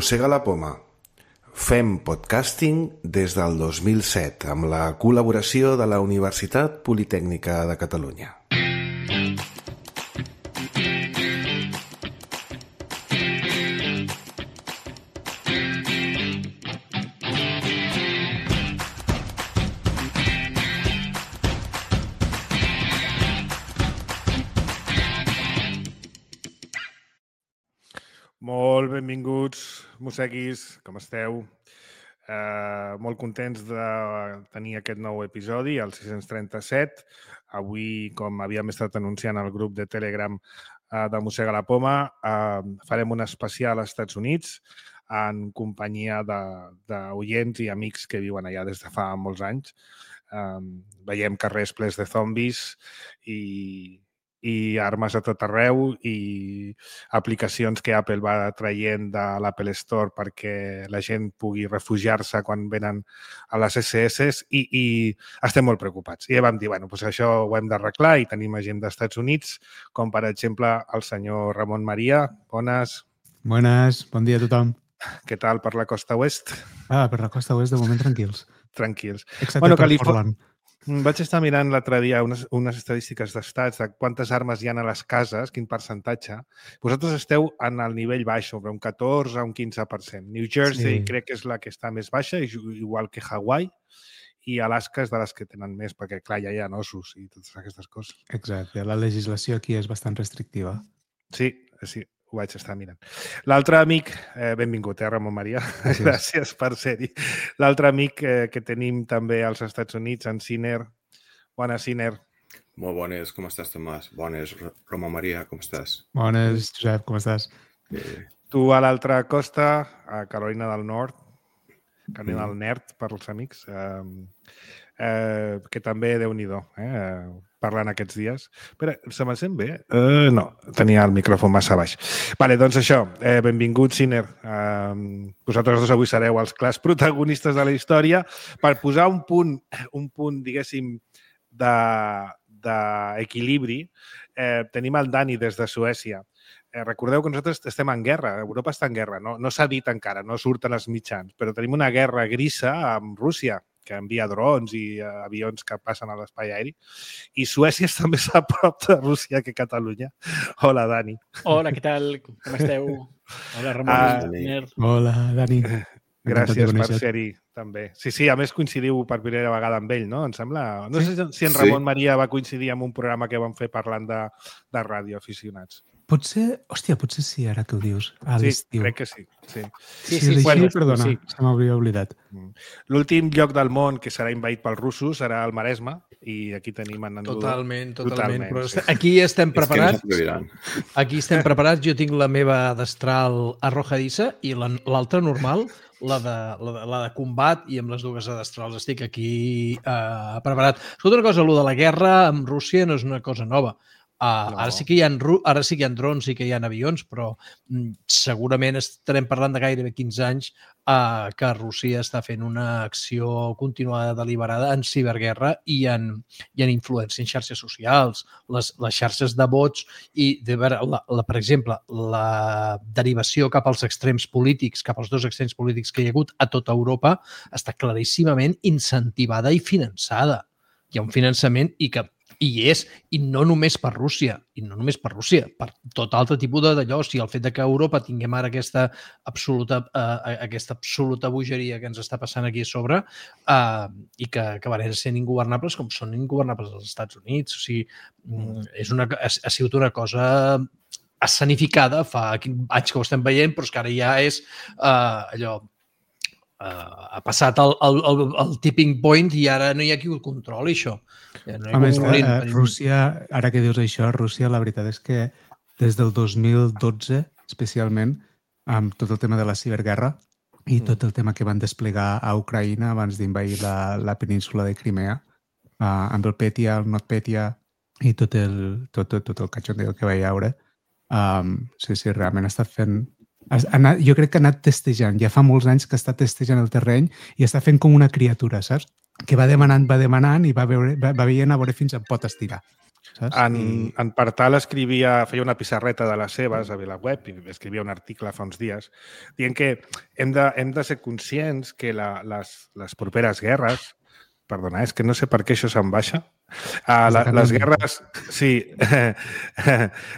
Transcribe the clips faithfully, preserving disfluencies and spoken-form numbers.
Mossega la poma. Fem podcasting des del dos mil set amb la col·laboració de la Universitat Politècnica de Catalunya. Molt benvinguts, mosseguis, com esteu? Uh, molt contents de tenir aquest nou episodi, el sis-cents trenta-set. Avui, com havíem estat anunciant al grup de Telegram uh, de Mossega la Poma, uh, farem un especial als Estats Units en companyia d'oients i amics que viuen allà des de fa molts anys. Um, veiem carrers plens de zombis i... i armes a tot arreu i aplicacions que Apple va traient de l'Apple Store perquè la gent pugui refugiar-se quan venen a les esse esse i, i estem molt preocupats. I ja vam dir, bueno, doncs això ho hem d'arreglar i tenim gent dels Estats Units, com per exemple el senyor Ramon Maria. Bones. Bones, bon dia a tothom. Què tal per la costa oest? Ah, per la costa oest de moment tranquils. Tranquils. Excepte bueno, per Portland. Vaig estar mirant l'altre dia unes, unes estadístiques d'estats de quantes armes hi ha a les cases, quin percentatge. Vosaltres esteu en el nivell baix, sobre un catorze a un quinze per cent. New Jersey sí. Crec que és la que està més baixa, igual que Hawaii, i Alaska és de les que tenen més, perquè clar, ja hi ha ossos i totes aquestes coses. Exacte, la legislació aquí és bastant restrictiva. Sí, sí. Ho vaig estar mirant. L'altre amic, eh, benvingut, eh, Ramon Maria? Gràcies, Gràcies per ser-hi. L'altre amic eh, que tenim també als Estats Units, en Siner. Bones, Siner. Molt bones, com estàs, Tomàs? Bones, Ramon Maria, com estàs? Bones, Josep, com estàs? Eh... Tu a l'altra costa, a Carolina del Nord, Carolina del Nord, per als amics, eh, eh, que també, Déu-n'hi-do, eh, parlant aquests dies. Espera, se me sent bé? Uh, no, tenia el micròfon massa baix. Vale, doncs això, eh, benvingut, Siner. Uh, vosaltres dos avui sereu els clars protagonistes de la història per posar un punt, un punt diguéssim, d'equilibri. Eh, tenim el Dani des de Suècia. Eh, recordeu que nosaltres estem en guerra, Europa està en guerra, no, no s'ha dit encara, no surten els mitjans, però tenim una guerra grisa amb Rússia, que envia drons i uh, avions que passen a l'espai aeri. I Suècia està més a prop de Rússia que Catalunya. Hola, Dani. Hola, què tal? Com esteu? Hola, Ramon. Uh, Hola, Dani. Gràcies per ser-hi, també. Sí, sí, a més coincidiu per primera vegada amb ell, no? Em sembla... No sé si en Ramon sí. Maria va coincidir amb un programa que vam fer parlant de, de radioaficionats. Potser, hòstia, potser sí, ara que ho dius. A sí, l'estiu. crec que sí. Sí, sí, sí, sí, sí, bueno, sí perdona, sí. Se m'hauria oblidat. L'últim lloc del món que serà invaït pels russos serà el Maresme i aquí tenim en Nando. Totalment, totalment. totalment però sí. Aquí estem preparats. No aquí estem preparats. Jo tinc la meva destral arrojadissa i l'altra normal, la de, la, de, la de combat, i amb les dues destrals estic aquí eh, preparat. Escolta una cosa, allò de la guerra amb Rússia no és una cosa nova. Uh, no. ara, sí que hi ha, ara sí que hi ha drons i que hi ha avions, però mm, segurament estarem parlant de gairebé quinze anys uh, que Rússia està fent una acció continuada deliberada en ciberguerra i en, i en influència en xarxes socials, les, les xarxes de bots i, de veure, la, la, per exemple, la derivació cap als extrems polítics, cap als dos extrems polítics que hi ha hagut a tota Europa, està claríssimament incentivada i finançada. Hi ha un finançament i que I és, i no només per Rússia, i no només per Rússia, per tot altre tipus d'allò. O sigui, el fet de que a Europa tinguem ara aquesta absoluta, eh, aquesta absoluta bogeria que ens està passant aquí a sobre eh, i que acabarem sent ingovernables com són ingovernables als Estats Units. O sigui, és una, ha, ha sigut una cosa escenificada fa anys que ho estem veient, però és que ara ja és eh, allò... Uh, ha passat el, el, el, el tipping point i ara no hi ha qui ho controli, això. Ja no a més, uh, Rússia, ara que dius això, Rússia, la veritat és que des del dos mil dotze, especialment, amb tot el tema de la ciberguerra i tot el tema que van desplegar a Ucraïna abans d'invair la, la península de Crimea, uh, amb el Petia, el NotPetya i tot el, tot, tot, tot el cachondeo que va haure, um, sí, sí, realment ha estat fent... Anat, jo crec que ha anat testejant, ja fa molts anys que està testejant el terreny i està fent com una criatura, saps? Que va demanant, va demanant i va, veure, va, va veient a veure fins on pot estirar. saps? En, I... en Partal escrivia, feia una pissarreta de les seves a VilaWeb i escrivia un article fa uns dies dient que hem de, hem de ser conscients que la, les, les properes guerres, perdona, és que no sé per què això se'n baixa, uh, la, les guerres, sí,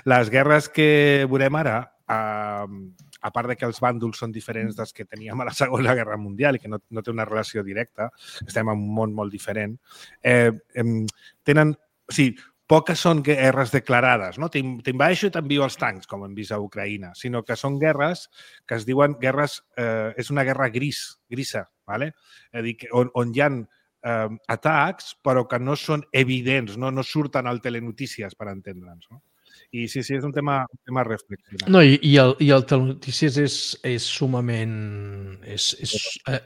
les guerres que veurem ara, uh, a part de que els bàndols són diferents dels que teníem a la Segona Guerra Mundial i que no, no té una relació directa, estem en un món molt diferent, eh, eh, tenen, o sigui, poques són guerres declarades, no? T'invaeixo i t'envio els tancs, com hem vist a Ucraïna, sinó que són guerres que es diuen guerres... Eh, és una guerra gris, grisa, ¿vale? És a dir, on, on hi ha eh, atacs, però que no són evidents, no, no surten al telenotícies, per entendre'ns, no? I sí, sí, és un tema, un tema reflexionat. No, i, i, el, i el telenotícies és, és sumament... És, és,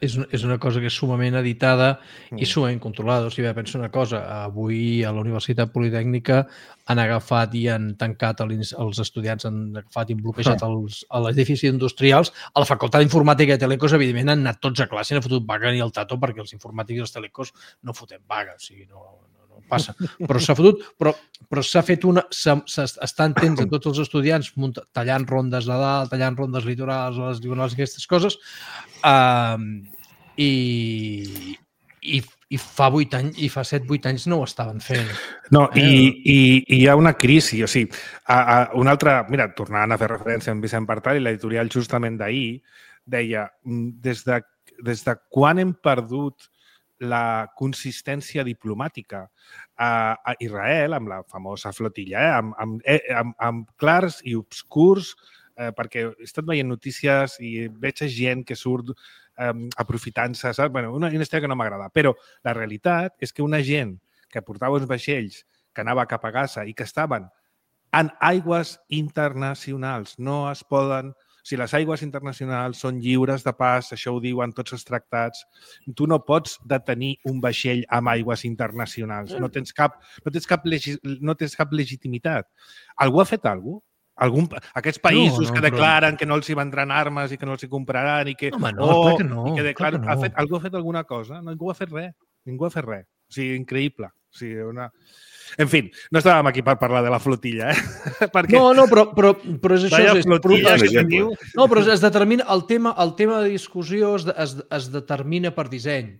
és, és una cosa que és sumament editada mm. i sumament controlada. O sigui, penso una cosa, avui a la Universitat Politècnica han agafat i han tancat els, els estudiants, han agafat i han bloquejat els, a l'edifici industrials. A la Facultat d'Informàtica i Telecos, evidentment, han anat tots a classe i han fotut vaga ni el tato perquè els informàtics i els telecos no fotem vaga. O sigui, no... passa, però s'ha fotut, però, però s'ha fet una... Estan tens a tots els estudiants munta, tallant rondes de dalt, tallant rondes litorals, les diagonals i aquestes coses, uh, i, i, i fa vuit anys, i fa set, vuit anys no ho estaven fent. No, eh? i, i, i hi ha una crisi, o sigui, a, a una altra... Mira, tornant a fer referència a Vicent Partal i l'editorial justament d'ahir, deia, des de, des de quan hem perdut la consistència diplomàtica a, a Israel, amb la famosa flotilla, eh? amb, amb, eh, amb, amb clars i obscurs, eh, perquè he estat veient notícies i veig gent que surt eh, aprofitant-se, saps? Bueno, una, una història que no m'agrada, però la realitat és que una gent que portava uns vaixells que anava cap a Gaza i que estaven en aigües internacionals, no es poden... Si les aigües internacionals són lliures de pas, això ho diuen tots els tractats, tu no pots detenir un vaixell amb aigües internacionals. No tens cap, no tens cap, legi, no tens cap legitimitat. Algú ha fet alguna cosa? Algun, aquests països no, no, que declaren però... que no els hi vendran armes i que no els hi compraran i que... Home, no, oh, que no. I que declaren, que no. ha fet, algú ha fet alguna cosa? No, ningú ha fet res. Ningú ha fet res. O sigui, increïble. O sigui, una... En fi, no estàvem aquí per parlar de la flotilla, eh? Perquè... No, no, però, però, però és això... Vaya és, flotilla és, que teniu. No, però es determina... El tema, el tema de discussió es, es, es determina per disseny.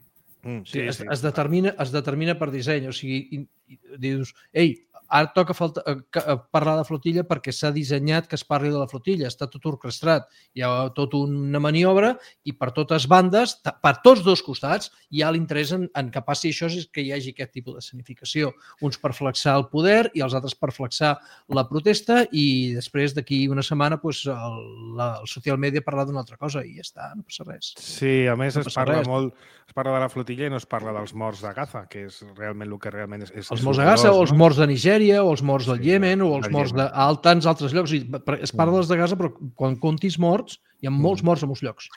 Mm, sí, o sigui, es, sí, es, determina, es determina per disseny. O sigui, i, i, dius, ei, ara toca falta, uh, parlar de flotilla perquè s'ha dissenyat que es parli de la flotilla. Està tot orquestrat. Hi ha tota una maniobra i per totes bandes, per tots dos costats, hi ha l'interès en, en que passi això, és que hi hagi aquest tipus de escenificació. Uns per flexar el poder i els altres per flexar la protesta i després d'aquí una setmana pues, el, la, el social media parla d'una altra cosa i ja està, no passa res. Sí, a més no es parla res. molt, es parla de la flotilla i no es parla dels morts de Gaza, que és realment el que realment és... és els morts de Gaza o els morts de Nigèria o els morts del sí, Iemen o els morts de a tants altres llocs. Es parla dels de Gaza, però quan comptis morts, hi ha molts morts a molts llocs.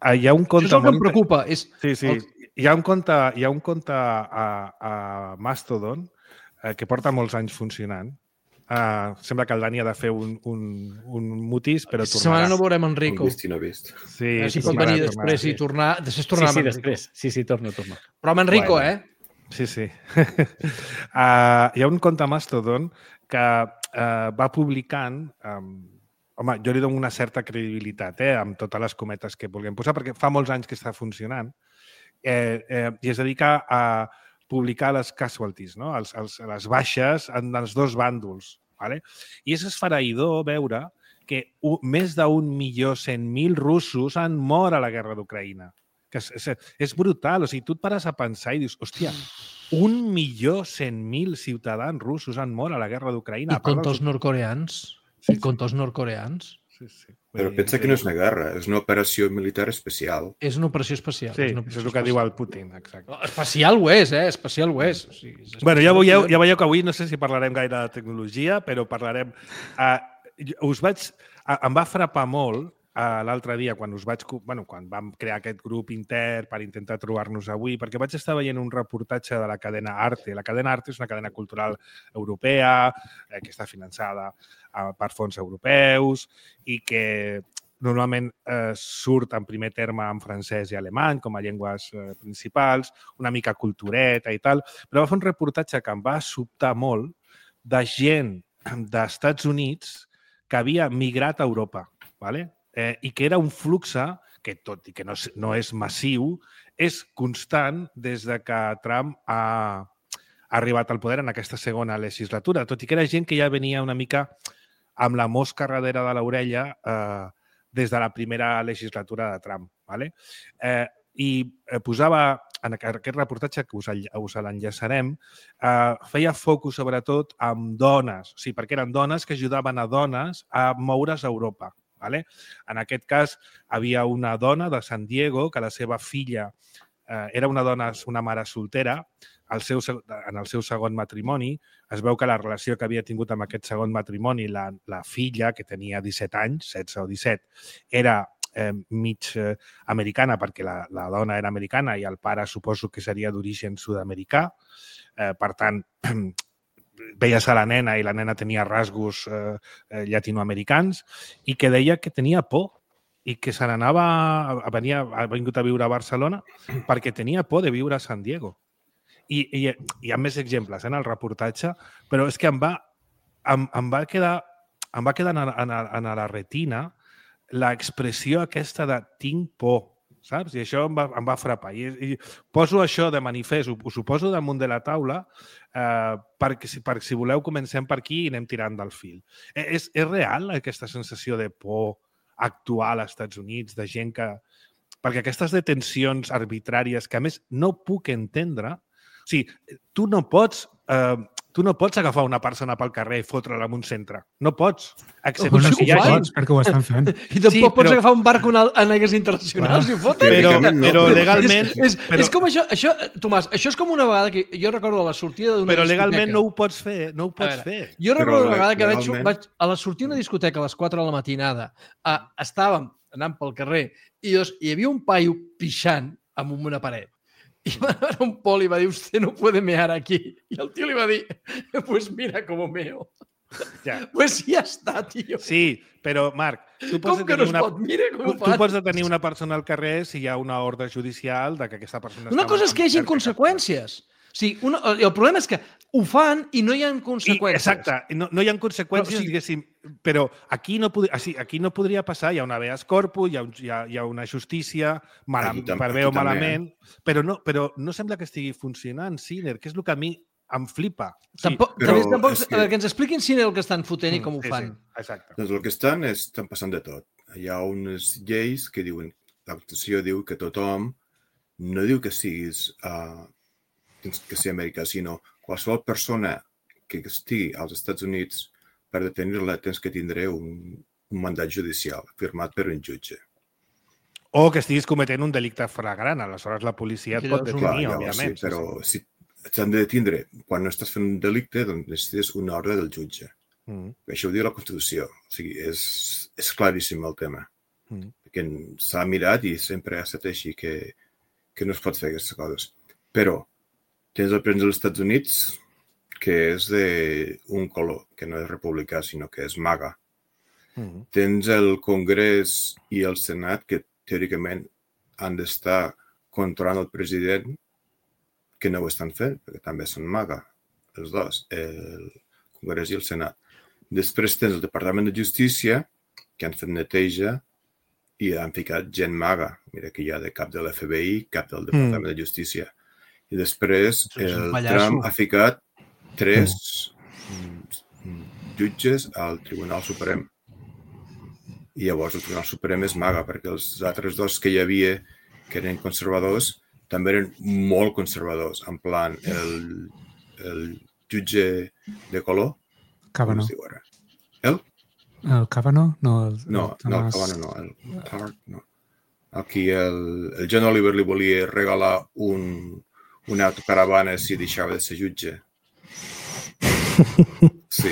Hi ha un conte Això és el que em preocupa. És sí, sí. El... Hi ha un conte, hi ha un conte a, a Mastodon eh, que porta molts anys funcionant. Uh, sembla que el Dani ha de fer un, un, un mutis, però tornarà. Setmana no veurem Enrico. No vist i no vist. Sí, eh, si sí, pot tornarà, venir després tornarà, i tornar... Després tornar sí, sí, amb després. Sí, sí, torno, torno. Però amb Enrico, bueno. eh? Sí, sí. uh, hi ha un conte a Mastodon que uh, va publicant... Um, home, jo li dono una certa credibilitat eh, amb totes les cometes que vulguem posar, perquè fa molts anys que està funcionant eh, eh, i es dedica a publicar les casualties, no? els, els, les baixes en els dos bàndols. Vale? I és esfereïdor veure que un, més d'un milió cent mil russos han mort a la guerra d'Ucraïna. Que és, és, és brutal. O sigui, tu et pares a pensar i dius, hòstia, un milió cent mil ciutadans russos han mort a la guerra d'Ucraïna. I contra els nord-coreans. Sí, I contra els nord-coreans. Sí, sí. Però pensa que no és una guerra, és una operació militar especial. És una operació especial. Sí, és una això és el que diu el Putin, exacte. No, especial ho és, eh? Especial ho és. O sigui, és bueno, ja veieu, ja veieu que avui no sé si parlarem gaire de tecnologia, però parlarem... Uh, us vaig... Uh, em va frapar molt uh, l'altre dia quan us vaig... Bueno, quan vam crear aquest grup intern per intentar trobar-nos avui, perquè vaig estar veient un reportatge de la cadena Arte. La cadena Arte és una cadena cultural europea eh, que està finançada uh, per fons europeus i que normalment eh, surt en primer terme en francès i alemany com a llengües eh, principals, una mica cultureta i tal, però va fer un reportatge que em va sobtar molt de gent d'Estats Units que havia migrat a Europa, ¿vale? eh, i que era un flux que, tot i que no, no és massiu, és constant des de que Trump ha, ha arribat al poder en aquesta segona legislatura, tot i que era gent que ja venia una mica amb la mosca darrere de l'orella eh, des de la primera legislatura de Trump. ¿Vale? Eh, I eh, posava, en aquest reportatge, que us, us l'enllaçarem, eh, feia focus sobretot en dones, o sigui, perquè eren dones que ajudaven a dones a moure's a Europa. ¿Vale? En aquest cas, havia una dona de San Diego que la seva filla eh, era una dona, una mare soltera, el seu, en el seu segon matrimoni. Es veu que la relació que havia tingut amb aquest segon matrimoni, la, la filla, que tenia disset anys, setze o disset, era eh, mig eh, americana, perquè la, la dona era americana i el pare suposo que seria d'origen sud-americà. Eh, per tant, veies a la nena i la nena tenia rasgos eh, llatinoamericans i que deia que tenia por i que se n'anava, venia, ha vingut a viure a Barcelona perquè tenia por de viure a San Diego. I, i hi ha més exemples en el reportatge, però és que em va, em, em va quedar, em va quedar en, en, en la retina l'expressió aquesta de tinc por, saps? I això em va, em va frapar. I, i poso això de manifest, ho, us ho poso damunt de la taula eh, perquè si, per, si voleu comencem per aquí i anem tirant del fil. És, és real aquesta sensació de por actual als Estats Units, de gent que... Perquè aquestes detencions arbitràries que, a més, no puc entendre. O sigui, tu no pots, eh, tu no pots agafar una persona pel carrer i fotre-la en un centre. No pots. Excepte bueno, si sí hi ha pots, perquè ho estan fent. I tampoc sí, però... pots agafar un barco en aigues internacionals bueno, i fotre. Però, però legalment... És, és, però... és com això, això, Tomàs, això és com una vegada que jo recordo a la sortida d'una Però discoteca. legalment no ho pots fer, no ho pots fer. Jo recordo una vegada que legalment... vaig, vaig a la sortida d'una discoteca a les quatre de la matinada, a, estàvem anant pel carrer i doncs, hi havia un paio pixant amb una paret. I va anar un poli i va dir, usted no puede mear aquí. I el tio li va dir, pues mira com meo. Ja. Pues ja està, tio. Sí, però, Marc, tu pots, com que no es una... pot? Mira com tu, tu pots detenir una persona al carrer si hi ha una ordre judicial de que aquesta persona... Una cosa és que hi hagi conseqüències. O sigui, una, el problema és que ho fan i no hi ha conseqüències. I, exacte, no, no hi ha conseqüències, però, o sigui, diguéssim, però aquí no, pod... aquí no podria passar, hi ha una habeas corpus, hi ha, un, hi ha, hi ha una justícia, mal, per bé o malament, però no, però no sembla que estigui funcionant, Sinner, que és el que a mi em flipa. Sí, tampoc, però també, tampoc, que... que ens expliquin, Sinner, el que estan fotent i com ho sí, fan. Sí, exacte. Doncs el que estan és, estan passant de tot. Hi ha unes lleis que diuen, la Constitució diu que tothom, no diu que siguis... Uh, que sigui americà, sinó qualsevol persona que estigui als Estats Units, per detenir-la tens que tindre un, un mandat judicial firmat per un jutge. O que estiguis cometent un delicte flagrant, aleshores la policia et pot detenir, clar, òbviament. Sí, però si t'han de detindre quan no estàs fent un delicte, doncs necessites una ordre del jutge. Mm. Això ho diu la Constitució. O sigui, és, és claríssim el tema. Mm. Perquè s'ha mirat i sempre ha estat així que, que no es pot fer aquestes coses. Però tens el president dels Estats Units, que és d'un color, que no és republicà, sinó que és MAGA. Mm-hmm. Tens el Congrés i el Senat, que teòricament han d'estar controlant el president, que no ho estan fent, perquè també són MAGA, els dos, el Congrés i el Senat. Després tens el Departament de Justícia, que han fet neteja i han ficat gent MAGA. Mira que hi ha de cap de l'F B I, cap del Departament mm. de Justícia. I després el Trump ha ficat tres mm. jutges al Tribunal Suprem. I llavors el Tribunal Suprem és MAGA, perquè els altres dos que hi havia, que eren conservadors, també eren molt conservadors. En plan, el, el jutge de color... Kavanaugh. Com es diu ara? El? El Kavanaugh? No, el, no, el no, el Kavanaugh no. El Hart, no. Aquí el, el John Oliver li volia regalar un... una autocaravana si deixava de ser jutge. Sí.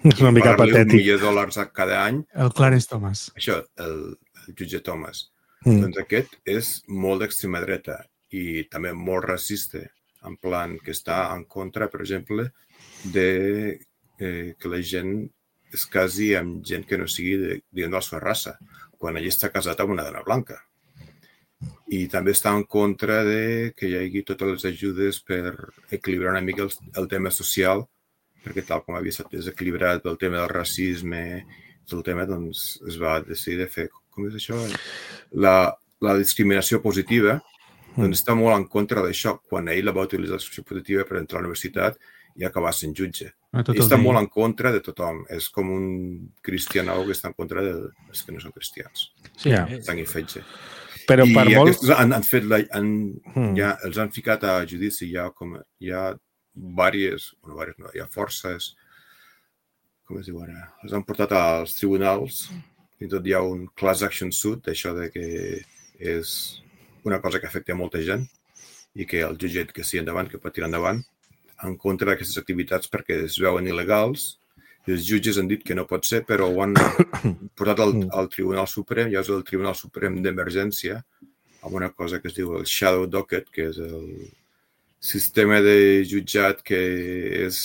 És una mica patètic. Un milió de dòlars cada any. El Clarence Thomas. Això, el, el jutge Thomas. Mm. Doncs aquest és molt d'extrema dreta i també molt racista, en plan que està en contra, per exemple, de eh, que la gent es casi amb gent que no sigui de, de la seva raça, quan ell està casat amb una dona blanca. I també està en contra de que hi hagi totes les ajudes per equilibrar una mica el, el tema social perquè tal com havia estat desequilibrat pel tema del racisme, tot el tema, doncs es va decidir de fer, com és això? La, la discriminació positiva, doncs està molt en contra d'això, quan ell la va utilitzar la discriminació positiva per entrar a la universitat i acabar sent jutge. Ell està molt en contra de tothom. És com un cristianau que està en contra dels que no són cristians. Sí, sang i fetge. Però I per molt... aquests han, han fet la, han, hmm. ja, els han ficat a judici, hi ha, com, hi ha diverses, bueno, diverses no, hi ha forces, com es diu ara, els han portat als tribunals, i tot hi ha un class action suit, això de que és una cosa que afecta a molta gent i que el jutge que sigui endavant, que pot tirar endavant, en contra d'aquestes activitats perquè es veuen il·legals. I els jutges han dit que no pot ser, però ho han portat al, al Tribunal Suprem, ja és el Tribunal Suprem d'Emergència, amb una cosa que es diu el Shadow Docket, que és el sistema de jutjat que és...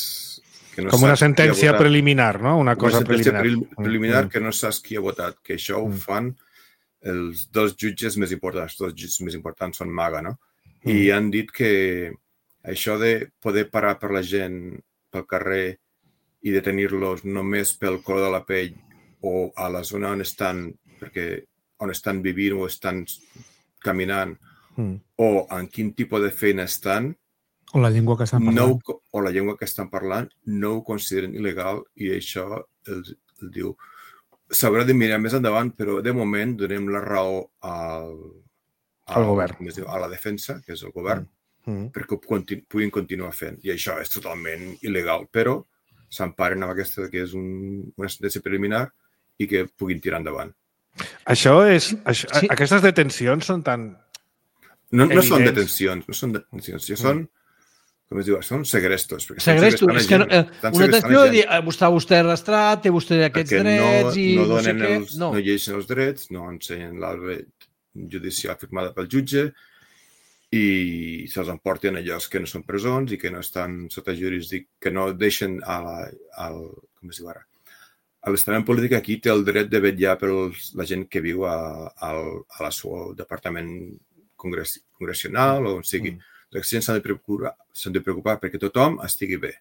Que no com una sentència preliminar, no? Una cosa una sentència preliminar. preliminar que no saps qui ha votat, que això ho fan els dos jutges més importants. Els dos jutges més importants són MAGA, no? I han dit que això de poder parar per la gent pel carrer i detenir-los només pel color de la pell o a la zona on estan, perquè on estan vivint o estan caminant mm. o en quin tipus de feina estan o la llengua que estan parlant, no, o la llengua que estan parlant no ho consideren il·legal i això el, el diu s'haurà de mirar més endavant, però de moment donem la raó al, al, al govern, diu, a la defensa, que és el govern, mm. Mm. perquè ho continu, puguin continuar fent. I això és totalment il·legal, però s'emparen amb aquesta que és un, una sentència preliminar i que puguin tirar endavant. Això és... Això, sí. Aquestes detencions són tan No, no són detencions, no són detencions, mm. són, com es diu, són segrestos. Segrestos, és que no, eh, una detenció de dir, està vostè arrestrat, té vostè aquests perquè drets no, i no, no sé què. Els, no. no llegeixen els drets, no ensenyen l'arbre judicial firmada pel jutge i se'ls emporten a llocs que no són presons i que no estan sota jurisdic, que no deixen a la, al, com es diu ara, a l'estament polític aquí té el dret de vetllar per la gent que viu a, a, a la seu departament congres, congressional o on sigui. Mm. Les gent s'han de preocupar, s'han de preocupar perquè tothom estigui bé.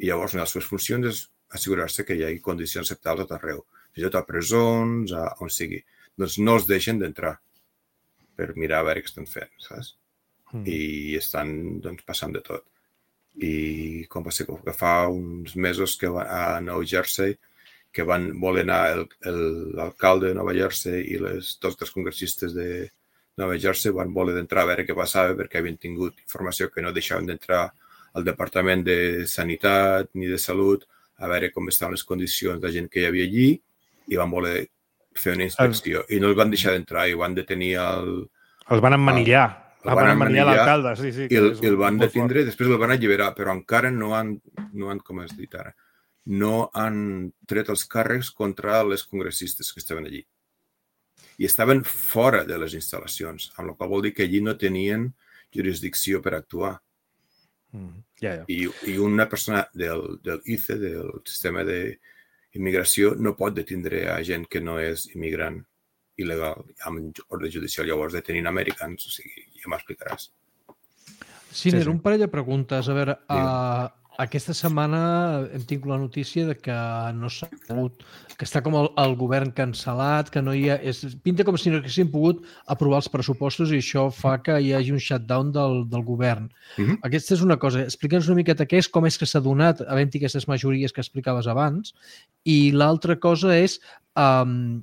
I llavors una de les seves funcions és assegurar-se que hi hagi condicions acceptables a tot arreu, fins i tot a presons, a on sigui. Doncs no els deixen d'entrar per mirar a veure què estan fent, saps? Mm. I estan doncs, passant de tot. I com va ser que fa uns mesos que va a New Jersey, que van voler anar l'alcalde de Nova Jersey i les dos dels congressistes de Nova Jersey van voler d'entrar a veure què passava perquè havien tingut informació que no deixaven d'entrar al Departament de Sanitat ni de Salut a veure com estaven les condicions de gent que hi havia allí i van voler fer una inspecció. I no els van deixar d'entrar i van detenir el... Els van emmanillar. El van emmanillar l'alcalde, sí, sí. I el, el van detindre, després el van alliberar, però encara no han, no han, com has dit ara, no han tret els càrrecs contra les congressistes que estaven allí. I estaven fora de les instal·lacions, amb la qual vol dir que allí no tenien jurisdicció per actuar. Mm, yeah, yeah. I, I una persona del, del I C E, del sistema d'immigració, no pot detindre a gent que no és immigrant il·legal amb ordre judicial. Llavors detenint americans, o sigui, ja m'explicaràs. Ciner, sí, sí. Un parell de preguntes. A veure, uh, aquesta setmana hem tingut la notícia de que no s'ha pogut, que està com el, el govern cancel·lat, que no hi ha... És, pinta com si no haguessin pogut aprovar els pressupostos i això fa que hi hagi un shutdown del, del govern. Uh-huh. Aquesta és una cosa. Explica'ns una miqueta què és, com és que s'ha donat, havent-hi aquestes majories que explicaves abans, i l'altra cosa és... Um,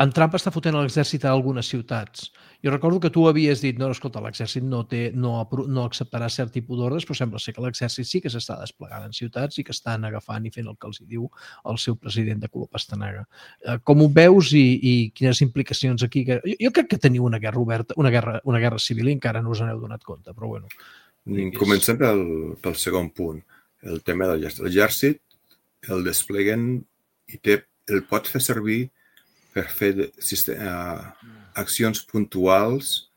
en Trump està fotent l'exèrcit a algunes ciutats. Jo recordo que tu havies dit, no, escolta, l'exèrcit no, té, no, no acceptarà cert tipus d'ordres, però sembla ser que l'exèrcit sí que s'està desplegant en ciutats i que estan agafant i fent el que els diu el seu president de color pastanaga. Com ho veus i, i quines implicacions aquí? Jo, jo crec que teniu una guerra oberta, una guerra, una guerra civil i encara no us n'heu donat compte, però bueno. Comencem pel, pel segon punt, el tema del l'exèrcit. L'exèrcit el despleguen i té, el pot fer servir per fer de, uh, accions puntuals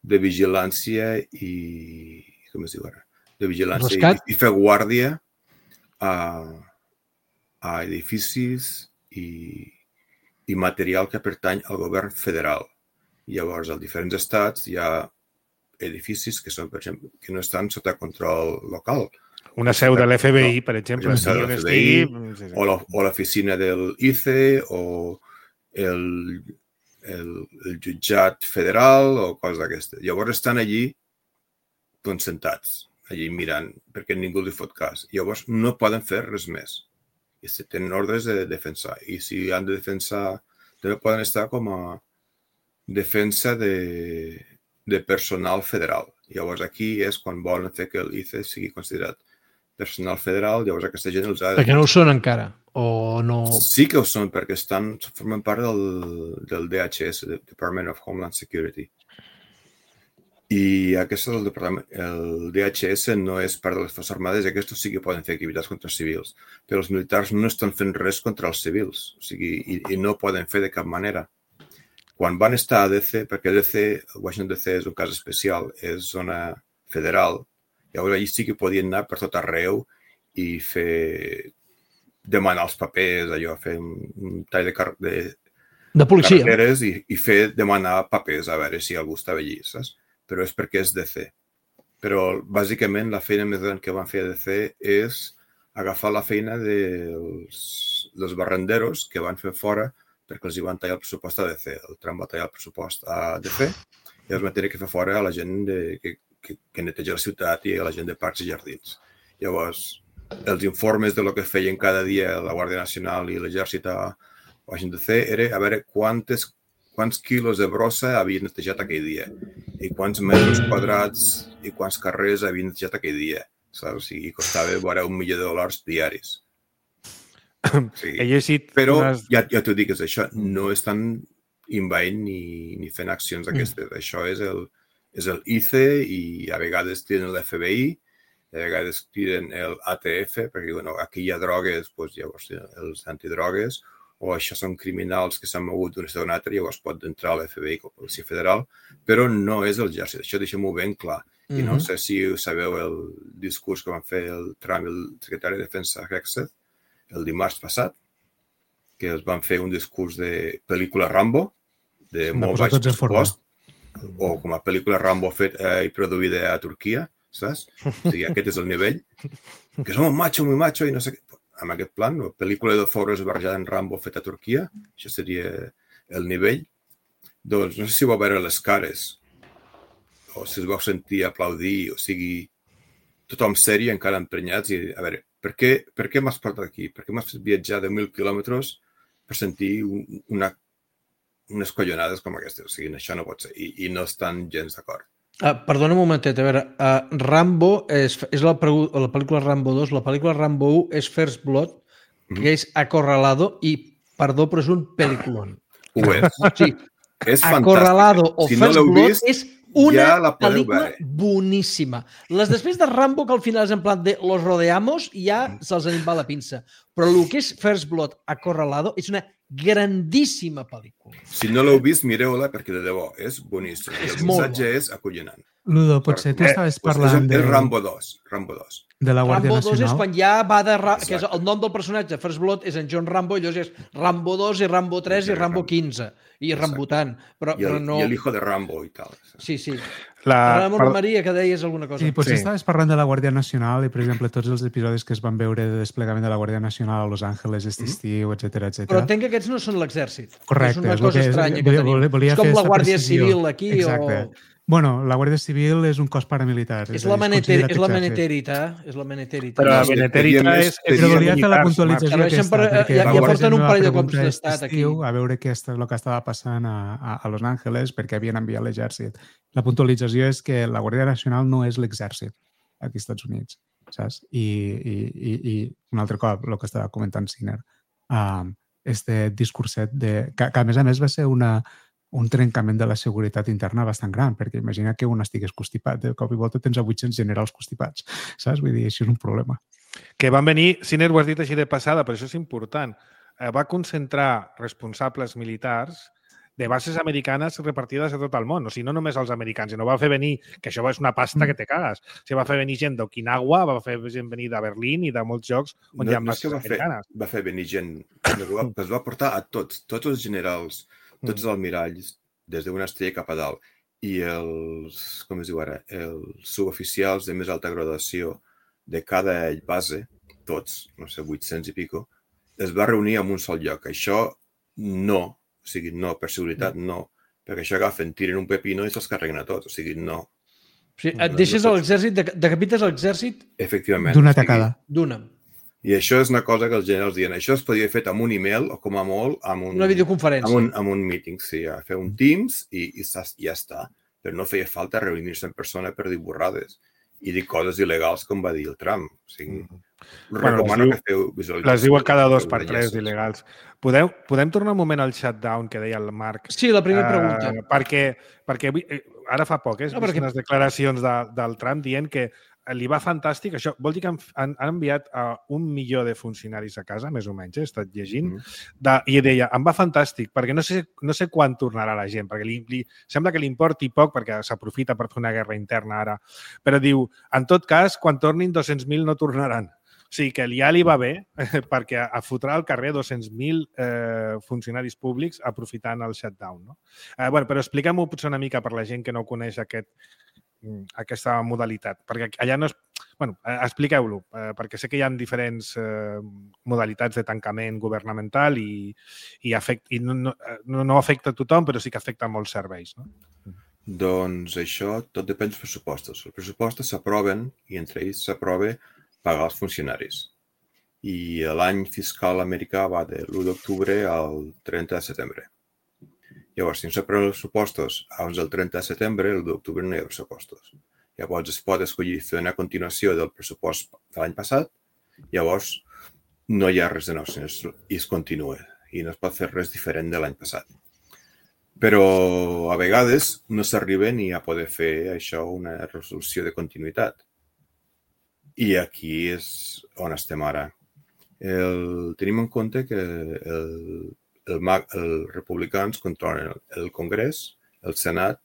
de vigilància i, com es diu ara? De vigilància i, i fer guàrdia a, a edificis i, i material que pertany al govern federal. Llavors, als diferents estats hi ha edificis que són, per exemple, que no estan sota control local. Una seu de l'F B I, per exemple, estigui on estigui... O l'oficina del I C E, o el, el, el jutjat federal, o coses d'aquestes. Llavors estan allí doncs, sentats, allí mirant, perquè ningú li fot cas. Llavors no poden fer res més. I tenen ordres de defensar. I si han de defensar, també poden estar com a defensa de, de personal federal. Llavors aquí és quan volen fer que el I C E sigui considerat personal federal, llavors aquesta gent els ha de... Perquè no ho són encara, o no... Sí que ho són, perquè estan, formen part del, del D H S, del Department of Homeland Security. I aquest el, departament, el D H S no és part de les Forces Armades i aquests sí que poden fer activitats contra els civils, però els militars no estan fent res contra els civils, o sigui, i, i no poden fer de cap manera. Quan van estar a D C, perquè D C, Washington D C és un cas especial, és zona federal, llavors allí sí que podien anar per tot arreu i fer, demanar els papers, allò, fer un, un tall de, car de, de policia. carreteres i, i fer demanar papers a veure si algú estava allí, saps? Però és perquè és D C. Però, bàsicament, la feina més gran que van fer a D C és agafar la feina dels, dels barrenderos que van fer fora perquè els hi van tallar el pressupost a D C. El Trump va tallar el pressupost a D C i els van tenir que fer fora a la gent de, que, que, que neteja la ciutat i a la gent de parcs i jardins. Llavors, els informes de lo que feien cada dia la Guàrdia Nacional i l'Exèrcit a Washington D C era a veure quantes, quants quilos de brossa havien netejat aquell dia i quants metres quadrats i quants carrers havien netejat aquell dia. Saps? I costava vora un milió de dòlars diaris. Sí. He llegit Però unes... ja, ja t'ho dic, és això, no estan invaint ni, ni fent accions d'aquestes. Mm. Això és el, és el I C E i a vegades tiren l'F B I, a vegades tiren el A T F, perquè bueno, aquí hi ha drogues, doncs, llavors els antidrogues, o això són criminals que s'han mogut d'un estat a un altre, llavors pot entrar a l'F B I com a policia federal, però no és el exèrcit. Això deixem-ho ben clar. I mm-hmm. no sé si sabeu el discurs que van fer el Trump i el secretari de Defensa Hexet el dimarts passat, que els van fer un discurs de pel·lícula Rambo, de molt baix pressupost, o com a pel·lícula Rambo feta i produïda a Turquia, saps? O sigui, aquest és el nivell. Que som un macho, muy macho, i no sé què. Amb aquest plan, la pel·lícula de Forrest barrejada en Rambo feta a Turquia, això seria el nivell. Doncs no sé si vau veure les cares, o si es vau sentir aplaudir, o sigui, tothom sèrie, encara emprenyats, i a veure, per què, per què m'has portat aquí? Per què m'has fet viatjar de mil quilòmetres per sentir una, unes collonades com aquestes? O sigui, això no pot ser, i, i no estan gens d'acord. Uh, perdona un momentet, a veure, uh, Rambo és, és la, la pel·lícula Rambo dos, la pel·lícula Rambo u és First Blood, que mm-hmm. és Acorralado, i, perdó, però és un pel·lículon. Ho és. Sí. És Acorralado fantàstic. o Si First no l'heu Blood vist, és una ja la pel·lícula veure. boníssima. Les després de Rambo, que al final és en plan de los rodeamos, ja se'ls en va la pinça. Però el que és First Blood Acorralado és una grandíssima pel·lícula. Si no l'heu vist, mireu-la, perquè de debò és boníssim. És el missatge és acollonant. Ludo, potser tu estaves eh, parlant és, de... és Rambo dos. Rambo dos. De la Guàrdia Rambo dos Nacional. és quan ja va de... Ra... que és el nom del personatge, First Blood, és en John Rambo, i llavors és Rambo dos i Rambo tres i Rambo quinze. I Rambutant. Però, I el, però no... i el hijo de Rambo i tal. Sí, sí. La... Ramon per... Maria, que deies alguna cosa. Sí, potser Sí. estaves parlant de la Guàrdia Nacional i, per exemple, tots els episodis que es van veure de desplegament de la Guàrdia Nacional a Los Angeles aquest estiu, etcètera, etcètera. Però entenc que aquests no són l'exèrcit. Correcte. És una és el cosa que és, estranya que volia, tenim. volia, volia És com fer la esta Guàrdia precisió. Civil aquí. Exacte. O... Bueno, la Guàrdia Civil és un cos paramilitar. És a la, dir, meneter... és la considerat menetèrita. És la menetèrita. Però la No, Beneterita seria és... més- és Però volia fer la militars, puntualització Marc. aquesta, Per- perquè ja- la ja Guàrdia porten un Civil parell de va cops preguntar d'estat aquest aquí. estiu a veure què és el que estava passant a, a, a Los Angeles perquè havien enviat l'exèrcit. La puntualització és que la Guàrdia Nacional no és l'exèrcit aquí als Estats Units, saps? I, i, i, i un altre cop, el que estava comentant Sinner, um, este discurset de, que, que a més a més va ser una, un trencament de la seguretat interna bastant gran, perquè imagina que un estigués constipat, de cop i volta tens a vuit-cents generals constipats, saps? Vull dir, això és un problema. Que van venir, Sinner ho has dit així de passada, però això és important, eh, va concentrar responsables militars de bases americanes repartides a tot el món. O sigui, no només els americans, sinó va fer venir, que això és una pasta que te cagues, o sigui, va fer venir gent d'Okinawa, va fer gent venir de Berlín i de molts llocs on No, hi ha no és que bases va fer, americanes. va fer venir gent, va, es va portar a tots, tots els generals, tots els almiralls, des d'una estrella cap a dalt, i els, com es diu ara, els suboficials de més alta graduació de cada base, tots, no sé, vuit-cents i pico, es va reunir en un sol lloc. Això no, o sigui, no, per seguretat no, perquè això agafen, tiren un pepino i se'ls carreguen a tots, o sigui, no. O sigui, et deixes a l'exèrcit, decapites a l'exèrcit... Efectivament. D'una tacada. D'una. I això és una cosa que els generals diuen, això es podia fer amb un email o com a molt amb un... Una videoconferència. Amb un, amb un meeting, sí, a fer un Teams i, i ja està. Però no feia falta reunir-se en persona per dir borrades i dir coses il·legals, com va dir el Trump. O sigui, bueno, recomano diu, que feu visualització. Les diuen cada dos per tres d'il·legals. Podem, podem tornar un moment al shutdown que deia el Marc? Sí, la primera pregunta. Uh, perquè, perquè ara fa poc, eh? He no, vist perquè... unes declaracions de, del Trump dient que li va fantàstic. Això vol dir que han, han, han enviat uh, un milió de funcionaris a casa, més o menys, he estat llegint, mm. de, i deia, em va fantàstic, perquè no sé, no sé quan tornarà la gent, perquè li, li, sembla que li importi poc, perquè s'aprofita per fer una guerra interna ara, però diu, en tot cas, quan tornin dos-cents mil no tornaran. O sigui que ja li va bé, eh, perquè fotrà al carrer dos-cents mil eh, funcionaris públics aprofitant el shutdown. No? Eh, bueno, però expliquem-ho potser una mica per la gent que no coneix aquest, aquesta modalitat, perquè allà no és... Bueno, expliqueu-lo, eh, perquè sé que hi ha diferents eh, modalitats de tancament governamental i, i, afect, i no, no, no afecta a tothom, però sí que afecta a molts serveis. No? Doncs això tot depèn dels pressupostos. Els pressupostos s'aproven i entre ells s'aprova pagar els funcionaris. I l'any fiscal americà va de l'u d'octubre al trenta de setembre. Llavors, si no s'aproven els pressupostos abans del trenta de setembre, l'u d'octubre no hi ha pressupostos. Llavors, es pot escollir fer una continuació del pressupost de l'any passat, llavors no hi ha res de nou, i es continua, i no es pot fer res diferent de l'any passat. Però a vegades no s'arriba ni a poder fer això una resolució de continuïtat. I aquí és on estem ara. El, tenim en compte que el, el, els republicans controlen el, el Congrés, el Senat,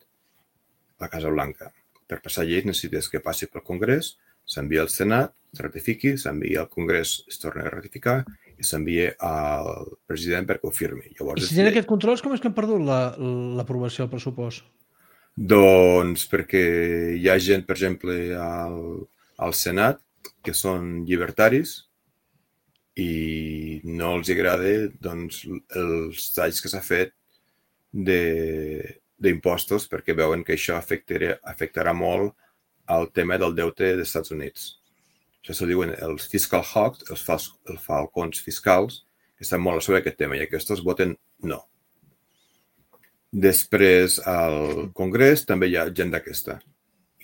la Casa Blanca. Per passar lleis necessites que passi pel Congrés, s'envia al Senat, es ratifiqui, s'envia al Congrés, es torna a ratificar i s'envia al president perquè ho firmi. Llavors, I si tenen aquest control, com és que han perdut l'aprovació la, del pressupost? Doncs perquè hi ha gent, per exemple, al, al Senat, que són llibertaris i no els agrada doncs, els talls que s'ha fet de, d'impostos perquè veuen que això afectarà, afectarà molt al tema del deute dels Estats Units. Això se diuen els fiscal hawks, els, fals, els falcons fiscals, que estan molt sobre aquest tema i aquests voten no. Després al Congrés també hi ha gent d'aquesta.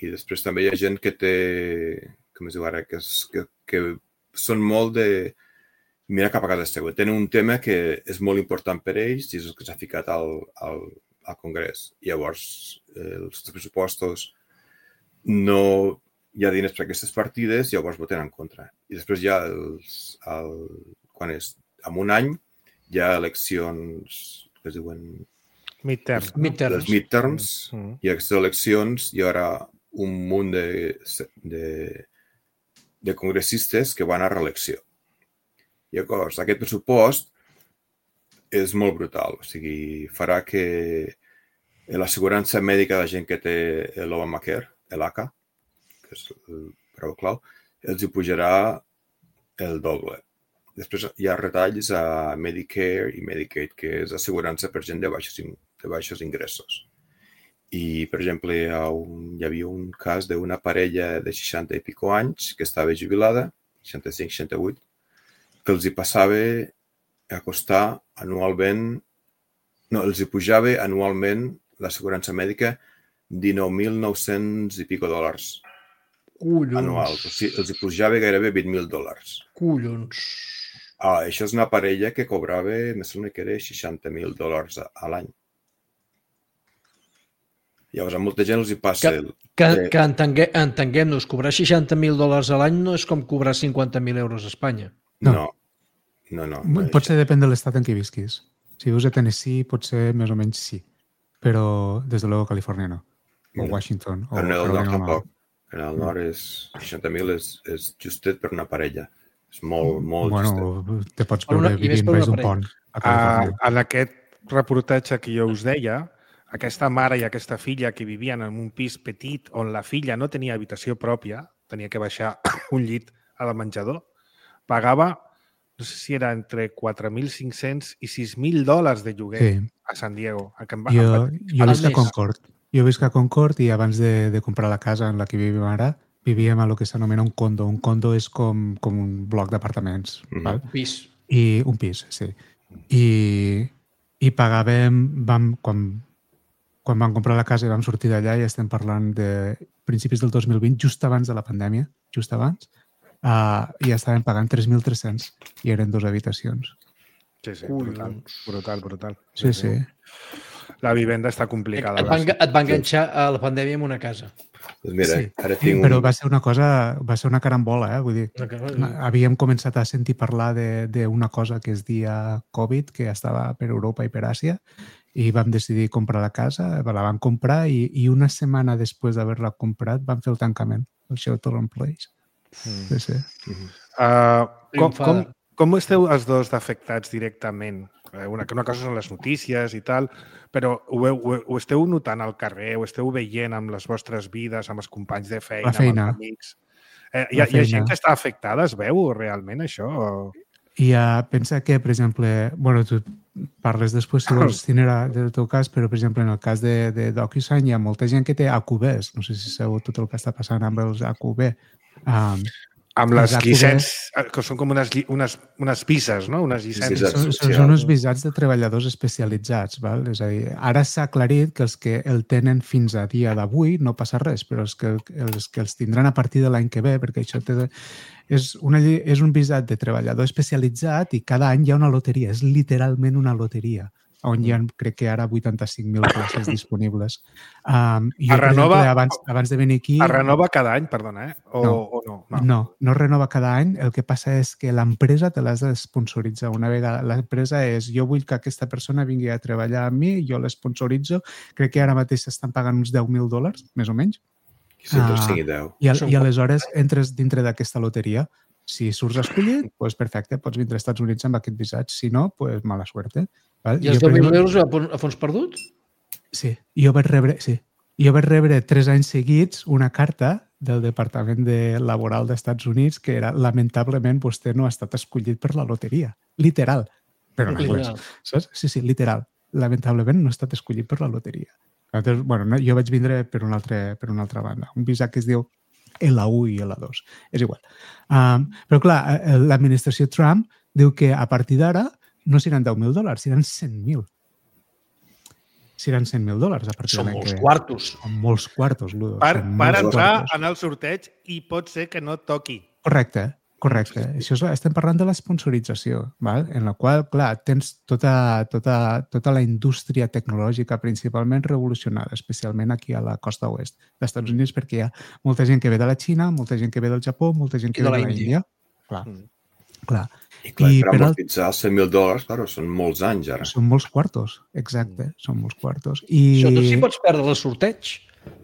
I després també hi ha gent que té, com es diu ara, que, és, que, que són molt de mirar cap a casa seva. Tenen un tema que és molt important per ells i és el que s'ha ficat al, al, al Congrés. Llavors, eh, els pressupostos no hi ha diners per aquestes partides, llavors voten en contra. I després hi ha els, el, quan és, en un any, hi ha eleccions que es diuen... Midterms. Midterms. Les midterms. Mm-hmm. I aquestes eleccions hi haurà un munt de, de, de congressistes que van a reelecció. Llavors, aquest pressupost és molt brutal. O sigui, farà que l'assegurança mèdica de la gent que té l'Obamacare, l'A C A, que és el preu clau, els hi pujarà el doble. Després hi ha retalls a Medicare i Medicaid, que és assegurança per gent de baixos, de baixos ingressos. I, per exemple, hi, ha un, hi havia un cas d'una parella de seixanta i pico anys que estava jubilada, seixanta-cinc seixanta-vuit, que els hi passava a costar anualment, no, els hi pujava anualment l'assegurança mèdica dinou mil nou-cents i pico dòlars. Collons. Anuals. O sigui, els hi pujava gairebé vint mil dòlars. Collons. Ah, això és una parella que cobrava, me sembla que era seixanta mil dòlars a, a l'any. Llavors, a molta gent els hi passa... Que, que, que... que entengue, entenguem-nos, cobrar seixanta mil dòlars a l'any no és com cobrar cinquanta mil euros a Espanya. No. No, no. no potser depèn de l'estat en què visquis. Si vius a Tennessee, potser més o menys sí. Però, des de luego, Califòrnia no. O Washington. O en el nord tampoc. En el nord és seixanta mil és, és justet per una parella. És molt, molt bueno, justet. Bueno, te pots veure vivint baix d'un pont. A, en aquest reportatge que jo us deia, aquesta mare i aquesta filla que vivien en un pis petit on la filla no tenia habitació pròpia, tenia que baixar un llit al menjador, pagava, no sé si era entre quatre mil cinc-cents i sis mil dòlars de lloguer Sí. a San Diego. Que em va, Jo, em va... jo visc a Concord. Jo visc a Concord i abans de, de comprar la casa en la que vivim ara, vivíem a lo que s'anomena un condo. Un condo és com, com un bloc d'apartaments. Mhm. val? Un pis. I un pis, sí. I, i pagàvem, vam, quan, quan vam comprar la casa i vam sortir d'allà, i estem parlant de principis del dos mil vint, just abans de la pandèmia, just abans, uh, i estàvem pagant tres mil tres-cents i eren dues habitacions. Sí, sí, brutal, brutal, brutal. Sí, sí. La vivenda està complicada. Et van, et va enganxar a la pandèmia en una casa. Doncs mira, Sí, ara tinc un... però va ser una cosa, va ser una carambola, eh? Vull dir, Una cosa- havíem començat a sentir parlar de- d'una cosa que es dia Covid, que estava per Europa i per Àsia, i vam decidir comprar la casa, la vam comprar i, i una setmana després d'haver-la comprat vam fer el tancament, el Shelter in Place. Mm. Sí, sí. Uh, com, com, Triomfada. com esteu els dos afectats directament? Eh, Una, una cosa són les notícies i tal, però ho, heu, ho, ho esteu notant al carrer, ho esteu veient amb les vostres vides, amb els companys de feina, La feina. amb els amics. Eh, hi, ha, La hi ha feina. gent que està afectada, es veu realment això? O... I uh, pensa que, per exemple, bueno, tu parles després si vols tenir del teu cas, però, per exemple, en el cas de, de DocuSign hi ha molta gent que té A Q Bs. No sé si sabeu tot el que està passant amb els A Q B. Um, Amb les Els A Q B. llicències, que són com unes, lli- unes, unes vises, no? Unes llicències. Visats són, són, socials. són uns visats de treballadors especialitzats. Val? És a dir, ara s'ha aclarit que els que el tenen fins a dia d'avui no passa res, però els que, els que els tindran a partir de l'any que ve, perquè això té, és, una, lle- és un visat de treballador especialitzat i cada any hi ha una loteria. És literalment una loteria, on hi ha, crec que ara, vuitanta-cinc mil places disponibles. Um, i jo, Es per renova- exemple, abans, abans de venir aquí... Es renova cada any, perdona, eh? O No. o no? No. no, no es renova cada any. El que passa és que l'empresa te l'has de sponsoritzar. Una vegada l'empresa és, jo vull que aquesta persona vingui a treballar amb mi, jo l'esponsoritzo. Crec que ara mateix s'estan pagant uns deu mil dòlars, més o menys. Sempre Ah. cinc i deu. I, al, Són i aleshores entres dintre d'aquesta loteria. Si surts escollit, doncs perfecte, pots vindre als Estats Units amb aquest visat. Si no, doncs mala suerte. Val? I els Jo, per deu mil exemple, euros a fons, a fons perdut? Sí, jo vaig rebre, sí. Jo vaig rebre tres anys seguits una carta del Departament de Laboral dels Units que era, lamentablement, vostè no ha estat escollit per la loteria. Literal. Però en anglès. Literal. Saps? Sí, sí, literal. Lamentablement no ha estat escollit per la loteria. Llavors, bueno, no, jo vaig vindre per una, altra, per una altra banda. Un visat que es diu L u i L dos. És igual. Um, però, clar, eh, l'administració Trump diu que a partir d'ara no seran deu mil dòlars, seran cent mil. Seran cent mil dòlars a partir Són de l'any molts que ve. quartos. Són molts quartos, Ludo. Per, Són per molts entrar quartos. en el sorteig i pot ser que no et toqui. Correcte, correcte. Això és, estem parlant de l'esponsorització, val? En la qual, clar, tens tota, tota, tota la indústria tecnològica principalment revolucionada, especialment aquí a la costa oest dels Estats Units, perquè hi ha molta gent que ve de la Xina, molta gent que ve del Japó, molta gent que I de ve la de la Índia. Índia. Clar, Mm. clar. I, clar, I per per al- amortitzar els cent mil dòlars, clar, són molts anys ara. Són molts quartos, exacte, són molts quartos. I... Això tu sí pots perdre el sorteig.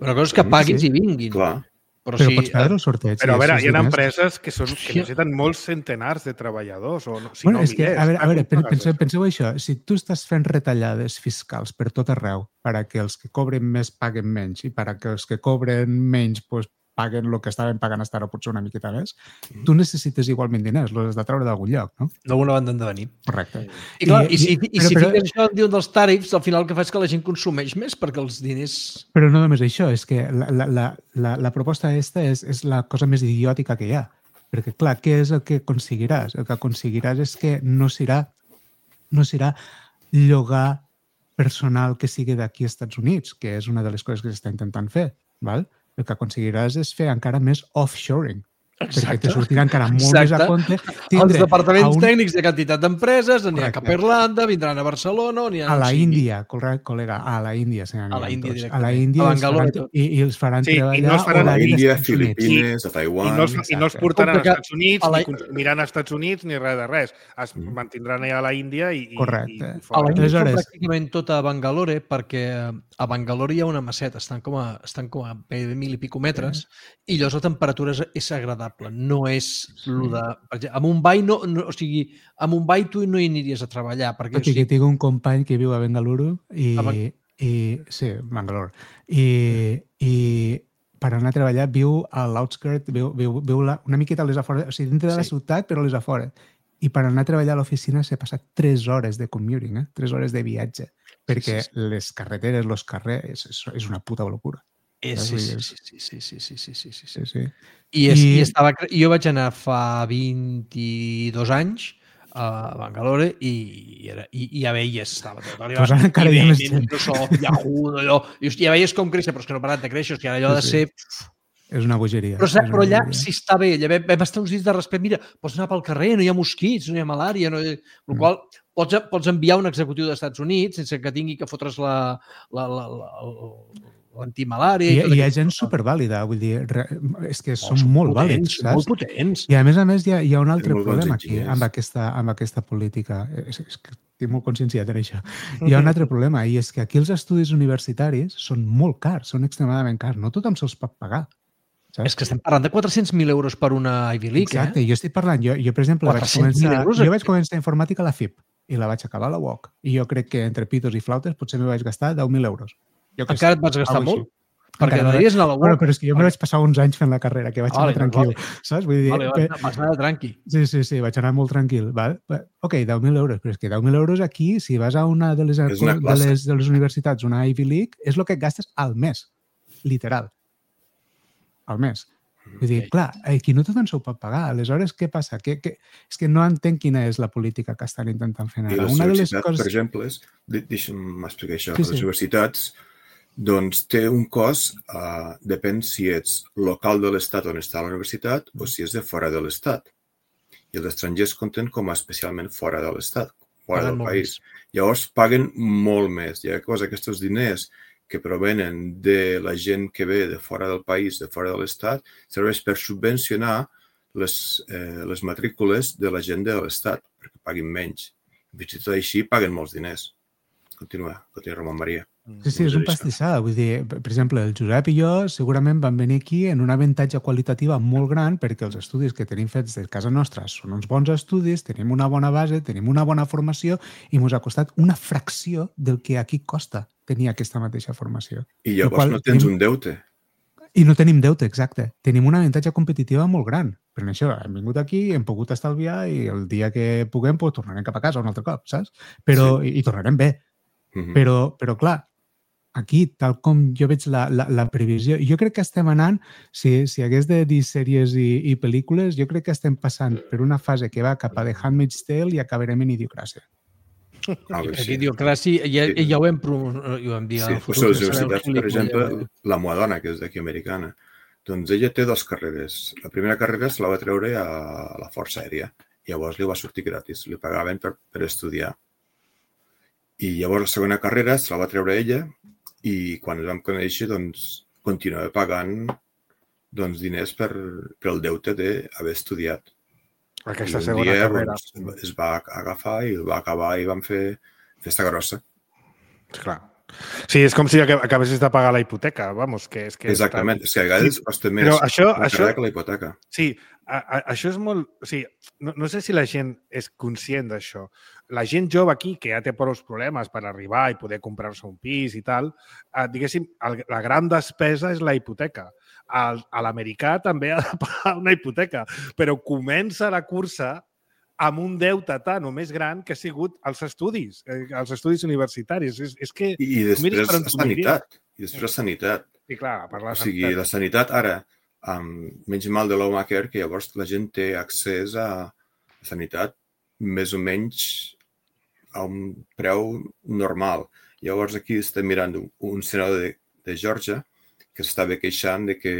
Una cosa és que paguis Sí. i vinguin. Clar. Però, Però si, pots perdre el sorteig. Però a sí, veure, sí, hi ha sí, empreses que, són, que Hòstia. necessiten molts centenars de treballadors, o no, si bueno, no és que, milers. a veure, a veure Com pagues penseu, això? penseu això. Si tu estàs fent retallades fiscals per tot arreu per a que els que cobren més paguen menys i per a que els que cobren menys pues, paguen el que estaven pagant fins ara, potser una miqueta més, tu necessites igualment diners, els has de treure d'algun lloc, no? d'alguna banda han de venir. Correcte. I, clar, i, I- si, i- i però- si però- fiques això en diuen dels tàrifs, al final el que fa és que la gent consumeix més perquè els diners... Però no només això, és que la, la, la, la, la proposta aquesta és, és la cosa més idiòtica que hi ha. Perquè, clar, què és el que aconseguiràs? El que aconseguiràs és que no serà, no serà llogar personal que sigui d'aquí als Estats Units, que és una de les coses que s'està intentant fer. Val? El que aconseguiràs és fer encara més offshoring. Perquè te sortirà encara molt més a Exacte. compte Els tindre departaments a un- tècnics de quantitat d'empreses aniran Correcte. cap a Irlanda, vindran a Barcelona, on aniran a la on sigui. Índia, correcte, col·lega, a la Índia se n'aniran A la Índia tots. A directament. la Índia A els Bangalore faran, i tot. i, i els faran Sí, i no treballar els faran A horari Índia, d'Estats Units. Filipines, a I Taiwan... no, els, I no els Exacte. portaran Com que als Estats Units, a la- ni consumiran als Estats Units, ni res de res. Es Mm. mantindran allà a la Índia i, i, Correcte. i A la fora. Índia són Aleshores- pràcticament tot a Bangalore, perquè a Bangalore hi ha una maceta, estan com a, estan com a gairebé mil i pico metres, i llavors la temperatura és, és agradable. No és el de... Per exemple, a Mumbai, no, no, o sigui, a Mumbai tu no hi aniries a treballar, perquè... Tot O i que sigui, tinc un company que viu a Bengaluru i, A Ban- i sí, Bangalore. I, i per anar a treballar viu a l'outskirt, viu, viu, viu la, una miqueta a les afores, o sigui, dintre de la sí. ciutat, però a les afores. I per anar a treballar a l'oficina s'ha passat tres hores de commuting, eh? tres hores de viatge, perquè sí, sí, sí. les carreteres, els carrers, és, és una puta locura. Eh, sí, sí, sí, sí, sí, sí, sí, sí, sí, sí. sí, sí. I, és, I... I estava, jo vaig anar fa vint-i-dos anys a Bangalore i, era, i, i ja veies, estava tot allò, pues encara hi ha més gent. Microsoft, Yahoo, allò, i ja veies com créixer, però és que no ha parat de créixer, que allò sí, de ser... És una bogeria. Però, però allà sí està bé, allà vam estar uns dies de respecte, mira, pots anar pel carrer, no hi ha mosquits, no hi ha malària, no hi... el mm. qual pots, pots enviar un executiu dels Estats Units sense que tingui que fotre's la, la, la, la, l'antimalària. I, I hi ha gent supervàlida, vull dir, és que són oh, molt potents, vàlids, saps? Molt potents. I a més a més hi ha, hi ha un altre problema aquí amb aquesta, amb aquesta política. És, és que estic molt conscienciat en això. Hi ha un altre problema i és que aquí els estudis universitaris són molt cars, són extremadament cars. No tothom se'ls pot pagar. Saps? És que estem parlant de quatre-cents mil euros per una Ivy League, Exacte, eh? jo estic parlant, jo, jo per exemple, vaig començar, euros, jo vaig començar informàtica a la F I P i la vaig acabar a la U O C. I jo crec que entre pitos i flautes potser me vaig gastar deu mil euros. Jo Encara et vas gastar molt? Perquè anaries a la U O C. Bueno, però és que jo me vaig passar uns anys fent la carrera, que vaig vale, anar tranquil, vale. saps? Vull dir, vale, vale, vas anar tranqui. Sí, sí, sí, vaig anar molt tranquil. Val? Ok, deu mil euros, però és que deu mil euros aquí, si vas a una de les, una de les, de les universitats, una Ivy League, és el que et gastes al mes, literal. Al mes. Vull dir, clar, aquí no tothom s'ho pot pagar. Aleshores, què passa? Que, que, és que no entenc quina és la política que estan intentant fer ara. I les Una universitats, de les coses... per exemple, deixa'm explicar això, sí, sí. Les universitats doncs té un cost, uh, depèn si ets local de l'estat on està la universitat o si és de fora de l'estat. I els estrangers compten com a especialment fora de l'estat, fora paguen del país. Més. Llavors paguen molt més. I llavors aquests diners que provenen de la gent que ve de fora del país, de fora de l'estat, serveix per subvencionar les, eh, les matrícules de la gent de l'estat, perquè paguin menys. Fins i tot així paguen molts diners. Continua, continua Ramon Maria. Sí, sí, és un pastissada. Vull dir, per exemple, el Josep i jo segurament vam venir aquí en un avantatge qualitativa molt gran perquè els estudis que tenim fets de casa nostra són uns bons estudis, tenim una bona base, tenim una bona formació i ens ha costat una fracció del que aquí costa tenir aquesta mateixa formació. I llavors no tens tenim... un deute. I no tenim deute, exacte. Tenim un avantatge competitiva molt gran. Per això hem vingut aquí, hem pogut estalviar i el dia que puguem pues, tornarem cap a casa un altre cop, saps? Però, sí. i, i tornarem bé. Uh-huh. Però, però, clar, aquí, tal com jo veig la, la, la previsió, jo crec que estem anant, si, si hagués de dir sèries i, i pel·lícules, jo crec que estem passant per una fase que va cap a The Handmaid's Tale i acabarem en Idiocràcia. Ah, sí. Idiocràcia, ja, ja, ja ho hem, ho hem dit. Sí, pues les universitats, per exemple, la meva dona, que és d'aquí americana, doncs ella té dues carreres. La primera carrera se la va treure a la Força Aèria. Llavors li va sortir gratis, li pagaven per, per estudiar. I llavors la segona carrera se la va treure ella i quan ens vam conèixer, doncs, continuava pagant doncs, diners per, per el deute d'haver estudiat. Aquesta I un segona dia carrera. Doncs, es va agafar i el va acabar i vam fer festa grossa. Clar. Sí, és com si acabessis de pagar la hipoteca, vamos, que és que... Exactament, és que a vegades sí, costa més això, la això, que la hipoteca. Sí, a, a, això és molt... O sigui, no, no sé si la gent és conscient d'això. La gent jove aquí, que ja té prou problemes per arribar i poder comprar-se un pis i tal, eh, diguéssim, el, la gran despesa és la hipoteca. El, a l'americà també ha de pagar una hipoteca, però comença la cursa amb un deute tan o més gran que ha sigut els estudis, eh, els estudis universitaris. És, és que... I després la sanitat. I després la sanitat. Sí, clar, per la o sigui, sanitat. La sanitat ara, amb menys mal de l'Obamacare, que llavors la gent té accés a sanitat més o menys a un preu normal. Llavors aquí estem mirant un, un senador de, de Georgia que s'estava queixant de que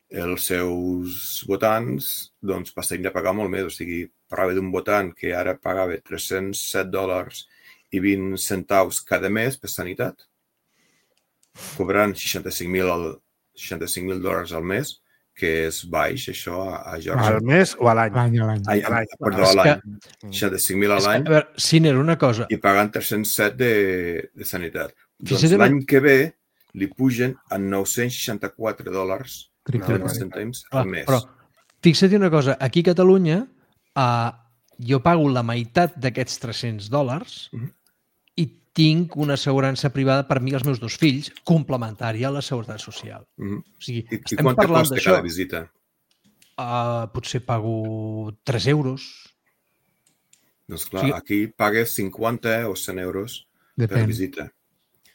els seus votants doncs, passarien a pagar molt més. O sigui, parlava d'un votant que ara pagava tres-cents set dòlars i vint centaus cada mes per sanitat, cobrant seixanta-cinc mil dòlars al mes, que és baix, això, a Georgia. Al mes o a l'any? L'any, a l'any. Ai, a l'any, perdó, a l'any. seixanta-cinc mil a l'any. A veure, Ciner, una cosa. I pagant tres-cents set de, de sanitat. Doncs l'any que ve li pugen a nou-cents seixanta-quatre dòlars trenta cèntims al mes. Però fixa't una cosa, aquí a Catalunya uh, jo pago la meitat d'aquests tres-cents dòlars uh-huh. i tinc una assegurança privada per mi i els meus dos fills, complementària a la seguretat social. Mm-hmm. O sigui, I, estem I quant parlant costa d'això. cada visita? Uh, potser pago tres euros. Doncs clar, Sí. aquí pagues cinquanta o cent euros Depèn. per visita.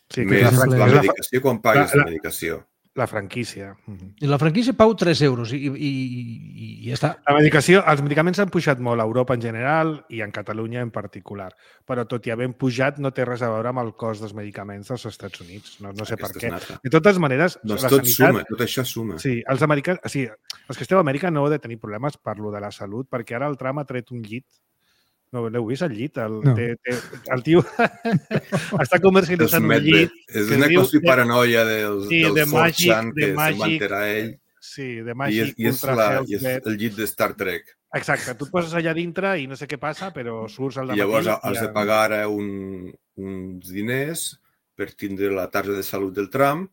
Sí, que Més és la, la- la és la- medicació, quan pagues la- la, la- medicació. La franquícia. Mhm. I la franquícia pago tres euros i, i, i, i ja està. La medicació, els medicaments han pujat molt a Europa en general i en Catalunya en particular, però tot i haver pujat no té res a veure amb el cost dels medicaments dels Estats Units. No, no sé Aquesta per què. és nata. De totes maneres, Doncs la tot sanitat... suma, tot això suma. Sí, els americans... O sigui, els que esteu a Amèrica no heu de tenir problemes per lo de la salut, perquè ara el Trump ha tret un llit. No, l'heu vist, el llit? El, No. té, té, el tio està comercialitzant un Medved. llit. És que una diu- cosa i paranoia dels, Sí, del de four Magic- chan de que se'n va Magic- enterar ell. Sí, de I Magic és, i és, Ultra la, Health i és Bed. el llit de Star Trek. Exacte, tu et poses allà dintre i no sé què passa, però surts al I dematí... llavors has i de ja- pagar ara un, uns diners per tindre la targeta de salut del tram.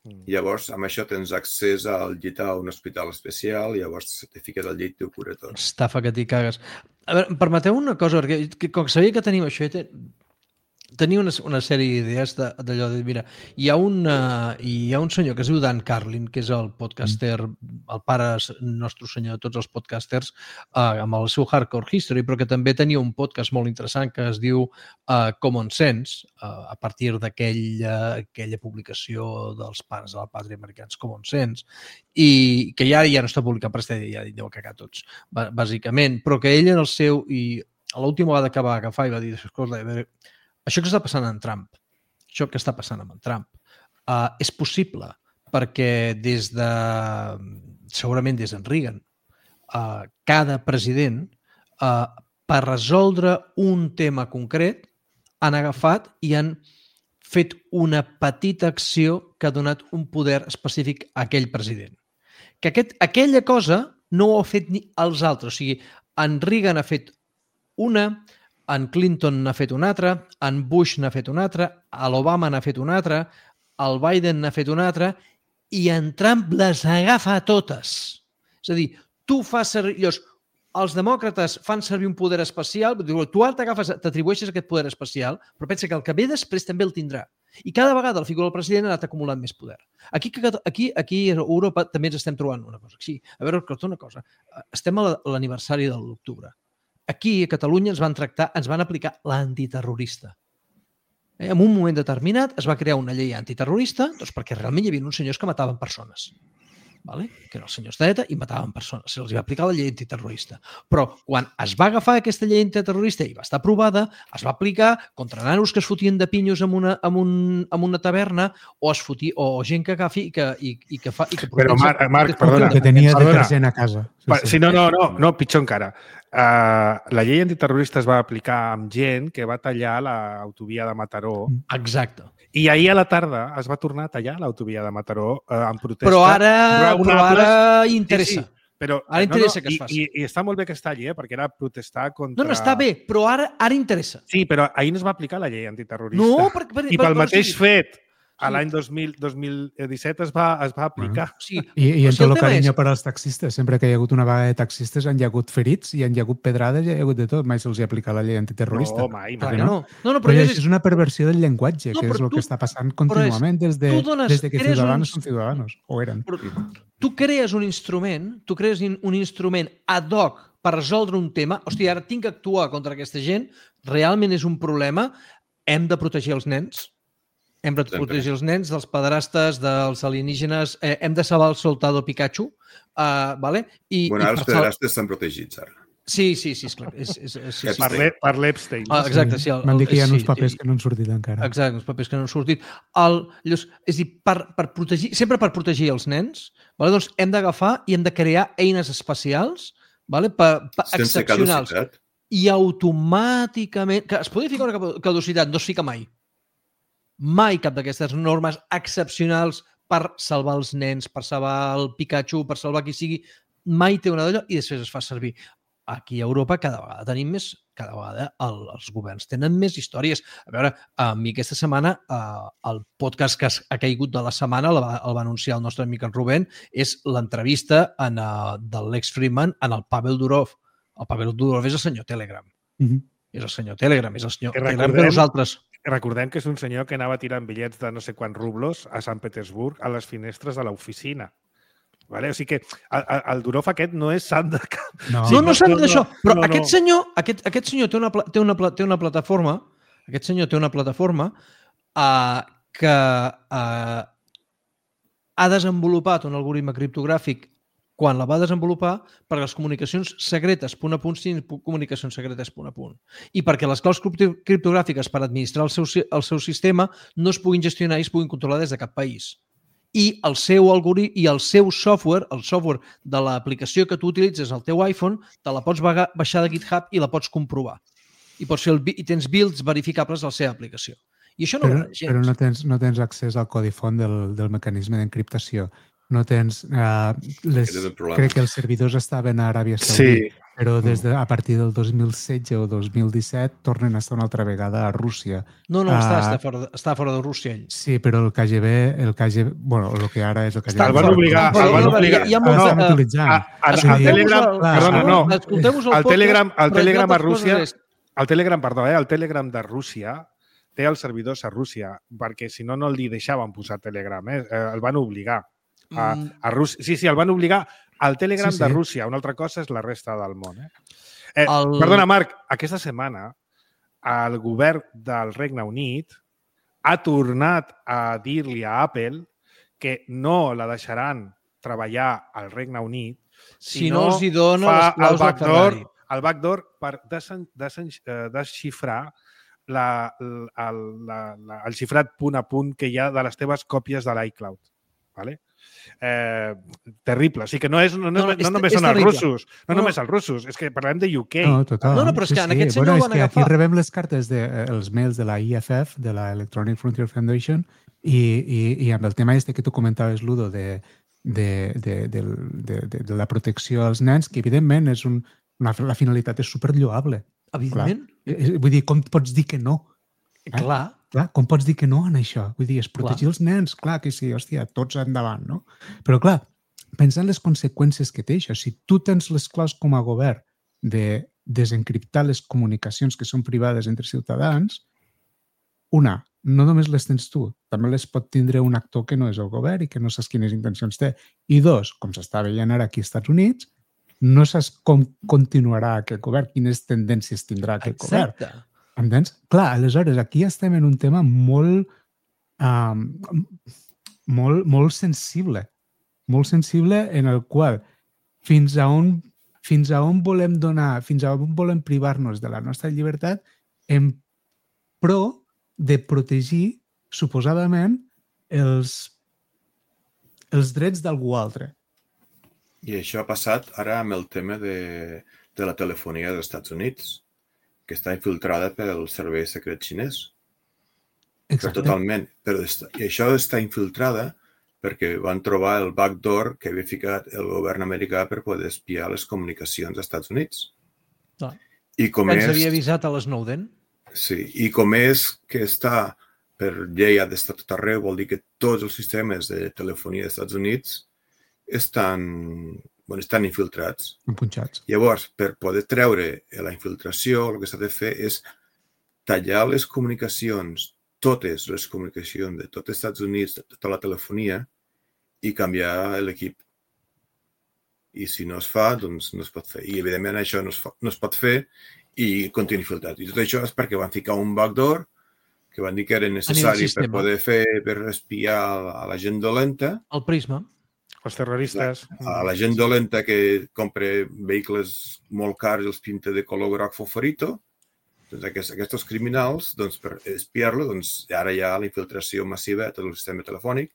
Mm. I llavors, amb això, tens accés al llit a un hospital especial i llavors te fiques al llit i ho cura tot. Estafa que t'hi cagues. A veure, em permeteu una cosa, perquè que, com que sabia que tenim això, te, tenia una, una sèrie d'idees d'allò de, mira, hi ha, un, uh, hi ha un senyor que es diu Dan Carlin, que és el podcaster, el pare nostre senyor de tots els podcasters, uh, amb el seu Hardcore History, però que també tenia un podcast molt interessant que es diu uh, Common Sense, uh, a partir d'aquella aquella publicació dels pares de la pàtria americans, Common Sense, i que ja ja no està publicat, però ja deu cagar tots, bàsicament, però que ell en el seu, i l'última vegada que va agafar i va dir, escolta, a veure, això que està passant amb Trump, això que està passant amb en Trump, uh, és possible perquè des de, segurament des d'en Reagan, uh, cada president, uh, per resoldre un tema concret, han agafat i han fet una petita acció que ha donat un poder específic a aquell president. Que aquest, aquella cosa no ho ha fet ni els altres. O sigui, en Reagan ha fet una, en Clinton n'ha fet una altra, en Bush n'ha fet una altra, l'Obama n'ha fet una altra, el Biden n'ha fet una altra, i en Trump les agafa totes. És a dir, tu fas servir... Llavors, els demòcrates fan servir un poder especial, tu ara t'agafes, t'atribueixes aquest poder especial, però pensa que el que ve després també el tindrà. I cada vegada la figura del president ha anat acumulant més poder. Aquí, aquí, aquí a Europa també ens estem trobant una cosa. Sí, a veure, una cosa. Estem a l'aniversari de l'octubre. Aquí, a Catalunya, ens van tractar, ens van aplicar l'antiterrorista. Eh? En un moment determinat es va crear una llei antiterrorista doncs perquè realment hi havia uns senyors que mataven persones. Vale? Que eren els senyors d'ETA i mataven persones. Se'ls va aplicar la llei antiterrorista. Però quan es va agafar aquesta llei antiterrorista i va estar aprovada, es va aplicar contra nanos que es fotien de pinyos en una, en un, en una taverna o es fotia, o gent que agafi i que, i, i que fa... I que Però, Marc, Marc perdona. Que tenia perdona. detergent a casa. Sí, sí. sí, no, no, no, no, pitjor encara. Uh, la llei antiterrorista es va aplicar amb gent que va tallar l'autovia de Mataró. Exacte. I ahir a la tarda es va tornar a tallar l'autovia de Mataró eh, en protesta. Però ara, però ara interessa. Sí, sí. Però, ara interessa no, no, que es faci. I, i, I està molt bé que es talli, eh, perquè era protestar contra... No, no, està bé, però ara ara interessa. Sí, però ahir no es va aplicar la llei antiterrorista. No, per, per, I pel per, mateix sí. fet, a l'any dos mil disset es va, es va aplicar. Uh -huh. Sí. I, i en si tot el tema carinyo és... per als taxistes. Sempre que hi ha hagut una vaga de taxistes han hi ha hagut ferits i han hi ha hagut pedrades i hi ha hagut de tot. Mai se'ls ha aplicat la llei antiterrorista. No, mai, mai. No, no, no, no, però, però és, és... és una perversió del llenguatge, No, que és però el tu- que està passant contínuament des de, dones- des de que eres Ciudadanos uns- són Ciudadanos, o eren. Però tu crees un instrument, tu crees un instrument ad hoc per resoldre un tema. Hòstia, ara tinc que actuar contra aquesta gent, realment és un problema, hem de protegir els nens, hem de protegir els nens dels pederastes, dels alienígenes, eh, hem de salvar el soldado Pikachu, uh, vale? I, Bueno, i ara els per sal- pederastes estan protegits, ara. Sí, sí, sí, esclar. És, és, és, sí, sí. Per l'E- per l'Epstein. Ah, exacte, sí. M'han dit que hi ha sí, uns papers sí. que no han sortit encara. Exacte, uns papers que no han sortit. El, llavors, és a dir, per, per protegir, sempre per protegir els nens, vale? Doncs hem d'agafar i hem de crear eines especials, vale? per, per Sense excepcionals. caducitat. I automàticament... Que es podria ficar una caducitat, no es fica mai. Mai cap d'aquestes normes excepcionals per salvar els nens, per salvar el Pikachu, per salvar qui sigui, mai té una d'allò i després es fa servir. Aquí a Europa cada vegada tenim més, cada vegada el, els governs tenen més històries. A veure, a mi aquesta setmana eh, el podcast que ha caigut de la setmana el va, el va anunciar el nostre amic en Rubén, és l'entrevista en, uh, de Lex Fridman en el Pavel Durov. El Pavel Durov és el senyor Telegram. Uh -huh. És el senyor Telegram, és el senyor Que Telegram que recordem- nosaltres... recordem que és un senyor que anava tirant bitllets de no sé quants rublos a Sant Petersburg a les finestres de l'oficina. Vale? O sigui que el, el Durov aquest no és sant de cap. No, sí, no, no sant d'això. Però no, no. Aquest, senyor, aquest, aquest senyor té una, té, una, té una plataforma aquest senyor té una plataforma uh, que uh, ha desenvolupat un algoritme criptogràfic quan la va desenvolupar perquè les comunicacions secretes punt a punt siguin comunicacions secretes punt a punt. I perquè les claus criptogràfiques per administrar el seu, el seu sistema no es puguin gestionar i es puguin controlar des de cap país. I el seu algoritme i el seu software, el software de l'aplicació que tu utilitzes al teu iPhone, te la pots baixar de GitHub i la pots comprovar. I, pots fer el, i tens builds verificables a la seva aplicació. I això no però, ho gens. Però no tens, no tens accés al codi font del, del mecanisme d'encriptació. No tens... Uh, les, crec que els servidors estaven a Aràbia Saudita, sí. Però des de, a partir del dos mil setze o dos mil disset tornen a estar una altra vegada a Rússia. No, no, uh, està, està, fora de, està fora de Rússia ell. Sí, però el K G B, el K G B, bueno, el que ara és el K G B... Està, el van obligar... El van obligar... Hi ha molts... Estan utilitzant. El Telegram... Perdona, no. El Telegram, el Telegram a Rússia... El Telegram, perdó, eh? El Telegram de Rússia té els servidors a Rússia, perquè si no, no li deixaven posar Telegram, eh? El van obligar. A, a Rússia. Sí, sí, el van obligar al Telegram sí, sí. de Rússia. Una altra cosa és la resta del món. Eh? Eh, el... Perdona, Marc, aquesta setmana el govern del Regne Unit ha tornat a dir-li a Apple que no la deixaran treballar al Regne Unit si, si no, no els hi dona les claus el backdoor, el backdoor per desen, desen, desxifrar la, la, la, la, el xifrat punt a punt que hi ha de les teves còpies de l'iCloud. Vale? Eh, terrible. O sigui que no, és, no, no, no, no només són els russos, no, no només els russos, és que parlem de U K. No, total. No, no, però és que en sí, aquest sí. senyor bueno, el van és que agafar. Aquí rebem les cartes, de, els mails de la I F F, de la Electronic Frontier Foundation, i, i, i amb el tema este que tu comentaves, Ludo, de, de, de, de, de, de, de la protecció als nens, que evidentment és un, una, la finalitat és superlloable. Evidentment. Clar. Vull dir, com pots dir que no? Eh? Clar. Clar, com pots dir que no en això? Vull dir, és protegir clar. Els nens, clar que sí, hòstia, tots endavant, no? Però clar, pensant les conseqüències que té això, si tu tens les claus com a govern de desencriptar les comunicacions que són privades entre ciutadans, una, no només les tens tu, també les pot tindre un actor que no és el govern i que no saps quines intencions té. I dos, com s'està veient ara aquí als Estats Units, no saps com continuarà aquest govern, quines tendències tindrà aquest Exacte. govern. Entens? Clar, aleshores, aquí estem en un tema molt, um, molt, molt sensible, molt sensible en el qual fins a on, fins a on volem donar, fins a on volem privar-nos de la nostra llibertat en pro de protegir, suposadament, els, els drets d'algú altre. I això ha passat ara amb el tema de, de la telefonia dels Estats Units, que està infiltrada pel servei secret xinès. Exacte. Però totalment. Però està, I això està infiltrada perquè van trobar el backdoor que havia ficat el govern americà per poder espiar les comunicacions dels Estats Units. Ah. I com que ens és, havia avisat a l'Snowden. Sí, i com és que està per llei ha d'estar tot arreu, vol dir que tots els sistemes de telefonia dels Estats Units estan... Bueno, estan infiltrats. Empunxats. Llavors, per poder treure la infiltració, el que s'ha de fer és tallar les comunicacions, totes les comunicacions de tots els Estats Units, de tota la telefonia, i canviar l'equip. I si no es fa, doncs no es pot fer. I, evidentment, això no es, fa, no es pot fer i continua infiltrat. I tot això és perquè van ficar un backdoor que van dir que era necessari per poder fer, per espiar a la gent dolenta. El Prisma. Els terroristes. A la gent dolenta que compra vehicles molt cars i els pinta de color groc fosforito, doncs aquests, aquests criminals, doncs, per espiar-lo, doncs, ara hi ha la infiltració massiva a tot el sistema telefònic.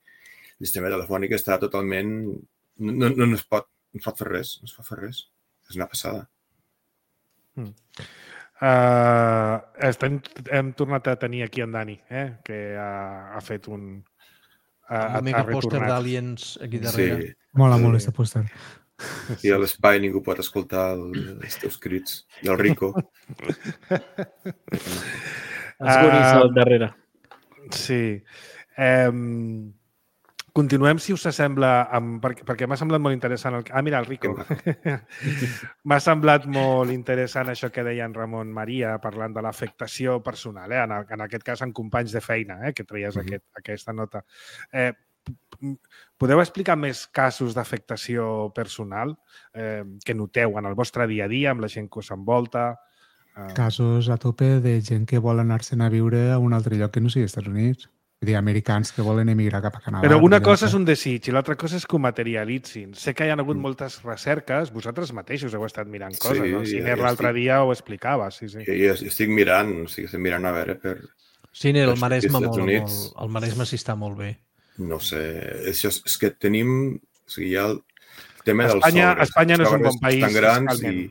El sistema telefònic està totalment... No, no, no, es, pot, no es pot fer res, no es pot fer res. És una passada. Mm. Uh, estem, hem tornat a tenir aquí en Dani, eh? Que ha, ha fet un... Uh, un megapòster d'Aliens aquí darrere. Sí. Mola sí. molt, aquest pòster. I a l'espai ningú pot escoltar el, els teus crits. I el Rico. Els guris al darrere. Sí. Um, continuem, si us sembla, amb, perquè, perquè m'ha semblat molt interessant. El... Ah, mira, el Rico. M'ha semblat molt interessant això que deia en Ramon Maria parlant de l'afectació personal, eh? en, en aquest cas en companys de feina, eh? que traies mm-hmm. aquest, aquesta nota. Eh, podeu explicar més casos d'afectació personal eh, que noteu en el vostre dia a dia, amb la gent que us envolta? Eh... Casos a tope de gent que vol anar-se'n a viure a un altre lloc que no sigui Estats Units. Vull dir, americans que volen emigrar cap a Canadà. Però una cosa és un desig i l'altra cosa és que ho materialitzin. Sé que hi ha hagut mm. moltes recerques, vosaltres mateixos heu estat mirant coses, sí, no? El Ciner l'altre estic... dia ho explicava. Sí, sí. Jo, jo estic mirant, o sigui, estic mirant a veure per... Ciner, el Maresme, molt, molt, el Maresme sí està molt bé. No sé, és, és que tenim... O sigui, hi ha el tema dels Espanya, sogres. Espanya no és un bon país. Estan grans i,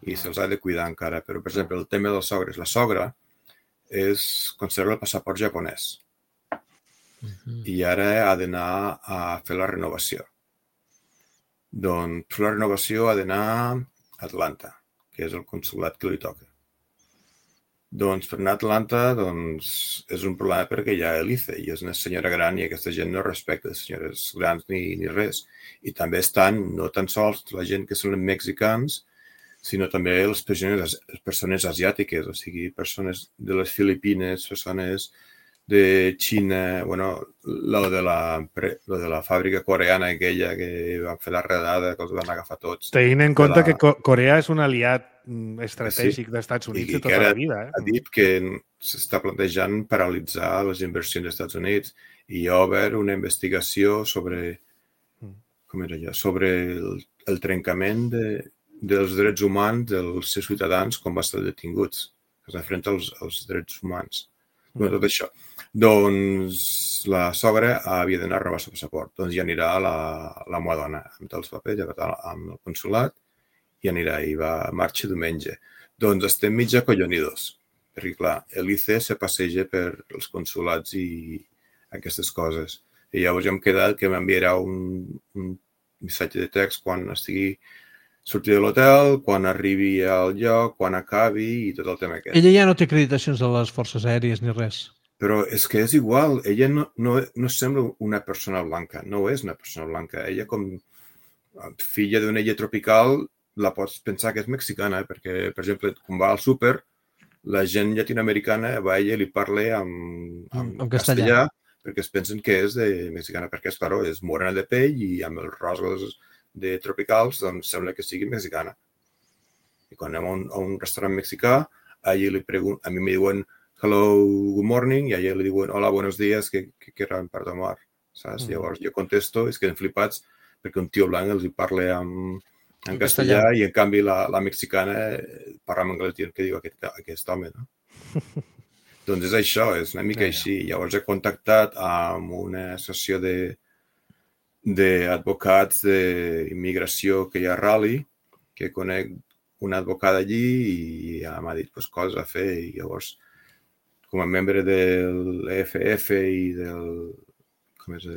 i se'ls ha de cuidar encara. Però, per exemple, el tema dels sogres. La sogra és conserva el passaport japonès. Uh-huh. I ara ha d'anar a fer la renovació. Doncs per la renovació ha d'anar a Atlanta, que és el consolat que li toca. Doncs per anar a Atlanta doncs, és un problema perquè hi ha l'I C E i és una senyora gran i aquesta gent no respecta les senyores grans ni, ni res. I també estan no tan sols la gent que són mexicans, sinó també les persones, les persones asiàtiques, o sigui, persones de les Filipines, persones de Xina, bueno, lo de la, lo de la fàbrica coreana aquella que van fer la redada, que els van agafar tots. Tenint en compte la... que Corea és un aliat estratègic sí. dels Units de tota la vida. Eh? Ha dit que s'està plantejant paralitzar les inversions dels Estats Units i hi ha obert una investigació sobre, com era allò, sobre el, el trencament de, dels drets humans dels seus ciutadans quan va estar detinguts, que s'enfrenta als, als drets humans. Bueno, tot això. Doncs la sogra havia d'anar a renovar el passaport. Doncs ja anirà la, la meva dona amb els papers, ja amb el consolat, i anirà i va a marxa diumenge. Doncs estem mig acollonidos, perquè clar, l'I C E se passeja per els consolats i aquestes coses. I llavors ja hem quedat que m'enviarà un, un missatge de text quan estigui sortir de l'hotel, quan arribi al lloc, quan acabi i tot el tema aquest. Ella ja no té acreditacions de les forces aèries ni res. Però és que és igual. Ella no, no, no sembla una persona blanca. No és una persona blanca. Ella, com filla d'una illa tropical, la pots pensar que és mexicana, perquè, per exemple, quan va al súper, la gent llatinoamericana va a ella i li parla amb, amb, amb castellà, castellà, perquè es pensen que és de mexicana, perquè, és, claro, és morena de pell i amb els rosgos de tropicals, doncs sembla que sigui mexicana. I quan anem a un, a un restaurant mexicà, a ella li pregun, a mi me diuen hello, good morning, i a ella li diuen hola, buenos días, que, que querran per tomar, saps? Mm. Llavors jo contesto, es queden flipats perquè un tio blanc els hi parla en, en castellà, castellà i en canvi la, la mexicana parla en anglès dient que diu aquest, aquest home, no? Doncs és això, és una mica yeah. així. Llavors he contactat amb una associació de d'advocats d'immigració que hi ha a Raleigh, que conec una advocada allí i ja m'ha dit pues, coses a fer. I llavors, com a membre de l'E F F i del com és,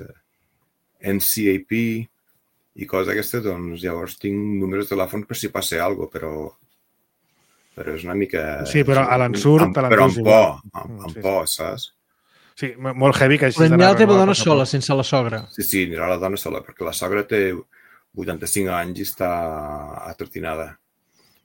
N C A P i coses d'aquestes, doncs llavors tinc números de telèfon per si passa alguna cosa, però, però és una mica... Sí, però a l'ensurt... Però amb por, amb, amb sí, por, saps? Sí, molt heavy que així... Però anirà la teva dona sola, sense la sogra. Sí, sí, anirà la dona sola, perquè la sogra té vuitanta-cinc anys i està atrotinada.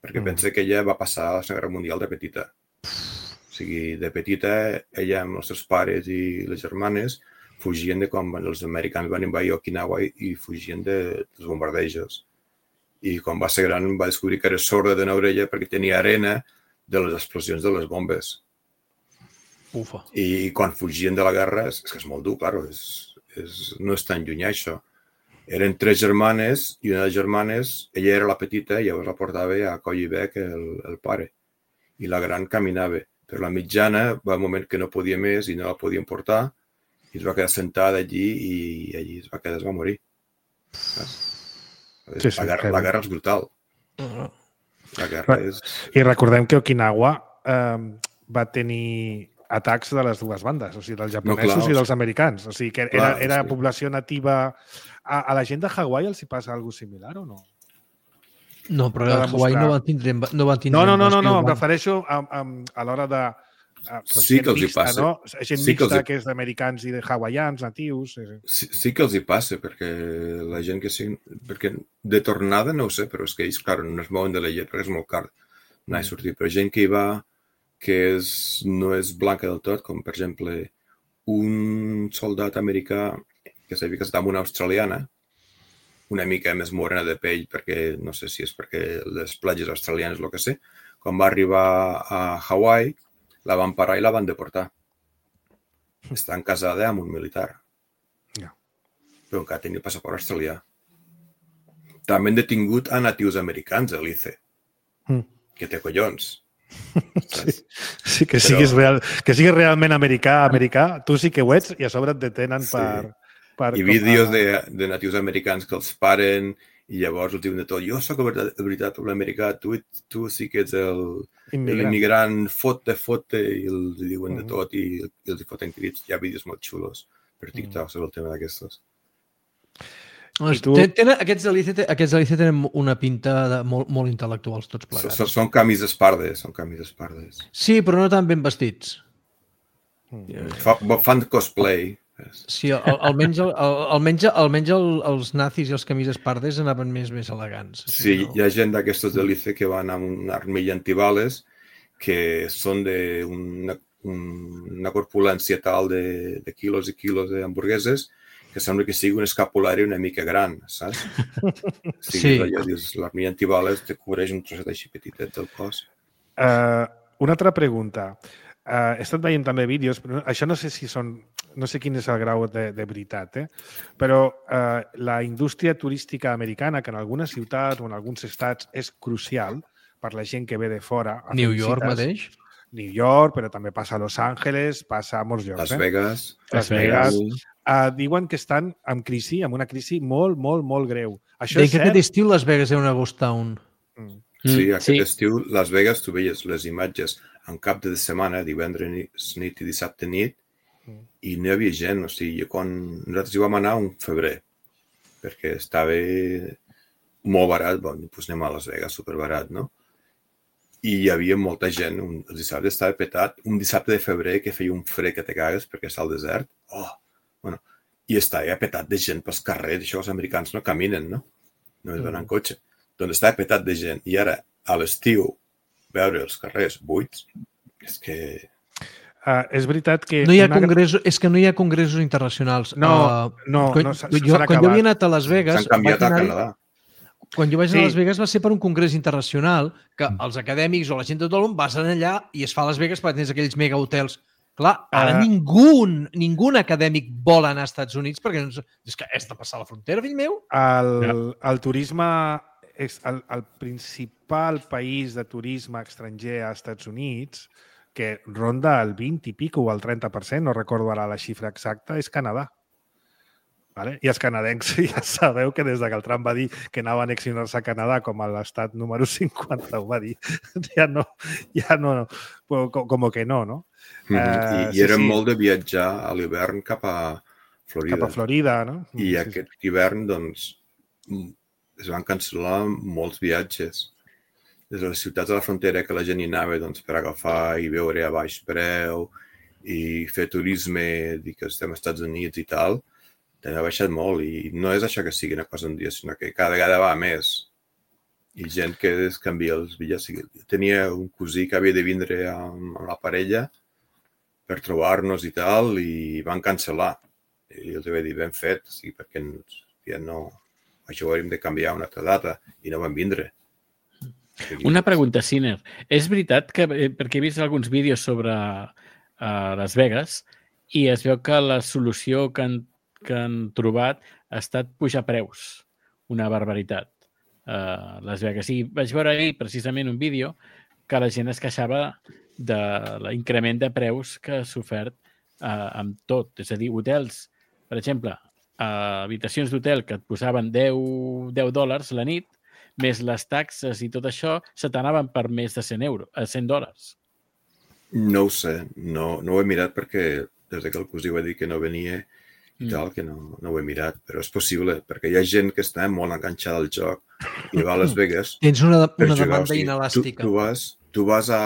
Perquè mm. pensa que ella va passar a la Segona Guerra Mundial de petita. O sigui, de petita, ella amb els seus pares i les germanes fugien de quan els americans van invadir Okinawa i fugien de, dels bombardejos. I quan va ser gran va descobrir que era sorda d'una orella perquè tenia arena de les explosions de les bombes. Ufa. I quan fugien de la guerra, és que és molt dur, claro, és, és, no és tan llunyà això. Eren tres germanes i una de les germanes, ella era la petita i llavors la portava a coll i bec el, el pare. I la gran caminava. Però la mitjana va un moment que no podia més i no la podien portar i es va quedar sentada allí i allí es va quedar, es va morir. Sí, sí, la, guerra, la guerra és brutal. La guerra és... I recordem que Okinawa eh, va tenir atacs de les dues bandes, o sigui, dels japonesos no, clar, i dels americans. O sigui, que era, clar, era sí. població nativa... A, a la gent de Hawaii els hi passa alguna cosa similar o no? No, però a Hawaii no van tindre... No, van tindre no, no, no, no, no, em refereixo a, a, a l'hora de sí que els hi passa. No? Gent sí mixta que, hi... que és d'americans i de hawaians, natius... Sí, sí que els hi passa, perquè la gent que sigui... Perquè de tornada no ho sé, però és que ells, clar, no es mouen de la llet perquè és molt car anar a sortir. Però gent que hi va que és, no és blanca del tot, com per exemple un soldat americà que s'havia casat amb una australiana, una mica més morena de pell, perquè no sé si és perquè les platges australianes, el que sé, quan va arribar a Hawaii, la van parar i la van deportar. Estan casada amb un militar. No. Però encara tenia passaport australià. També han detingut a natius americans, a l'I C E. Mm. Que té collons. Sí, sí que, Però... siguis real, que siguis realment americà, americà, tu sí que ho ets i a sobre et detenen sí. per... per I vídeos de, de natius americans que els paren i llavors els diuen de tot. Jo soc de veritat un americà, tu, tu sí que ets l'immigrant, fote, fote, i els diuen de tot i, i els foten crits. Hi ha vídeos molt xulos per TikTok sobre el tema d'aquestos. Tu... Tenen, aquests de l'I C E aquests de l'I C E tenen una pinta de molt, molt intel·lectuals tots plegats. Són, són camises pardes, són camises pardes. Sí, però no tan ben vestits. Fa, fan cosplay. Sí, almenys, almenys, almenys el, els nazis i els camises pardes anaven més més elegants. Sí, no? Hi ha gent d'aquestos de l'I C E que van amb una armilla antibales que són d'una una corpulència tal de, de quilos i quilos d'hamburgueses que sembla que sigui un escapulari una mica gran, saps? Sí. sí. L'armilla antibales te cobreix un trosset així petitet del cos. Uh, una altra pregunta. Uh, he estat veient també vídeos, però això no sé si són, no sé quin és el grau de, de veritat, eh? Però uh, la indústria turística americana, que en algunes ciutats o en alguns estats és crucial per la gent que ve de fora. New York cites, mateix? New York, però també passa a Los Angeles, passa a molts llocs. Las Vegas. Eh? Las Vegas. Uh, diuen que estan en crisi, amb una crisi molt, molt, molt greu. Això Deia és que cert? Aquest estiu Las Vegas era una ghost town. Mm. Sí, aquest sí. estiu Las Vegas tu veies les imatges en cap de setmana, divendres nit i dissabte nit, mm. i no hi havia gent. O sigui, quan nosaltres hi vam anar un febrer, perquè estava molt barat, bon, doncs anem a Las Vegas, superbarat, no? I hi havia molta gent, un, el dissabte estava petat, un dissabte de febrer que feia un fred que te cagues perquè està al desert, oh, bueno, i estava petat de gent pels carrers, això els americans no caminen, no? No es van en cotxe. Doncs estava petat de gent. I ara, a l'estiu, veure els carrers buits, és que... Uh, és veritat que... No hi ha una... congressos, és que no hi ha congressos internacionals. No, uh, no, quan, no s'han acabat. Quan jo havia anat a Las Vegas... S'han canviat a Canadà. Quan jo vaig anar sí. a Las Vegas va ser per un congrés internacional que els acadèmics o la gent de tot el món vas anar allà i es fa a Las Vegas perquè tens aquells mega hotels. Clar, ara uh... ningú, ningú acadèmic vol anar als Estats Units perquè no, és que has de passar la frontera, fill meu. El, ja. el turisme... és el, el principal país de turisme estranger als Estats Units, que ronda el vint i pico o el trenta per cent, no recordo ara la xifra exacta, és Canadà. Vale? I els canadencs ja sabeu que des que el Trump va dir que anaven a annexionar-se a Canadà com a l'estat número cinquanta, ho va dir. Ja no, ja no, no. Com que no, no? Mm-hmm. Uh, I, I eren sí, sí. molt de viatjar a l'hivern cap a Florida. Cap a Florida, no? I sí, aquest sí. hivern, doncs, es van cancel·lar molts viatges. Des de les ciutats de la frontera que la gent hi anava doncs, per agafar i veure a baix preu i fer turisme, dir que estem als Estats Units i tal, també ha baixat molt. I no és això que sigui una cosa un dia, sinó que cada vegada va més. I gent que es canvia els bitllets. Tenia un cosí que havia de vindre amb la parella per trobar-nos i tal, i van cancel·lar. I els vaig dir, ben fet, sí, perquè ja no... això ho hauríem de canviar a una altra data i no van vindre. Una pregunta, Siner. És veritat que, perquè he vist alguns vídeos sobre uh, Las Vegas i es veu que la solució que han, que han trobat ha estat pujar preus. Una barbaritat. Uh, Las Vegas. I vaig veure ahir precisament un vídeo que la gent es queixava de l'increment de preus que s'ha ofert uh, amb tot. És a dir, hotels, per exemple, Uh, habitacions d'hotel que et posaven deu dòlars la nit, més les taxes i tot això, se t'anaven per més de cent euros, a cent dòlars. No ho sé, no, no ho he mirat perquè des que el cosí va dir que no venia i mm. tal, que no, no ho he mirat, però és possible, perquè hi ha gent que està molt enganxada al joc i va a Las Vegas. Tens una, una demanda o sigui, inelàstica. Tu, tu, vas, tu vas a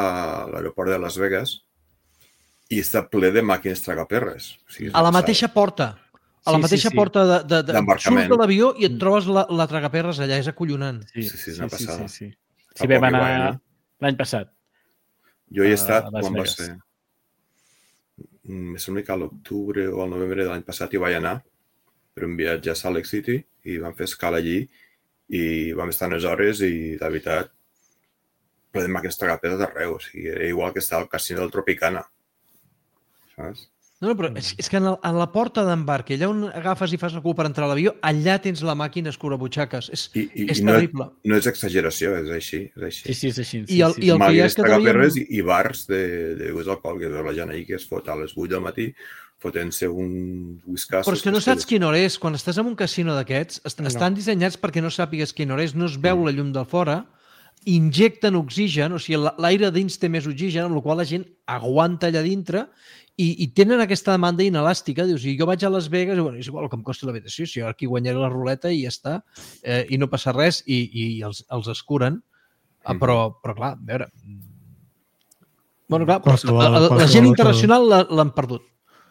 l'aeroport de Las Vegas I està ple de màquines tragaperres. O sigui, a la mateixa porta. A la Sí, mateixa sí, sí. porta de, de, de, D'embarcament. surts de l'avió i et trobes la, la tragaperres allà, és acollonant. Sí, Sí, sí, és una sí, passada. sí, sí. Fa Sí, vam poc que anar vaig anar. l'any passat. Jo hi he a estat, Las quan va Vegas. ser? Mm, em sembla que a l'octubre o al novembre de l'any passat hi vaig anar per un viatge a Salt Lake City i vam fer escala allí i vam estar unes hores i, la veritat, ple de màquines tragaperres d'arreu. O sigui, era igual que estar al casino del Tropicana. Saps? No, no, però és, és que en, el, en la porta d'embarc, allà on agafes i fas el cul per entrar a l'avió, allà tens la màquina escurabutxaques. És, I, i, és i no, terrible. no és exageració, és així. És així. Sí, sí, és així. Sí, I el- sí, i el sí. que hi ha és Màquines que traiem- tragaperres i, i bars de, de begudes alcohòliques. La gent ahir que es fot a les vuit del matí fotent-se un whiskas. Però és que no saps quina hora és. Quan estàs en un casino d'aquests, est No. estan dissenyats perquè no sàpigues quina hora és, no es veu la llum del fora, injecten oxigen, o sigui, la- l'aire dins té més oxigen, amb la qual la gent aguanta allà dintre i, i tenen aquesta demanda inelàstica. Dius, si jo vaig a Las Vegas, i, bueno, és igual el que em costa l'habitació, si jo aquí guanyaré la ruleta i ja està, eh, i no passa res, i, i els, els escuren. Ah, però, però clar, a veure... Bueno, clar, però Qualsevol- la, la, la qualsevol gent hotel- internacional la- l'han perdut.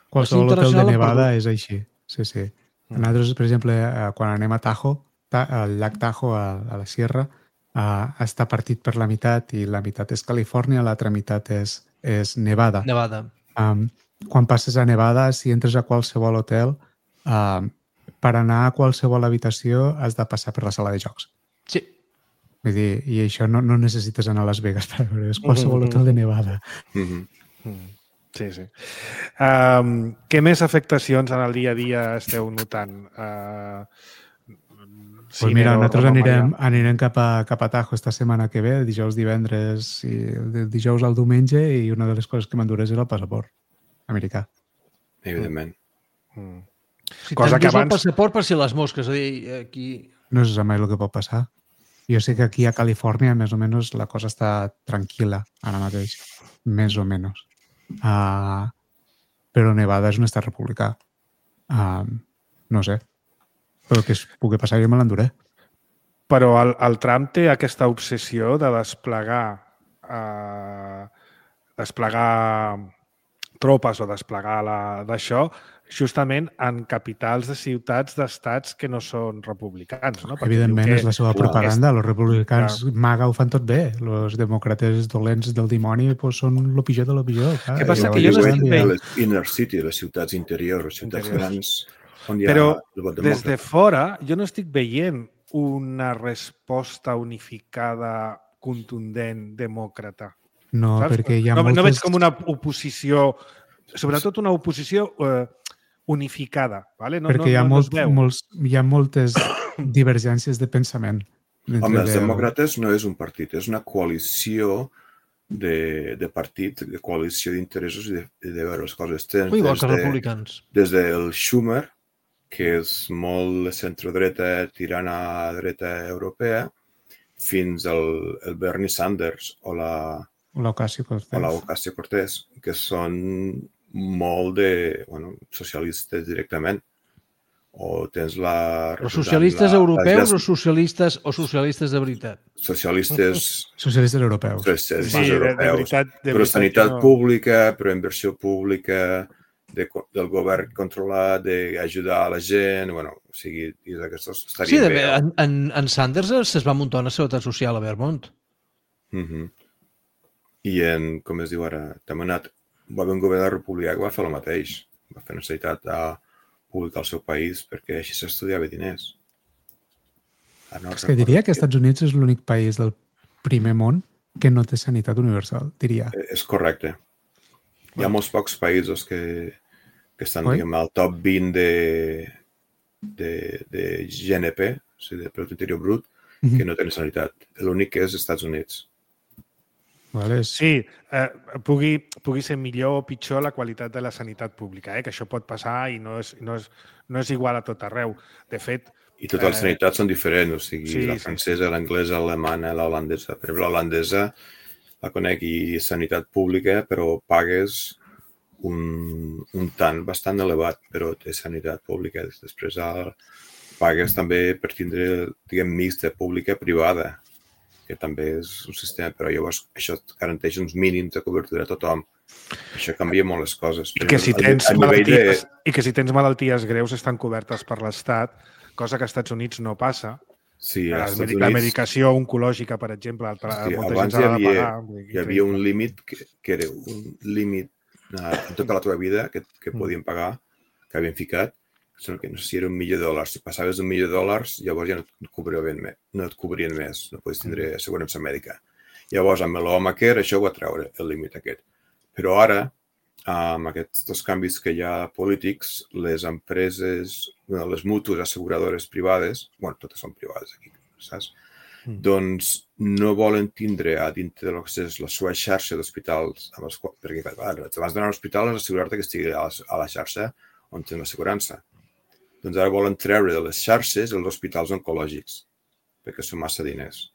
Qualsevol hotel de internacional l'han Nevada perdut. és així. Sí, sí. Nosaltres, per exemple, eh, quan anem a Tahoe, ta, al llac Tahoe, a, a la Sierra, eh, està partit per la meitat i la meitat és Califòrnia, l'altra meitat és, és Nevada. Nevada. Um, quan passes a Nevada, si entres a qualsevol hotel, um, per anar a qualsevol habitació has de passar per la sala de jocs. Sí. Vull dir, i això no, no necessites anar a Las Vegas per veure, és qualsevol hotel de Nevada. Mm -hmm. Sí, sí. Um, què més afectacions en el dia a dia esteu notant? Uh, Pues mira, nosaltres anirem, anirem cap, a, cap a Tahoe esta setmana que ve, dijous, divendres, i del dijous al diumenge, i una de les coses que m'enduré és el passaport americà. Evidentment. Mm. Si Cosa que t'endús abans... el passaport per si les mosques, és a dir, aquí... No se sap mai el que pot passar. Jo sé que aquí a Califòrnia, més o menys, la cosa està tranquil·la ara mateix. Més o menys. Uh, però Nevada és un estat republicà. Uh, no sé. Però el que es pugui passar jo me l'enduré. Però el, el Trump té aquesta obsessió de desplegar eh, desplegar tropes o desplegar la- d'això justament en capitals de ciutats d'estats que no són republicans. No? Perquè Evidentment, diu que és la seva propaganda. Els republicans Clar. maga ho fan tot bé. Els demòcrates dolents del dimoni pues, són lo pitjor de lo pitjor. Clar. Què passa? I Que llavors jo no diuen, estic mira, bé. Les inner city, les ciutats interiors, les ciutats Interiors. grans, on hi ha Però el vot des de demòcrata. fora jo no estic veient una resposta unificada, contundent, demòcrata. No, Saps? perquè hi ha no, moltes... no veig com una oposició, sobretot una oposició eh, unificada. Vale? No, perquè no, hi ha, no, no es molt, veu. molts, hi ha moltes divergències de pensament. dintre Home, els del- demòcrates no és un partit, és una coalició de, de partit, de coalició d'interessos i de, i de veure les coses. Tens Igual des que de, republicans. des del Schumer, que és molt de centrodreta tirant a dreta europea, fins al el Bernie Sanders o la, L'Ocasio-Cortez. o la Ocasio-Cortez, que són molt de, bueno, socialistes directament. O tens la... Però socialistes la, europeus la, o socialistes o socialistes de veritat? Socialistes Socialistes europeus. socialistes Sí, de, de europeus. veritat, de Però veritat sanitat que no. pública, però inversió pública, de, del govern controlat, d'ajudar a la gent, bueno, o sigui, i d'aquestos Sí, estarien de, bé. no? en, en, en Sanders es va muntar una seguretat social a Vermont. Uh -huh. I en, com es diu ara, també ha anat, va haver un govern republicà que va fer el mateix. Va fer una sanitat a pública al seu país perquè així s'estudiava diners. Ara no És que diria que els Estats Units és l'únic país del primer món que no té sanitat universal, diria. És correcte. Hi ha molts pocs països que, que estan, Oi? diguem, al top vint de, de, de G N P, o sigui, de Producte Interior Brut, que no tenen sanitat. L'únic és als Estats Units. Vale? És... Sí, eh, pugui, pugui ser millor o pitjor la qualitat de la sanitat pública, eh? Que això pot passar i no és, no és, no és igual a tot arreu. De fet... I totes les Eh, sanitats són diferents, o sigui, sí, la sí, francesa, l'anglesa, l'alemana, l'holandesa. Per exemple, l'holandesa la conec i és sanitat pública, però pagues un, un tant bastant elevat, però té sanitat pública. Després el, pagues també per tindre, diguem, mixta pública privada, que també és un sistema, però llavors això garanteix uns mínims de cobertura a tothom. Això canvia molt les coses. I que si tens, malalties, de... i que si tens malalties greus estan cobertes per l'Estat, cosa que als Estats Units no passa. Sí, la, Units... la medicació oncològica, per exemple, sí, abans hi havia, pagar, hi havia un límit que, que era un límit en tota la teva vida que, que podien pagar, que havien ficat, que no sé si era un milió de dòlars. Si passaves un milió de dòlars, llavors ja no et cobrien més, no et cobrien més, no podies tindre assegurança mèdica. Llavors, amb l'Obamacare, això ho va treure, el límit aquest. Però ara, amb aquests canvis que hi ha polítics, les empreses, les mútues asseguradores privades, bueno, totes són privades aquí, saps? Mm. Doncs no volen tindre a dintre de lo que és la seva xarxa d'hospitals, perquè abans d'anar a l'hospital has d'assegurar-te que estigui a la, a la xarxa on tens l'assegurança. Doncs ara volen treure de les xarxes els hospitals oncològics, perquè són massa diners.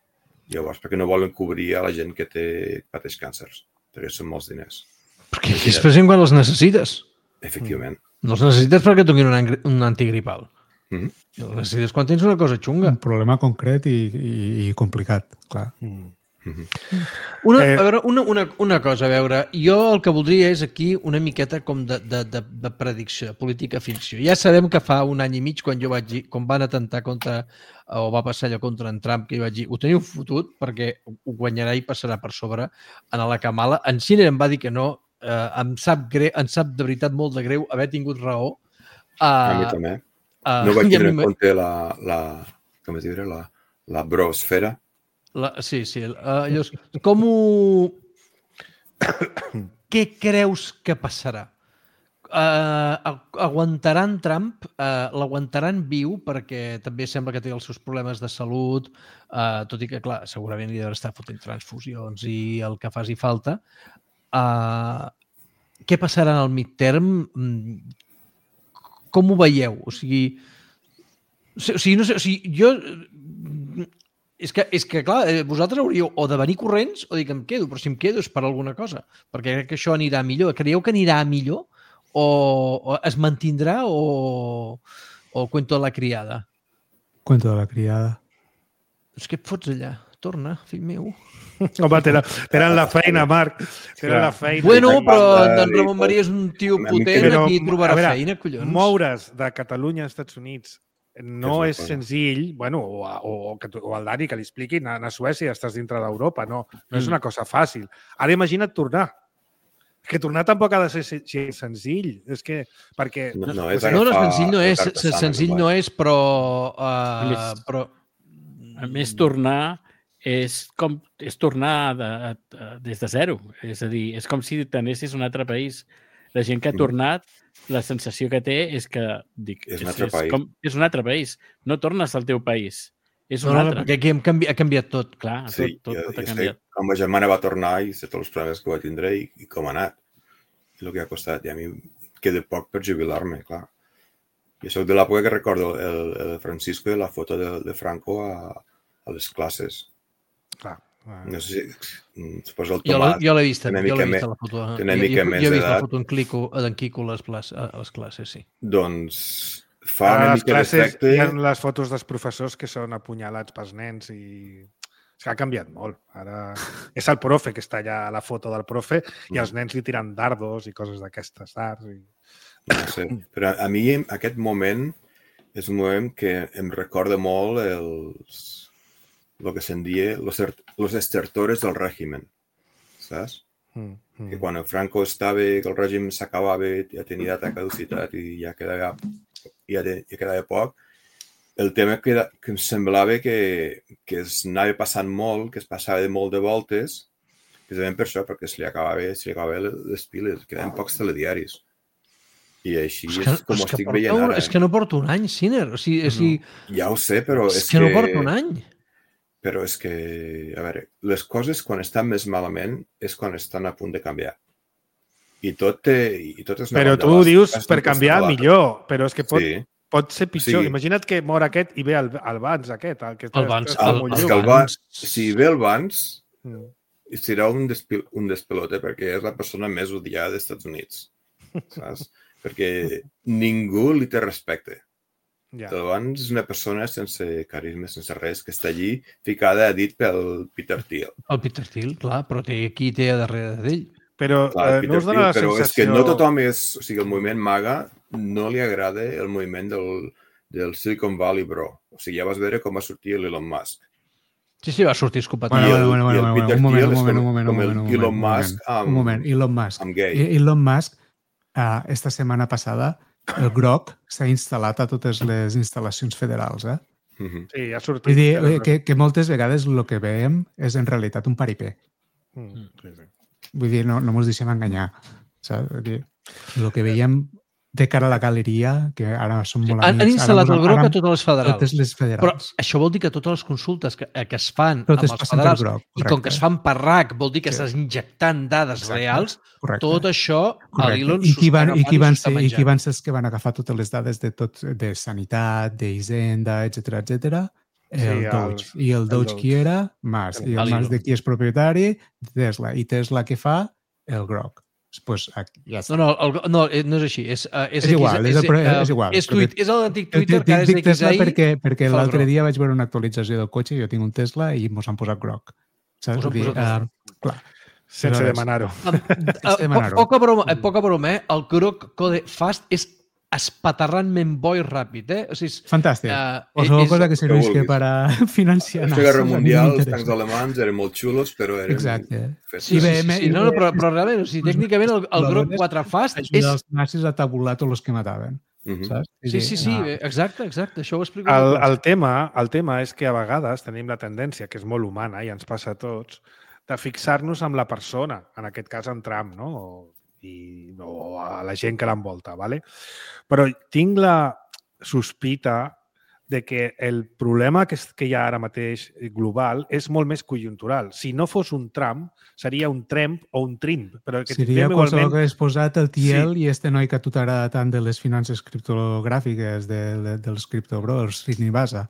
Llavors, perquè no volen cobrir a la gent que té, pateix càncers, perquè són molts diners. Perquè és present quan els necessites. Efectivament. No els necessites perquè tinguin un, un antigripal. Mm-hmm. Els necessites quan tens una cosa xunga. Un problema concret i, i, i complicat, clar. Mm-hmm. Una, a veure, una, una, una cosa, a veure, jo el que voldria és aquí una miqueta com de, de, de, de predicció, de política ficció. Ja sabem que fa un any i mig, quan jo vaig dir, quan van atentar contra, o va passar allò contra en Trump, que jo vaig dir, ho teniu fotut perquè ho guanyarà i passarà per sobre en la Kamala. En Sinner em va dir que no, eh, em, sap greu, em sap de veritat molt de greu haver tingut raó. Uh, a mi també. Uh, no vaig tenir en compte la, la, com es diria, la, la brosfera. La, sí, sí. Uh, llavors, com ho... Què creus que passarà? Uh, aguantaran Trump? Uh, L'aguantaran viu perquè també sembla que té els seus problemes de salut, uh, tot i que, clar, segurament li deu estar fotent transfusions i el que faci falta. Uh, què passarà en el midterm? Com ho veieu? O sigui, o sigui, no sé, o sigui jo... És que, és que, clar, vosaltres hauríeu o de venir corrents o dir que em quedo, però si em quedo és per alguna cosa, perquè crec que això anirà millor. Creieu que anirà millor o, o es mantindrà o, o cuento de la criada? Cuento de la criada. És que et fots allà. Torna, fill meu. Home, tenen la feina, Marc. Tenen la feina. Bueno, però en Ramon Maria és un tio potent, però, aquí trobarà veure, feina, collons. Moure's de Catalunya a Estats Units no és, és senzill, bueno, o, o, o el Dani que li expliqui, anar a Suècia, estàs dintre d'Europa, no, no és una cosa fàcil. Ara imagina't tornar. Que tornar tampoc ha de ser senzill. És que, perquè... No, no, és no, no senzill no és, senzill no és, però... Uh, més, però... A més, tornar és com és tornar de, de, des de zero. És a dir, és com si t'anessis a un altre país. La gent que ha tornat, la sensació que té és que dic, és, un és, altre és, país. com, és un altre país. No tornes al teu país. És un no, altre. No, perquè aquí hem canvi, ha canviat tot. Clar, sí, tot, tot, jo, tot ha jo canviat. Sé, com ma germana va tornar i sé tots els problemes que va tindre i, i com ha anat. I el que ha costat. I a mi queda poc per jubilar-me, clar. Jo soc de l'època que recordo el, el Francisco i la foto de, de Franco a, a les classes. Clar. No sé si... Suposo el Tomàs... Jo l'he vist, jo l'he vist a la foto. Té una mica jo, més jo he vist d'edat. la foto en Quico, en Quico a les, plas, a les classes, sí. Doncs fa una a mica d'efecte... Hi ha les fotos dels professors que són apunyalats pels nens i... És que ha canviat molt. Ara és el profe que està allà a la foto del profe i els nens li tiren dardos i coses d'aquestes dards. I... No sé, però a mi aquest moment és un moment que em recorda molt els... el que se'n dia los, los estertores del règim, saps? Mm, mm. Que quan el Franco estava, que el règim s'acabava, ja tenia data de caducitat i ja quedava, ja, de, ja quedava poc, el tema que, que em semblava que, que es anava passant molt, que es passava de molt de voltes, precisament per això, perquè se li acabava, se li acabava les piles, quedaven pocs telediaris. I així és, és com ho estic porta, veient ara. És que no porto un any, Sinner. O sigui, o sigui, no, ja ho sé, però és, és que... És que no porto un any. Però és que, a veure, les coses quan estan més malament és quan estan a punt de canviar. I tot, té, i tot és una però tu ho dius per canviar millor, però és que pot, sí. pot ser pitjor. Sí. Imagina't que mor aquest i ve el, el Vans aquest. El, que el Vans. El, el, el, el Vans. Si ve el Vans, mm. serà un, despil, un despelote perquè és la persona més odiada dels Estats Units. Saps? Perquè ningú li té respecte. Ja. Talibans és una persona sense carisma, sense res, que està allí ficada a dit pel Peter Thiel. El Peter Thiel, clar, però té, qui té a darrere d'ell? Però clar, eh, no us dona la però sensació... és que no tothom és... O sigui, el moviment MAGA no li agrada el moviment del, del Silicon Valley, bro. O sigui, ja vas veure com va sortir l'Elon Musk. Sí, sí, va sortir escopat. Bueno, I el, bueno, bueno, i el Peter un moment, Thiel un moment, és com, un moment, com el un moment, Elon un Musk moment, amb, un moment, Elon Musk. amb gay. Elon Musk, uh, esta setmana passada, el groc s'ha instal·lat a totes les instal·lacions federals, eh? Mm-hmm. Sí, ha sortit. Vull dir que, que moltes vegades el que veiem és en realitat un paripé. Mm. Sí, sí. Vull dir, no, no ens deixem enganyar. Saps? Vull dir, el que veiem de cara a la galeria, que ara som molt amics... Han instal·lat el groc ara, a totes les federals. Totes les federals. Però això vol dir que totes les consultes que, que es fan totes amb els federals, groc, i com que es fan per R A C, vol dir que sí. estàs injectant dades Exacte. reals, correcte. Tot això a l'Elon I qui van, i qui van s'ho ser, està i qui van ser els que van agafar totes les dades de tot, de sanitat, d'Hisenda, etcètera, etcètera? El Sí, Doge. el- I el el Doge Doge. qui era? Musk. I el Elon. Musk de qui és propietari? Tesla. I Tesla què fa? El groc. Pues aquí, ja està. No, no, el, no, no és així. És, uh, és, És igual, és, el, uh, és igual. És, tuit, és l'antic Twitter Dic- que ara és dic Tesla X A I. perquè, perquè fa l'altre groc. dia vaig veure una actualització del cotxe, jo tinc un Tesla i mos han posat groc. Saps? Us han Vull dir, posat uh, clar. Sense Aleshores, demanar-ho. Uh, demanar-ho. poca broma, eh, poca broma, eh? El groc code fast és espaterrantment bo i ràpid, eh? O sigui, és, Fantàstic. eh, Qualsevol és- cosa que serveix vulguis. que per a financiar... La Guerra nazis, a mi Mundial, els m'interessa. tancs alemans eren molt xulos, però eren... Exacte. fets- Sí, sí, sí, I B M sí. No, no, però, però realment, o sigui, tècnicament el, el groc quatre fast és... Ajuda els nazis a tabular tots els que mataven. Mhm. Saps? Sí, sí, sí, Ah, exacte, exacte, això ho explico. El, molt clar. el, tema, el tema és que a vegades tenim la tendència, que és molt humana i ens passa a tots, de fixar-nos amb la persona, en aquest cas en Trump, no? O, i, o a la gent que l'envolta, ¿vale? Però tinc la sospita de que el problema que, és, que hi ha ara mateix global és molt més conjuntural. Si no fos un Trump, seria un Tremp o un Trimp. Però que seria qualsevol igualment... que hagués posat el Thiel Sí. i este noi que a tu t'agrada tant de les finances criptogràfiques, de, de, dels criptobros, Srinivasa.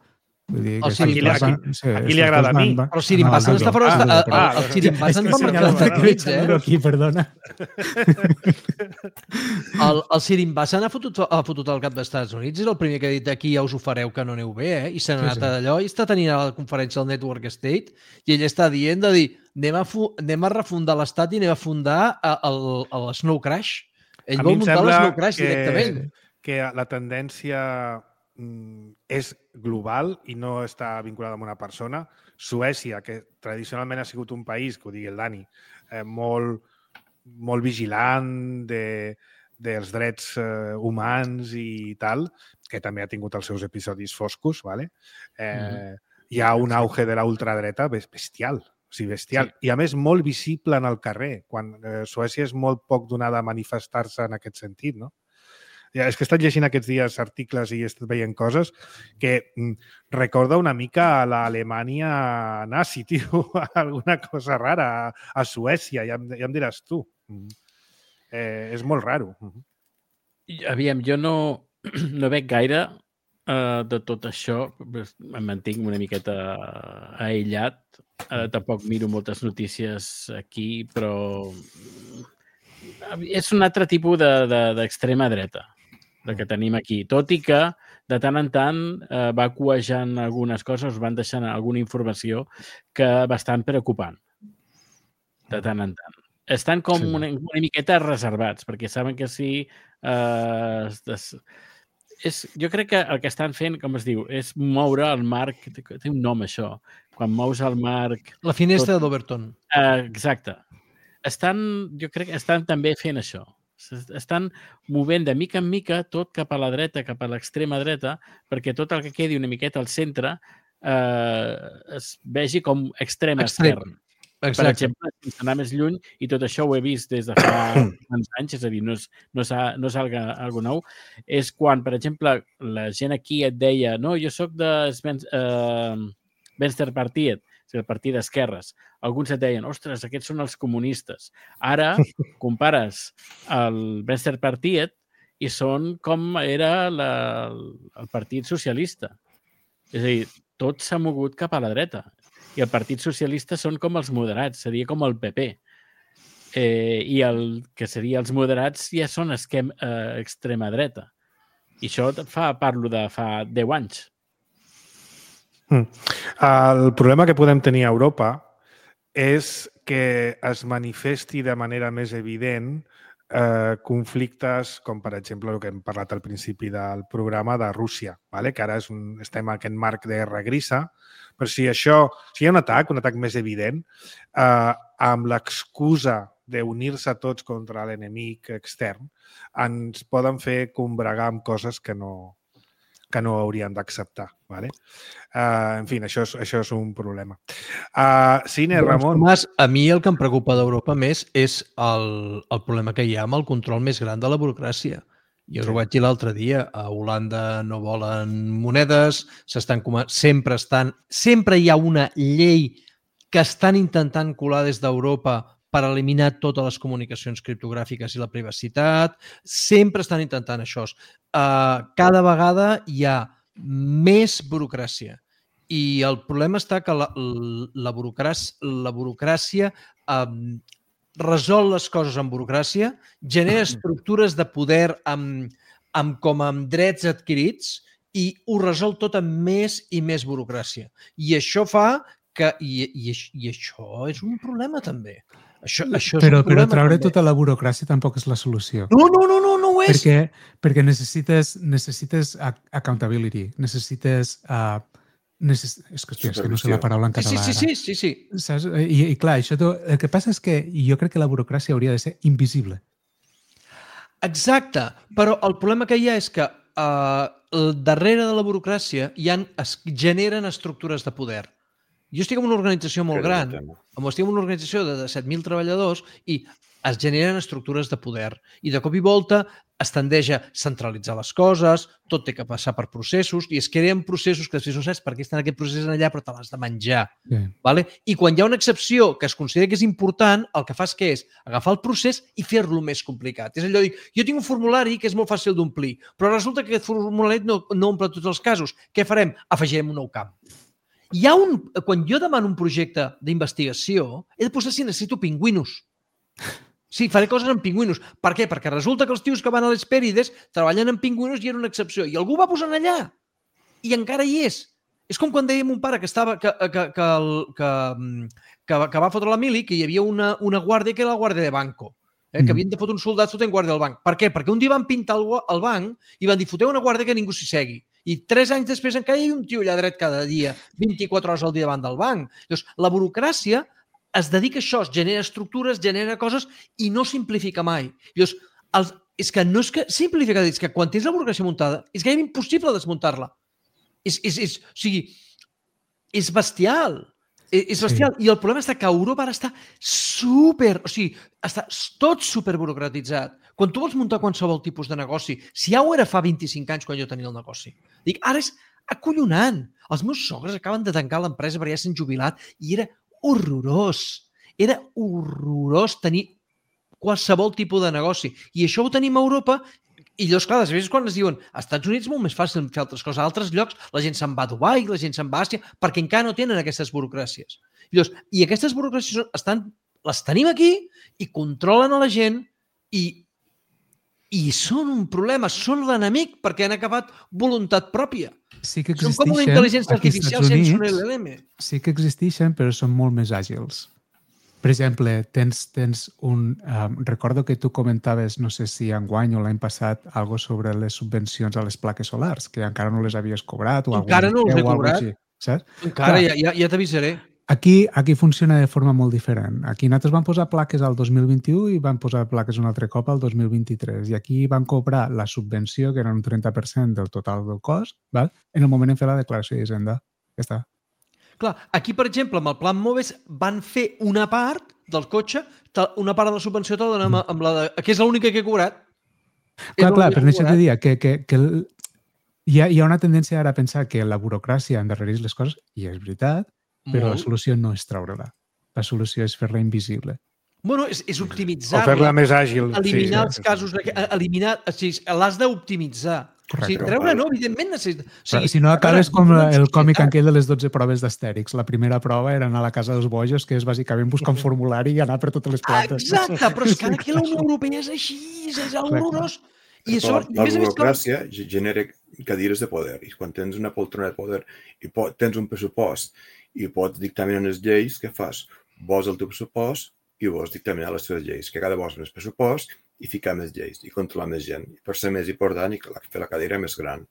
Vull dir El que Srinivasa. van- sí, A qui li estos agrada a van- mi? van- Però Srinivasa no, no, està fora... ah, Ah, ah, ah, el Srinivasa és en que va si marcar no, els Estats Units, que eh? aquí, perdona. El, el Srinivasa n'ha fotut, ha fotut al cap dels Estats Units, és el primer que ha dit aquí ja us ho fareu que no aneu bé, eh? I se n'ha Sí, anat sí. d'allò i està tenint a la conferència del Network State i ell està dient de dir anem a, fu anem a refundar l'Estat i anem a fundar a- el, el Snow Crash. Ell A mi vol em muntar sembla l'Snow Crash que- directament. que la tendència mm, és global i no està vinculada amb una persona. Suècia, que tradicionalment ha sigut un país, que ho digui el Dani, eh, molt, molt vigilant de, dels drets eh, humans i tal, que també ha tingut els seus episodis foscos, ¿vale? eh, Mhm. hi ha un auge de la ultradreta bes- bestial. O sigui, bestial. Sí. I a més molt visible en el carrer, quan eh, Suècia és molt poc donada a manifestar-se en aquest sentit, no? Ja, és que he estat llegint aquests dies articles i he estat veient coses que mm, recorda una mica a l'Alemanya nazi, tio, alguna cosa rara, a, a Suècia, ja em, ja em diràs tu. Mm. Eh, és molt raro. Mm. Aviam, jo no, no veig gaire uh, de tot això. Em mantinc una miqueta aïllat. Uh, tampoc miro moltes notícies aquí, però és un altre tipus d'extrema de, de, dreta de que tenim aquí. Tot i que de tant en tant eh, va cuejant algunes coses, van deixant alguna informació que bastant preocupant. De tant en tant. Estan com sí. una, una miqueta reservats, perquè saben que si... Eh, des... és, jo crec que el que estan fent, com es diu, és moure el marc... Té un nom, això. Quan mous el marc... La finestra tot... d'Overton. Eh, exacte. Estan, jo crec que estan també fent això. Estan movent de mica en mica tot cap a la dreta, cap a l'extrema dreta, perquè tot el que quedi una miqueta al centre eh, es vegi com extrema Extrem. esquerra. Exacte. Per exemple, sense anar més lluny, i tot això ho he vist des de fa uns anys, és a dir, no és, no és, no és algo, algo nou, és quan, per exemple, la gent aquí et deia no, jo sóc de eh, Venstre Partiet, el partit d'esquerres. Alguns et deien, ostres, aquests són els comunistes. Ara compares el Venstre Partiet i són com era la, el Partit Socialista. És a dir, tot s'ha mogut cap a la dreta. I el Partit Socialista són com els moderats, seria com el P P. Eh, I el que seria els moderats ja són esquem, eh, extrema dreta. I això fa, parlo de fa deu anys. Mm. El problema que podem tenir a Europa és que es manifesti de manera més evident eh, conflictes com, per exemple, el que hem parlat al principi del programa de Rússia, vale? Que ara és un, estem en aquest marc de guerra grisa, però si això, si hi ha un atac, un atac més evident, eh, amb l'excusa d'unir-se tots contra l'enemic extern, ens poden fer combregar amb coses que no, que no haurien d'acceptar. Vale? Uh, en fi, això és, això és un problema. Uh, Cine, Ramon... Tomàs, a mi el que em preocupa d'Europa més és el, el problema que hi ha amb el control més gran de la burocràcia. Jo us ho vaig dir l'altre dia, a Holanda no volen monedes, s'estan sempre estan... Sempre hi ha una llei que estan intentant colar des d'Europa per eliminar totes les comunicacions criptogràfiques i la privacitat. Sempre estan intentant això. Uh, cada vegada hi ha més burocràcia. I el problema està que la, la burocràcia, la burocràcia um, resol les coses amb burocràcia, genera estructures de poder amb, amb, com amb drets adquirits i ho resol tot amb més i més burocràcia. I això fa que... I, i, i això és un problema també. Això, això és però, un problema però treure també. tota la burocràcia tampoc és la solució. No, no, no, no, no ho és. Perquè, perquè necessites, necessites accountability, necessites... Uh, necess... És que, hòstia, és que no sé la paraula en català. Sí, sí, sí, sí, sí. Saps? I, I clar, això, el que passa és que jo crec que la burocràcia hauria de ser invisible. Exacte, però el problema que hi ha és que uh, darrere de la burocràcia hi ha, es generen estructures de poder. Jo estic en una organització molt gran, estic en una organització de set mil treballadors i es generen estructures de poder. I de cop i volta es tendeix a centralitzar les coses, tot té que passar per processos i es creen processos que després no saps per què estan aquest procés allà però te l'has de menjar. Sí. Vale? I quan hi ha una excepció que es considera que és important, el que fas que és agafar el procés i fer-lo més complicat. És allò de dir, jo tinc un formulari que és molt fàcil d'omplir, però resulta que aquest formulari no, no omple tots els casos. Què farem? Afegirem un nou camp. Hi ha un, quan jo demano un projecte d'investigació, he de posar si necessito pingüinos. Sí, faré coses amb pingüinos. Per què? Perquè resulta que els tios que van a les Hespèrides treballen amb pingüinos i era una excepció. I algú va posant allà. I encara hi és. És com quan dèiem un pare que estava que, que, que, que, que, que va fotre la mili, que hi havia una, una guàrdia que era la guàrdia de banco. Eh, que havien de fotre un soldat fotent guàrdia del banc. Per què? Perquè un dia van pintar el, el banc i van dir, foteu una guàrdia que ningú s'hi segui. I tres anys després encara hi havia un tio allà dret cada dia, vint-i-quatre hores al dia davant del banc. Llavors, la burocràcia es dedica a això, es genera estructures, genera coses i no simplifica mai. Llavors, els, és que no és que simplifica, és que quan tens la burocràcia muntada és gairebé impossible desmuntar-la. És, és, és, o sigui, és bestial. És, és bestial. Sí. I el problema està que Europa ara està super... O sigui, està tot superburocratitzat. Quan tu vols muntar qualsevol tipus de negoci, si ja ho era fa vint-i-cinc anys quan jo tenia el negoci, dic, ara és acollonant. Els meus sogres acaben de tancar l'empresa perquè ja s'han jubilat i era horrorós. Era horrorós tenir qualsevol tipus de negoci. I això ho tenim a Europa i llavors, clar, a vegades quan es diuen als Estats Units és molt més fàcil fer altres coses. A altres llocs la gent se'n va a Dubai, la gent se'n va a Àsia, perquè encara no tenen aquestes burocràcies. I, llavors, i aquestes burocràcies estan, les tenim aquí i controlen a la gent i I són un problema, són l'enemic perquè han acabat voluntat pròpia. Sí que són com una intel·ligència artificial sense un L L M. Sí que existeixen, però són molt més àgils. Per exemple, tens, tens un... Um, recordo que tu comentaves, no sé si enguany o l'any passat, algo sobre les subvencions a les plaques solars, que encara no les havies cobrat. O encara no les he cobrat. Així, saps? Encara, Clar, ja, ja, ja t'avisaré. Aquí, aquí funciona de forma molt diferent. Aquí nosaltres vam posar plaques al dos mil vint-i-u i vam posar plaques un altre cop al dos mil vint-i-tres. I aquí van cobrar la subvenció, que era un trenta per cent del total del cost, val? En el moment en fer la declaració d'Hisenda. Ja està. Clar, aquí, per exemple, amb el Plan Moves van fer una part del cotxe, una part de la subvenció te la donem amb la de... que és l'única que he cobrat. Clar, clar, per això te dia que, que, que el... hi, ha, hi ha una tendència ara a pensar que la burocràcia endarrereix les coses, i és veritat, però Molt. La solució no és treure-la. La solució és fer-la invisible. Bueno, és, és optimitzar-la. O fer-la més àgil. Eliminar sí, els casos... Eliminar... O sigui, l'has d'optimitzar. Correcte. O sigui, treure no, evidentment necessita... O sigui, si no, acabes com el còmic aquell de les dotze proves d'Astèrix. La primera prova era anar a la casa dels bojos, que és bàsicament buscar un formulari i anar per totes les plantes. Exacte, però és que ara aquí la Unió Europea és així, és horrorós. I això, la burocràcia genera cadires de poder. I quan tens una poltrona de poder i tens un pressupost i pots dictaminar les lleis, què fas? Vols el teu pressupost i vols dictaminar les teves lleis. Que cada vols més pressupost i ficar més lleis i controlar més gent. Per ser més important i fer la cadira més gran.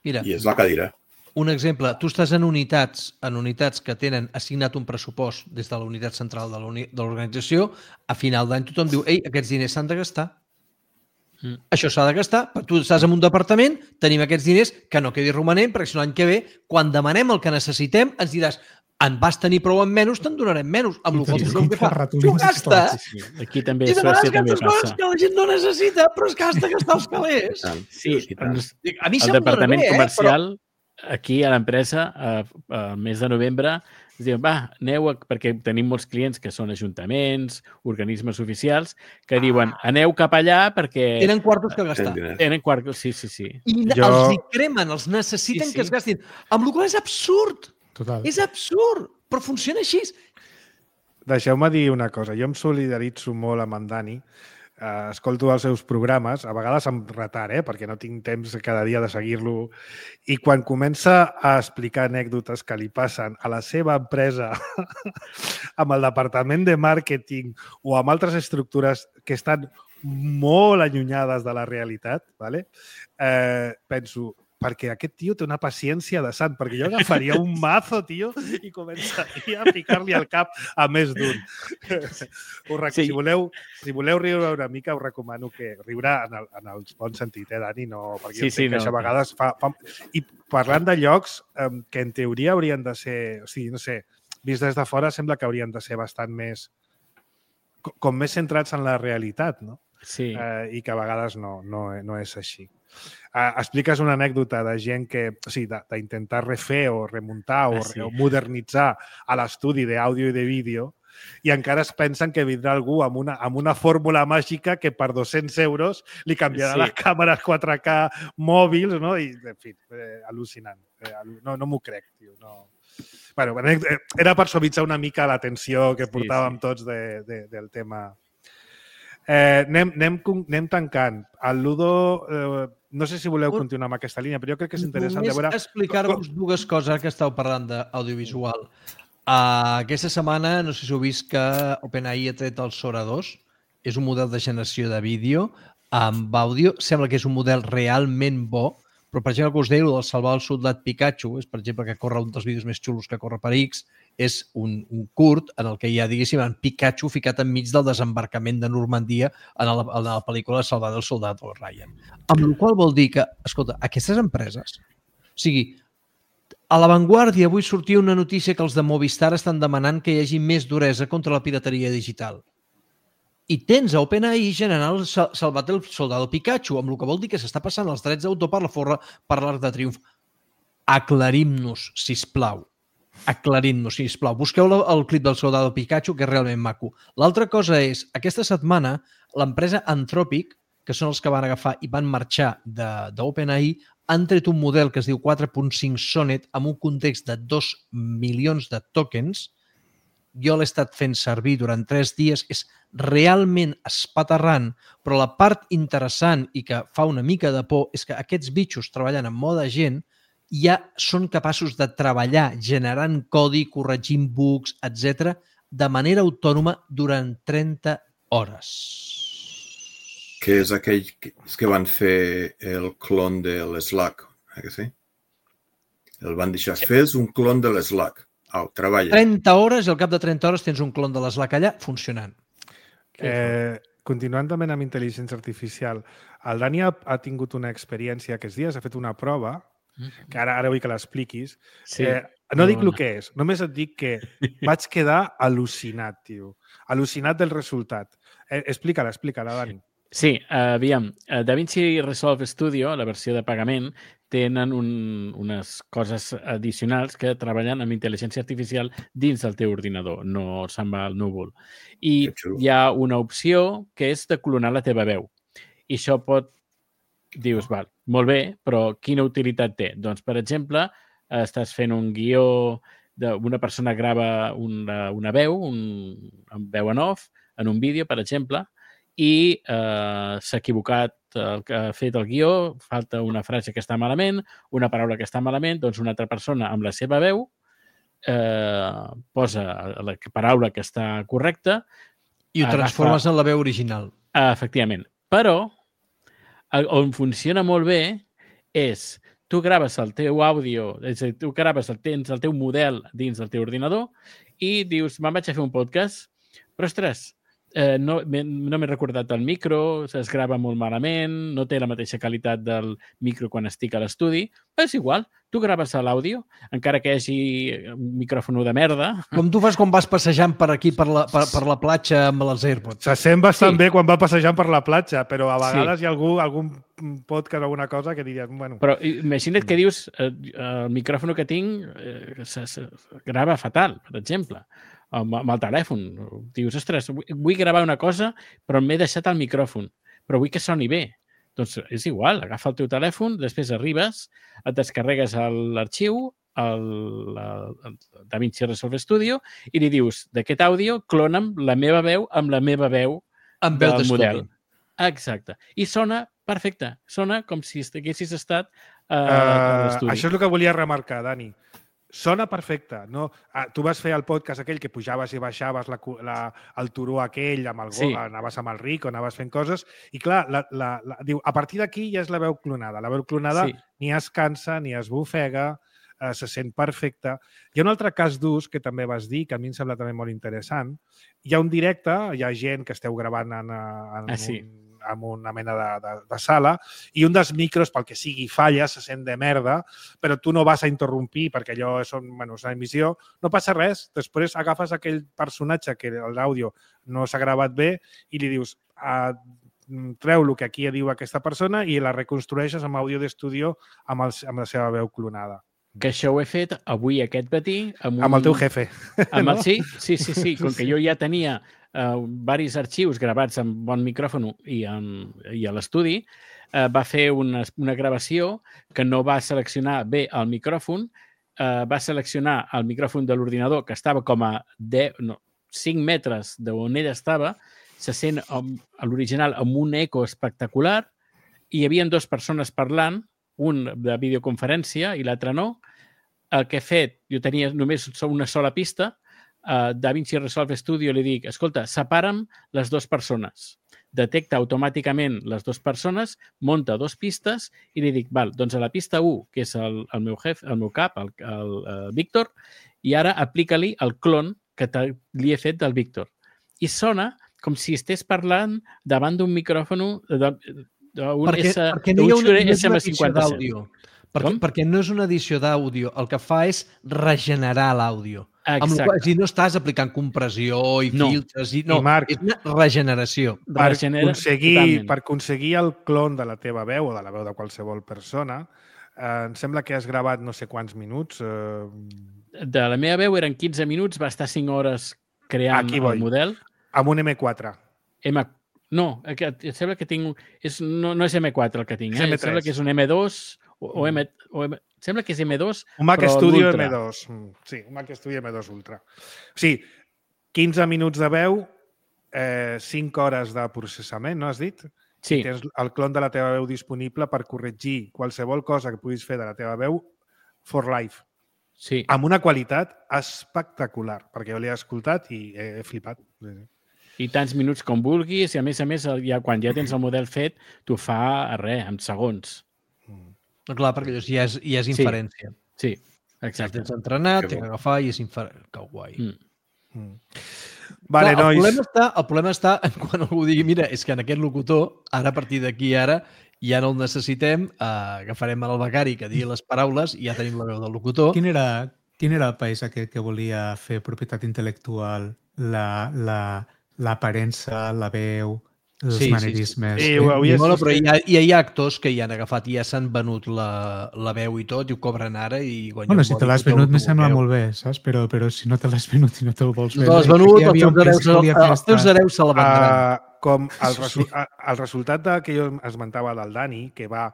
Mira, I és la cadira. Un exemple, tu estàs en unitats en unitats que tenen assignat un pressupost des de la unitat central de l'organització, a final d'any tothom diu ei, aquests diners s'han de gastar. Mm. Això s'ha de gastar. Tu estàs en un departament, tenim aquests diners, que no quedi romanent, perquè si l'any que ve, quan demanem el que necessitem, ens diràs en vas tenir prou en menys, te'n donarem menys. Amb el qual tu que fa, tu gasta. Aquí també a Suècia també passa. Que la gent no necessita, però es gasta gastar els calés. Sí, a mi el departament comercial... Aquí, a l'empresa, al mes de novembre, es diuen, va, aneu, a... perquè tenim molts clients que són ajuntaments, organismes oficials, que diuen, aneu cap allà perquè... Tenen quartos que gastar. Tenen quartos, sí, sí, sí. I jo... els hi cremen, els necessiten sí, sí. que es gastin. Amb la qual és absurd. Total. És absurd, però funciona així. Deixeu-me dir una cosa. Jo em solidaritzo molt amb en Dani. Uh, escolto els seus programes, a vegades amb retard, eh? perquè no tinc temps cada dia de seguir-lo, i quan comença a explicar anècdotes que li passen a la seva empresa amb el departament de màrqueting o amb altres estructures que estan molt allunyades de la realitat, ¿vale? eh, penso, perquè aquest tio té una paciència de sant, perquè jo agafaria un mazo, tio, i començaria a picar-li al cap a més d'un. Rec... Sí. Si, voleu, si voleu riure una mica, us recomano que riure en el, en el bon sentit, eh, Dani? No, perquè sí, jo sí, que no, això a vegades fa, fa... I parlant de llocs eh, que en teoria haurien de ser... O sigui, no sé, vist des de fora sembla que haurien de ser bastant més... com més centrats en la realitat, no? Sí. Eh, I que a vegades no, no, no és així. Uh, expliques una anècdota de gent que, o sigui, d'intentar refer o remuntar o, ah, sí. o modernitzar a l'estudi d'àudio i de vídeo i encara es pensen que vindrà algú amb una, amb una fórmula màgica que per dos-cents euros li canviarà sí. les càmeres quatre K mòbils, no? I, en fi, eh, al·lucinant. Eh, no no m'ho crec, tio. No. Bueno, era per suavitzar una mica la tensió que portàvem sí, sí. tots de, de, del tema. Eh, anem, anem, anem tancant. El Ludo... Eh, no sé si voleu continuar amb aquesta línia, però jo crec que és interessant Només de veure... Només explicar-vos dues coses que estàu parlant d'audiovisual. Uh, aquesta setmana, no sé si heu vist que OpenAI ha tret el Sora dos. És un model de generació de vídeo amb àudio. Sembla que és un model realment bo, però, per exemple, que us deia, el salvar el soldat Pikachu, és, per exemple, que corre un dels vídeos més xulos que corre per X, és un, un curt en el que hi ha, diguéssim, en Pikachu ficat enmig del desembarcament de Normandia en la, en la pel·lícula Salvar el soldat o Ryan. Amb la qual vol dir que, escolta, aquestes empreses, o sigui, a La Vanguardia avui sortia una notícia que els de Movistar estan demanant que hi hagi més duresa contra la pirateria digital. I tens a OpenAI generant el Salvat el soldado Pikachu, amb el que vol dir que s'està passant els drets d'autor per la forra per l'Arc de Triomf. Aclarim-nos, sisplau. Aclarim-nos, sisplau. Busqueu el clip del soldado Pikachu, que és realment maco. L'altra cosa és, aquesta setmana, l'empresa Anthropic, que són els que van agafar i van marxar d'OpenAI, han tret un model que es diu quatre punt cinc Sonnet amb un context de dos milions de tokens. Jo l'he estat fent servir durant tres dies. És realment espaterrant, però la part interessant i que fa una mica de por és que aquests bitxos treballant en mode agent ja són capaços de treballar generant codi, corregint bugs, etcètera, de manera autònoma durant trenta hores. Que és aquell que van fer el clon de l'Slack, eh que sí? El van deixar fer un clon de l'Slack. Au, treballa. trenta hores i al cap de trenta hores tens un clon de l'Slack allà funcionant. Eh, continuant també amb intel·ligència artificial, el Dani ha, ha tingut una experiència aquests dies, ha fet una prova, que ara, ara vull que l'expliquis. Sí, eh, no dic el que és, només et dic que vaig quedar al·lucinat, tio. Al·lucinat del resultat. Eh, explica-la, explica-la, Dani. Sí, uh, aviam, uh, DaVinci Resolve Studio, la versió de pagament, tenen un, unes coses addicionals que treballen amb intel·ligència artificial dins del teu ordinador, no se'n va al núvol. I hi ha una opció que és de clonar la teva veu. I això pot... Dius, val, molt bé, però quina utilitat té? Doncs, per exemple, estàs fent un guió d'una persona grava una, una veu, un, un veu en off, en un vídeo, per exemple, i eh, s'ha equivocat el que ha fet el guió, falta una frase que està malament, una paraula que està malament, doncs una altra persona amb la seva veu eh, posa la paraula que està correcta i ho transformes agafa... en la veu original. Uh, efectivament. Però on funciona molt bé és tu graves el teu àudio, és a dir, tu graves el, tens el teu model dins del teu ordinador i dius, me'n vaig a fer un podcast, però ostres, eh, no, no m'he recordat el micro, es grava molt malament, no té la mateixa qualitat del micro quan estic a l'estudi, és igual, tu graves l'àudio, encara que hi hagi un micròfon de merda. Com tu fas quan vas passejant per aquí, per la, per, per la platja amb els AirPods. Se sent bastant sí. bé quan va passejant per la platja, però a vegades sí. hi ha algú, algun podcast o alguna cosa que diries... Bueno. Però imagina't que dius, eh, el micròfon que tinc eh, se, se grava fatal, per exemple, amb, amb el telèfon. Dius, ostres, vull gravar una cosa, però m'he deixat el micròfon, però vull que soni bé. Doncs és igual, agafa el teu telèfon, després arribes, et descarregues l'arxiu, el, el, el DaVinci Resolve Studio, i li dius, d'aquest àudio, clona'm la meva veu amb la meva veu amb veu del model. Exacte. I sona perfecte. Sona com si haguessis estat uh, uh, a l'estudi. Això és el que volia remarcar, Dani. Sona perfecte. No? Ah, tu vas fer el podcast aquell que pujaves i baixaves la, la, el turó aquell, amb el gol, sí. anaves amb el Rico, anaves fent coses, i clar, la, la, la, diu, a partir d'aquí ja és la veu clonada. La veu clonada sí. ni es cansa, ni es bufega, eh, se sent perfecte. Hi ha un altre cas d'ús que també vas dir, que a mi em sembla també molt interessant. Hi ha un directe, hi ha gent que esteu gravant en, en ah, sí. un amb una mena de, de, de sala, i un dels micros, pel que sigui, falla, se sent de merda, però tu no vas a interrompir perquè allò és, bueno, és una emissió, no passa res. Després agafes aquell personatge que l'àudio no s'ha gravat bé i li dius, ah, treu el que aquí diu aquesta persona i la reconstrueixes amb àudio d'estudio amb, el, amb la seva veu clonada. Que això ho he fet avui aquest matí. Amb, un... amb el teu jefe. Amb el... Sí, sí, sí, sí. Com que jo ja tenia uh, diversos arxius gravats amb bon micròfon i, amb, i a l'estudi, uh, va fer una, una gravació que no va seleccionar bé el micròfon, uh, va seleccionar el micròfon de l'ordinador, que estava com a deu, no, cinc metres d'on ell estava, se sent um, a l'original amb un eco espectacular, i hi havia dues persones parlant, un de videoconferència i l'altre no. El que he fet, jo tenia només una sola pista, a DaVinci Resolve Studio li dic, escolta, separa'm les dues persones. Detecta automàticament les dues persones, munta dues pistes i li dic, val, doncs a la pista u, que és el, el, meu, jef, el meu cap, el, el, el Víctor, i ara aplica-li el clon que li he fet del Víctor. I sona com si estigués parlant davant d'un micròfon de, Un perquè, S, perquè no hi ha una, no és una edició cinquanta-set. d'àudio. Perquè, perquè no és una edició d'àudio. El que fa és regenerar l'àudio. Amb la qual, si no estàs aplicant compressió i no. filtres, i, no, I Marc, és una regeneració. Per aconseguir, per aconseguir el clon de la teva veu o de la veu de qualsevol persona, eh, em sembla que has gravat no sé quants minuts. Eh... De la meva veu eren quinze minuts, va estar cinc hores creant el model. Amb un eme quatre. M No, em sembla que tinc... És, no, no és eme quatre el que tinc, eh? Em sembla que és un eme dos o, o, M, o M... Sembla que és eme dos, un Mac Studio eme dos. Sí, un Mac Studio eme dos Ultra. O sigui, quinze minuts de veu, eh, cinc hores de processament, no has dit? Sí. I tens el clon de la teva veu disponible per corregir qualsevol cosa que puguis fer de la teva veu for life. Sí. Amb una qualitat espectacular, perquè jo l'he escoltat i he, he flipat. Sí, sí. I tants minuts com vulguis, i a més a més, ja, quan ja tens el model fet, t'ho fa a res, en segons. Mm. Clar, perquè ja és, ja és inferència. Sí, sí, exacte. Tens entrenat, tens que agafar i és inferència. Que guai. Mm. Mm. Vale, clar, nois. El problema, està, el problema està quan algú digui, mira, és que en aquest locutor, ara a partir d'aquí ara, ja no el necessitem, eh, agafarem el becari que digui les paraules i ja tenim la veu del locutor. Quin era, quin era el país aquest que volia fer propietat intel·lectual, la... la... l'aparença, la veu, els sí, manerismes... Sí, sí. Sí, eh? Bueno, però hi ha, hi ha actors que hi han agafat i ja s'han venut la, la veu i tot i ho cobren ara i guanyen... Bueno, si te l'has venut me sembla molt bé, saps? Però, però si no te l'has venut i no te'l vols fer... No te l'has venut, els teus hereus se la vendran. Uh, com el, resu el resultat de, que jo esmentava del Dani, que va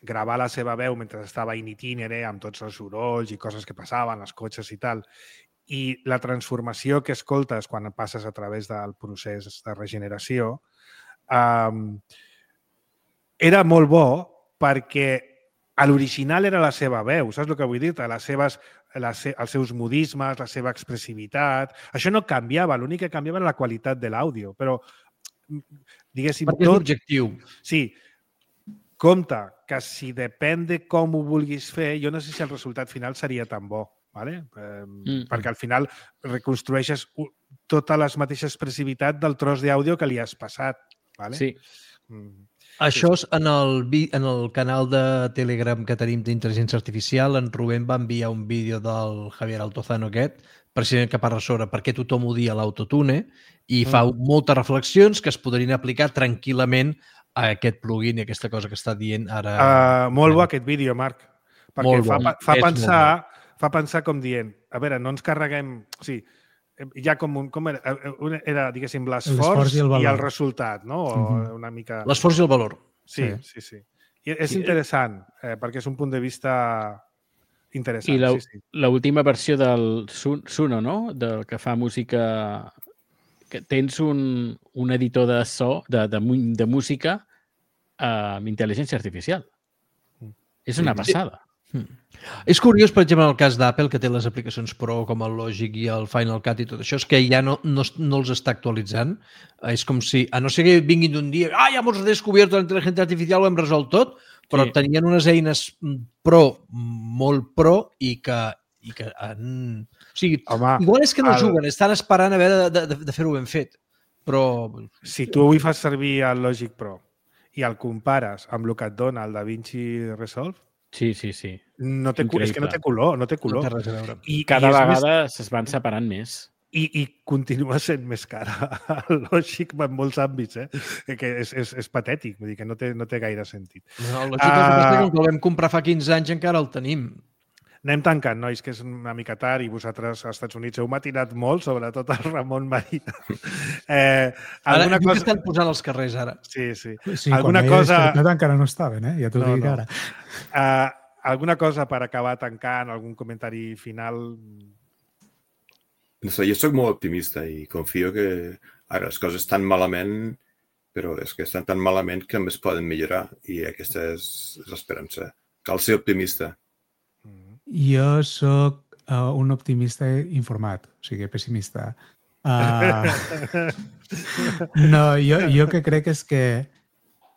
gravar la seva veu mentre estava in itinere amb tots els sorolls i coses que passaven, els cotxes i tal, i la transformació que escoltes quan passes a través del procés de regeneració, um, era molt bo perquè a l'original era la seva veu, saps el que vull dir? Les seves, les, els seus modismes, la seva expressivitat... Això no canviava, l'únic que canviava era la qualitat de l'àudio, però diguéssim... Perquè és l'objectiu. Sí. Compte que si depèn de com ho vulguis fer, jo no sé si el resultat final seria tan bo, ¿vale? Eh, mm. perquè al final reconstrueixes tota la mateixa expressivitat del tros d'àudio que li has passat. ¿Vale? Sí. Mm. Això és en el, en el canal de Telegram que tenim d'intel·ligència artificial. En Rubén va enviar un vídeo del Javier Altozano aquest, precisament que parla sobre per què tothom odia l'autotune i fa mm. moltes reflexions que es podrien aplicar tranquil·lament a aquest plugin i aquesta cosa que està dient ara. Uh, molt bo aquest vídeo, Marc, perquè fa, fa, pensar, fa pensar com dient, a veure, no ens carreguem... O sigui, ja com, un, com era, era diguéssim, l'esforç i, i el resultat, no? O uh-huh. una mica... L'esforç i el valor. Sí, sí, sí. sí. I és interessant, eh, perquè és un punt de vista interessant. I sí, l'última sí. versió del Suno, no? Del que fa música... Que tens un, un editor de so, de, de, de música amb intel·ligència artificial. Mm. És una passada. Mm. És curiós, per exemple, en el cas d'Apple, que té les aplicacions Pro com el Logic i el Final Cut i tot això, és que ja no, no, no els està actualitzant. És com si, a no ser que vinguin d'un dia, ah, ja hemos descobert la intel·ligència artificial, ho hem resolt tot, però sí. tenien unes eines Pro, molt Pro, i que, i que han... O sigui, Home, igual és que no el... juguen, estan esperant a veure de, de, de fer-ho ben fet, però... Si tu avui fas servir el Logic Pro i el compares amb el que et dona el DaVinci Resolve, sí, sí, sí. No té, és que no té color, no té color. No té res a veure. I cada I vegada més... es van separant més. I, i continua sent més cara el Logic en molts àmbits, eh? Que és, és, és patètic, vull dir que no té, no té gaire sentit. No, el Logic uh... el que el vam comprar fa quinze anys encara el tenim. Anem tancant, nois, que és una mica tard i vosaltres als Estats Units heu matinat molt, sobretot el Ramon Marina. Eh, alguna ara, cosa... que estan posant als carrers, ara. Sí, sí. sí alguna cosa... encara no estaven, eh? Ja t'ho no, dic no. ara. Uh, alguna cosa per acabar tancant, algun comentari final? No sé, jo soc molt optimista i confio que ara les coses estan malament, però és que estan tan malament que només poden millorar i aquesta és, és l'esperança. Cal ser optimista. Jo sóc uh, un optimista informat, o sigui, pessimista. Uh, no, jo, jo que crec és que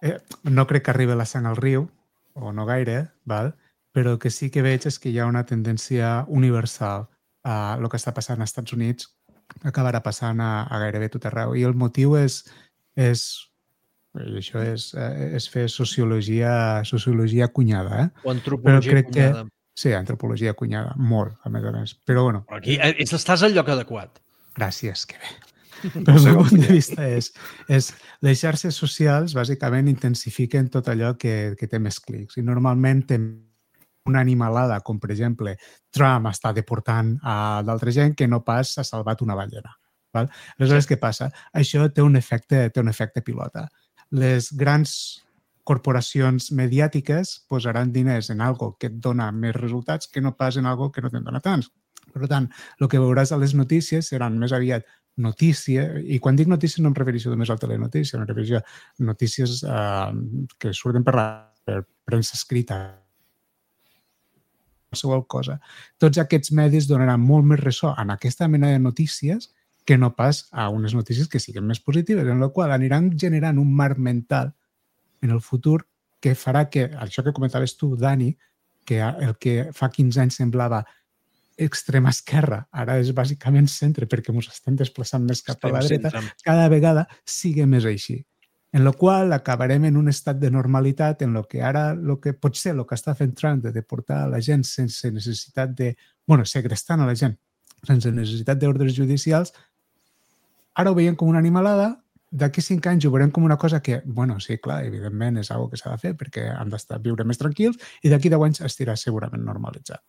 eh, no crec que arribi la sang al riu, o no gaire, val? Però el que sí que veig és que hi ha una tendència universal a el que està passant als Estats Units acabarà passant a, a gairebé tot arreu. I el motiu és, és i això és, és fer sociologia, sociologia cunyada. Eh? O antropologia cunyada. Que, sí, antropologia cunyada, molt, a més a més. Però bueno. Però aquí estàs al lloc adequat. Gràcies, que bé. Però el meu punt de vista és, és les xarxes socials bàsicament intensifiquen tot allò que, que té més clics. I normalment té una animalada, com per exemple Trump està deportant a d'altra gent que no pas ha salvat una ballena. Val? Aleshores, què passa? Això té un efecte, té un efecte pilota. Les grans corporacions mediàtiques posaran diners en algo que et dona més resultats que no pas en algo que no te'n dona tants. Per tant, el que veuràs a les notícies seran més aviat notícia, i quan dic notícies no em refereixo només al telenotícia, em refereixo a notícies eh, que surten per la per premsa escrita, qualsevol cosa. Tots aquests medis donaran molt més ressò en aquesta mena de notícies que no pas a unes notícies que siguin més positives, en la qual aniran generant un marc mental en el futur que farà que, això que comentaves tu, Dani, que el que fa quinze anys semblava extrema esquerra, ara és bàsicament centre perquè ens estem desplaçant més cap a la dreta, cada vegada sigui més així. En la qual acabarem en un estat de normalitat en el que ara lo que pot ser el que està fent Trump de deportar a la gent sense necessitat de... bueno, segrestant a la gent sense necessitat d'ordres judicials, ara ho veiem com una animalada. D'aquí cinc anys ho veurem com una cosa que, bueno, sí, clar, evidentment és una cosa que s'ha de fer perquè han d'estar viure més tranquils i d'aquí deu anys estirà segurament normalitzat.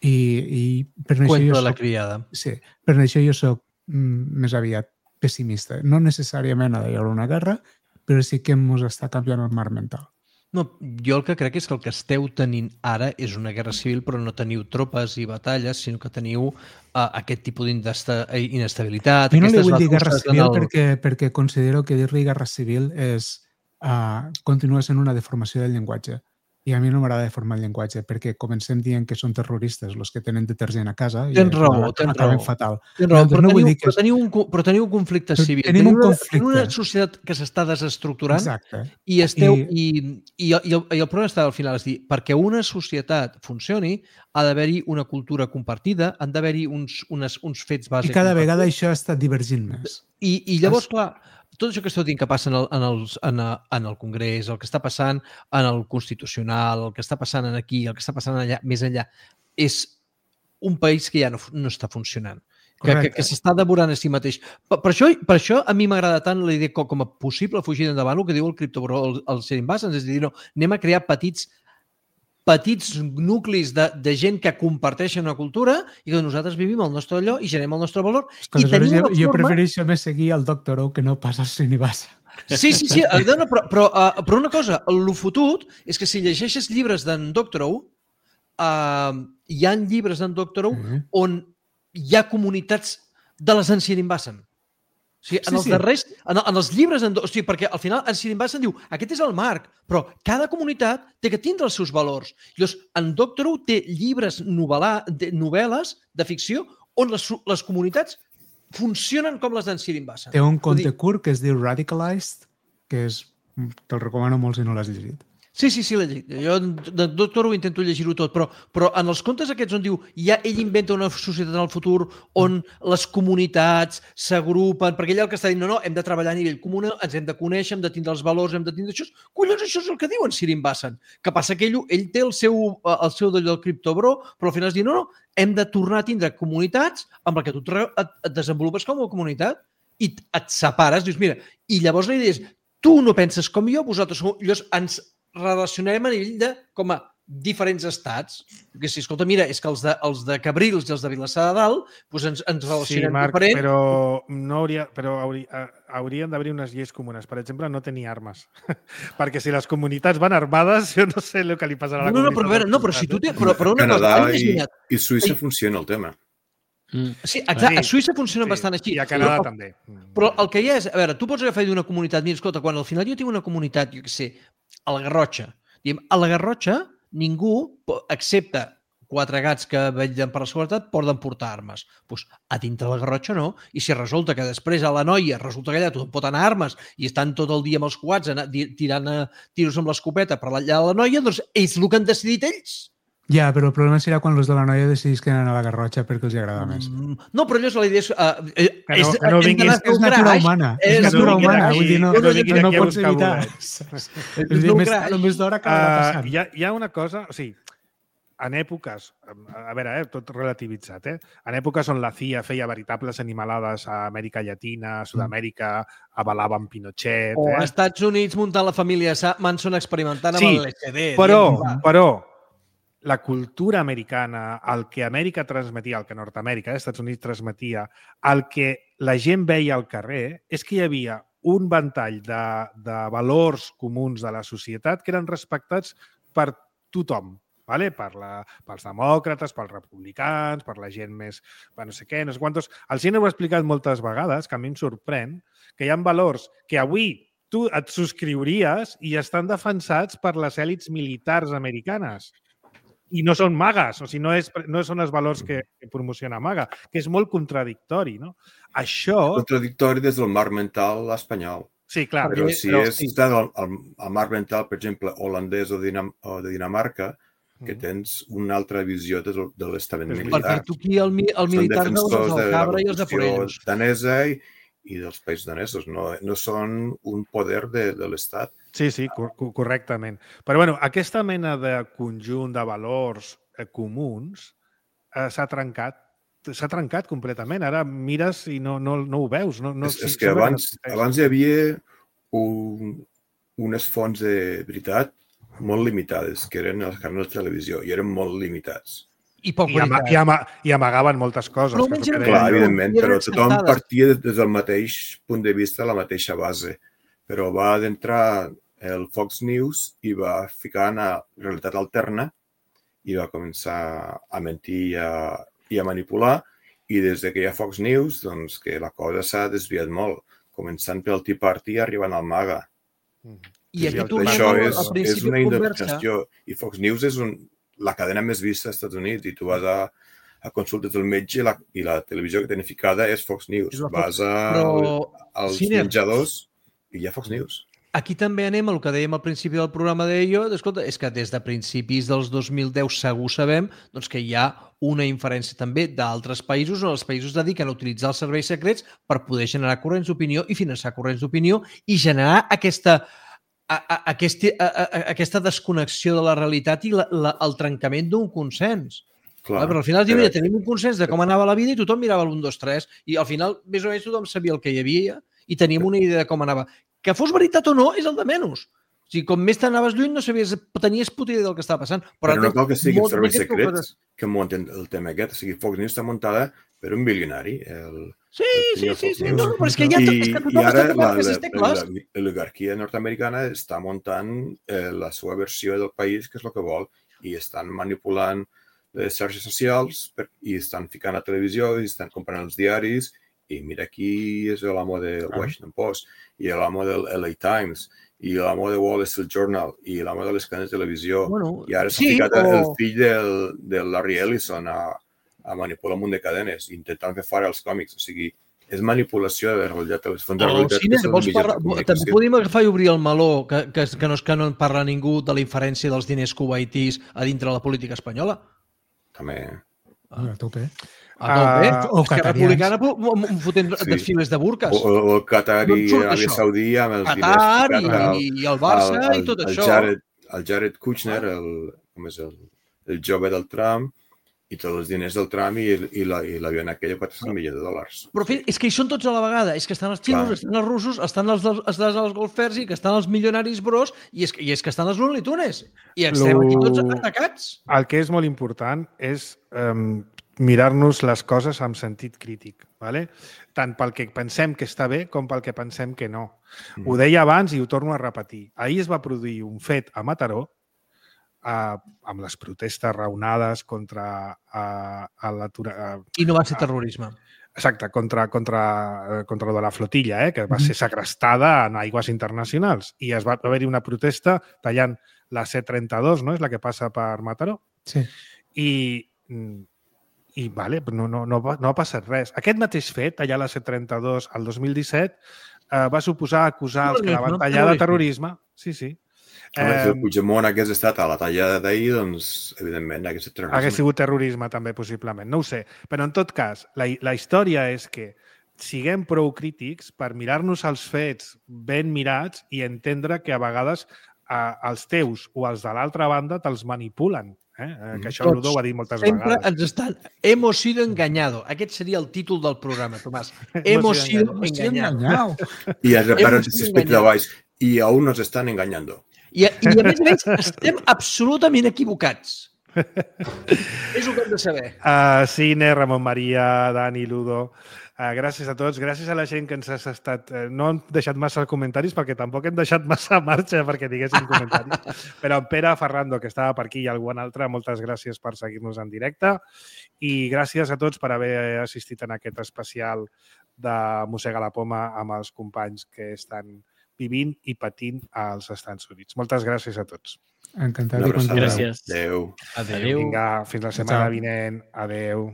I, i per això Cuento jo de la soc, criada. Sí, per això jo soc mm, més aviat pessimista. No necessàriament ha d'haver una guerra, però sí que ens està canviant el marc mental. No, jo el que crec és que el que esteu tenint ara és una guerra civil, però no teniu tropes i batalles, sinó que teniu uh, aquest tipus d'inestabilitat. Jo no li vull dir guerra civil el... perquè, perquè considero que dir-li guerra civil és uh, continua sent una deformació del llenguatge. I a mi no m'agrada deformar el llenguatge, perquè comencem dient que són terroristes els que tenen detergent a casa i tens raó, tens acaben raó. fatal. Tens raó, no, però, no teniu, vull dir que però, teniu un, però teniu un conflicte civil. Tenim un una, conflicte. una societat que s'està desestructurant. Exacte. I, esteu, I... i, i, i, el, i el problema està al final, és dir, perquè una societat funcioni ha d'haver-hi una cultura compartida, han d'haver-hi uns, unes, uns fets bàsics. I cada vegada això està divergint més. I, i llavors, es... clar, tot això que esteu dient que passa en el, en, els, en, a, en el Congrés, el que està passant en el Constitucional, el que està passant aquí, el que està passant allà, més enllà, és un país que ja no, no està funcionant, que, que, que s'està devorant a si mateix. Per, per, això, per això a mi m'agrada tant la idea com, com a possible fugir endavant, el que diu el criptobro, el, el Ser Invasens, és a dir, no, anem a crear petits petits nuclis de, de gent que comparteixen una cultura i que nosaltres vivim el nostre allò i generem el nostre valor. I tenim jo, forma... jo prefereixo més seguir el Doctor Who que no pas el Srinivasa. Sí, sí, sí. No, però, però, uh, però una cosa, el fotut és que si llegeixes llibres d'en Doctor Who, uh, hi ha llibres d'en Doctor Who mm-hmm. on hi ha comunitats de les Ancient Invasion. O sigui, en, sí, els darrers, sí. en, en els llibres, en, o sigui, perquè al final en Sir Invasion diu aquest és el marc, però cada comunitat té que tindre els seus valors. Llavors, en Doctor Who té llibres novel·la, de, novel·les de ficció on les, les comunitats funcionen com les d'en Sir Invasion. Té un conte dir... curt que es diu Radicalized, que és, te'l recomano molt si no l'has llegit. Sí, sí, sí, l'he llegit. Jo de Doctor Who intento llegir-ho tot, però, però en els contes aquests on diu ja ell inventa una societat en el futur on les comunitats s'agrupen, perquè ell el que està dient, no, no, hem de treballar a nivell comú, ens hem de conèixer, hem de tindre els valors, hem de tindre això. Collons, això és el que diu en Sir Invasion. Que passa que ell, ell té el seu, el seu d'allò del criptobro, però al final es diu, no, no, hem de tornar a tindre comunitats amb la que tu et, et desenvolupes com a comunitat i et separes, dius, mira, i llavors la idea és, tu no penses com jo, vosaltres llavors ens relacionarem a nivell de com a diferents estats. Perquè si, escolta, mira, és que els de, els de Cabrils i els de Vilassar de Dalt doncs ens, ens relacionem sí, Marc, diferent. Però, no hauria, però hauria, haurien d'haver unes lleis comunes. Per exemple, no tenir armes. Perquè si les comunitats van armades, jo no sé el que li passarà a la no, no, comunitat. No, però, veure, no, però si tu tens... Però, però una Canadà cosa, i, i Suïssa funciona el tema. Mm. Sí, exacte, a Suïssa funciona sí, bastant així. I a Canadà però, també. Però el que hi ha és, a veure, tu pots agafar d'una comunitat, mira, escolta, quan al final jo tinc una comunitat, jo què sé, a la Garrotxa, diguem, a la Garrotxa ningú, excepte quatre gats que vetllen per la seguretat, poden portar armes. Pues, a dintre la Garrotxa no. I si resulta que després a la noia resulta que allà tothom pot anar armes i estan tot el dia amb els quads tirant a tiros amb l'escopeta per allà a la noia, doncs és el que han decidit ells. Ja, però el problema serà quan els de la noia decidís que anen a la Garrotxa perquè els agrada més. Mm, no, però allò és la idea... És, uh, és, que no, que no vinguis, és, és natura humana. És, és natura humana. Vull dir, no, no, no, no pots evitar. És dir, més tard o més d'hora que uh, passant. Hi ha, hi ha una cosa... O sigui, en èpoques... A veure, eh, tot relativitzat, eh? En èpoques on la C I A feia veritables animalades a Amèrica Llatina, a Sud-amèrica, avalava amb Pinochet... O eh? als Estats Units muntant la família Manson experimentant amb sí, el L S D. Però, però, la cultura americana, el que Amèrica transmetia, el que Nord-amèrica, eh, Estats Units transmetia, el que la gent veia al carrer, és que hi havia un ventall de, de valors comuns de la societat que eren respectats per tothom, vale? per la, pels demòcrates, pels republicans, per la gent més... no sé què, no sé quantos... El Cine ho ha explicat moltes vegades, que a mi em sorprèn, que hi ha valors que avui tu et subscriuries i estan defensats per les èlits militars americanes. I no són magues, o sigui, no, és, no són els valors que, que promociona Maga, que és molt contradictori, no? Això... Contradictori des del marc mental espanyol. Sí, clar. Però si però, és sí. el, el, el marc mental, per exemple, holandès o, Dinam o de Dinamarca, que tens una altra visió de, de l'estament militar. Perquè tu aquí el, el militar veus els del Cabra i els de Forells. Danesa i, i dels països danesos, no, no són un poder de, de l'Estat. Sí, sí, cor correctament. Però bueno, aquesta mena de conjunt de valors eh, comuns eh, s'ha trencat s'ha trencat completament. Ara mires i no, no, no ho veus. No, no, és, és que abans, abans hi havia un, unes fonts de veritat molt limitades, que eren els canals de televisió, i eren molt limitats. I poc I, ama i, ama i amagaven moltes coses. Però que que clar, evidentment, però tothom partia des del mateix punt de vista, la mateixa base. Però va d'entrar el Fox News i va ficar en la realitat alterna i va començar a mentir i a, i a manipular. I des que hi ha Fox News, doncs que la cosa s'ha desviat molt, començant pel Tea Party i arribant al MAGA. I aquí sí, tornem això al, és, al principi és una de conversa. indexació. I Fox News és un, la cadena més vista als Estats Units i tu vas a, a consultes del metge i la, i la televisió que tenen ficada és Fox News. És la Fox. Vas a, Però, als Ciner, menjadors i hi ha Fox News. Aquí també anem al que dèiem al principi del programa d'Ello, escolta, és que des de principis dels dos mil deu segur sabem doncs, que hi ha una inferència també d'altres països on els països dediquen a utilitzar els serveis secrets per poder generar corrents d'opinió i finançar corrents d'opinió i generar aquesta, a, a, aquesta, a, a, aquesta desconnexió de la realitat i la, la, el trencament d'un consens. Clar, però al final diu, mira, tenim un consens de com anava la vida i tothom mirava l'un, dos, tres i al final més o menys tothom sabia el que hi havia i teníem una idea de com anava. Que fos veritat o no és el de menys. O sigui, com més t'anaves lluny no sabies, tenies puta idea del que estava passant. Però, però no cal que siguin serveis secrets que munten el tema aquest. O sigui, Fox News està muntada per un bilionari. El, sí, el sí, sí, sí. No, no, però és que ja I, és que i ara l'oligarquia nord-americana està muntant eh, la seva versió del país, que és el que vol, i estan manipulant les xarxes socials per, i estan ficant a televisió i estan comprant els diaris. I mira, aquí és l'amo del Washington Post, i l'amo del L A Times, i l'amo de Wall Street Journal, i l'amo de les cadenes de televisió. Bueno, I ara s'ha sí, ficat o... el fill del, del Larry Ellison a, a manipular un munt de cadenes, intentant fer fora els còmics. O sigui, és manipulació de la realitat, les fonts de realitat. Oh, Ciner, vols parlar... També podem agafar i obrir el meló, que, que, que, no, que no en parla ningú de la inferència dels diners kuwaitis a dintre de la política espanyola? També. Ah, a tope. A tope. Uh, o Esquerra Republicana fotent sí. desfiles de burques. O, o el Qatar i Aràbia Saudí amb els Qatar diners. Qatar i, i el Barça el, el, i tot el això. Jared, el Jared Kushner, el, com és el, el jove del Trump, i tots els diners del Trump i, i l'avió en aquella quatre-cents milions de dòlars. Però és que hi són tots a la vegada. És que estan els xinos, estan els russos, estan els, estan els golfers i que estan els milionaris bros i és, i és que estan els Looney Tunes. I estem Lo... aquí tots atacats. El que és molt important és um, mirar-nos les coses amb sentit crític, ¿vale? Tant pel que pensem que està bé com pel que pensem que no. Mm. Ho deia abans i ho torno a repetir. Ahir es va produir un fet a Mataró Uh, amb les protestes raonades contra uh, l'atur... Uh, I no va ser terrorisme. Uh, exacte, contra, contra, uh, contra lo de la flotilla, eh, que va ser segrestada en aigües internacionals. I es va haver-hi una protesta tallant la C trenta-dos, no? És la que passa per Mataró. Sí. I, i vale, no, no, no, no ha passat res. Aquest mateix fet, tallar la C trenta-dos al dos mil disset, uh, va suposar acusar els que la van tallar de terrorisme. Sí, sí. Home, si el Puigdemont hagués estat a la tallada d'ahir, doncs, evidentment, hagués estat terrorisme. Hagués sigut terrorisme, també, possiblement. No ho sé. Però, en tot cas, la, la història és que siguem prou crítics per mirar-nos els fets ben mirats i entendre que a vegades eh, els teus o els de l'altra banda te'ls manipulen. Eh? Que això Ludo ho ha dit moltes Sempre vegades. Ens estan... Hemos sido engañado. Aquest seria el títol del programa, Tomàs. Hemos sido engañado. I es repara respecte de baix. I aún nos están engañando. I, i a més a més estem absolutament equivocats. És el que hem de saber. Uh, Cine, Ramon Maria, Dani, Ludo, uh, gràcies a tots. Gràcies a la gent que ens has estat... Uh, no hem deixat massa comentaris perquè tampoc hem deixat massa marxa perquè diguéssim comentaris. Però en Pere Ferrando, que estava per aquí, i algun altre, moltes gràcies per seguir-nos en directe i gràcies a tots per haver assistit en aquest especial de Mossega la Poma amb els companys que estan vivint i patint als Estats Units. Moltes gràcies a tots. Encantat i content. Gràcies. Adéu. Adéu. Vinga, fins la setmana vinent. Adéu.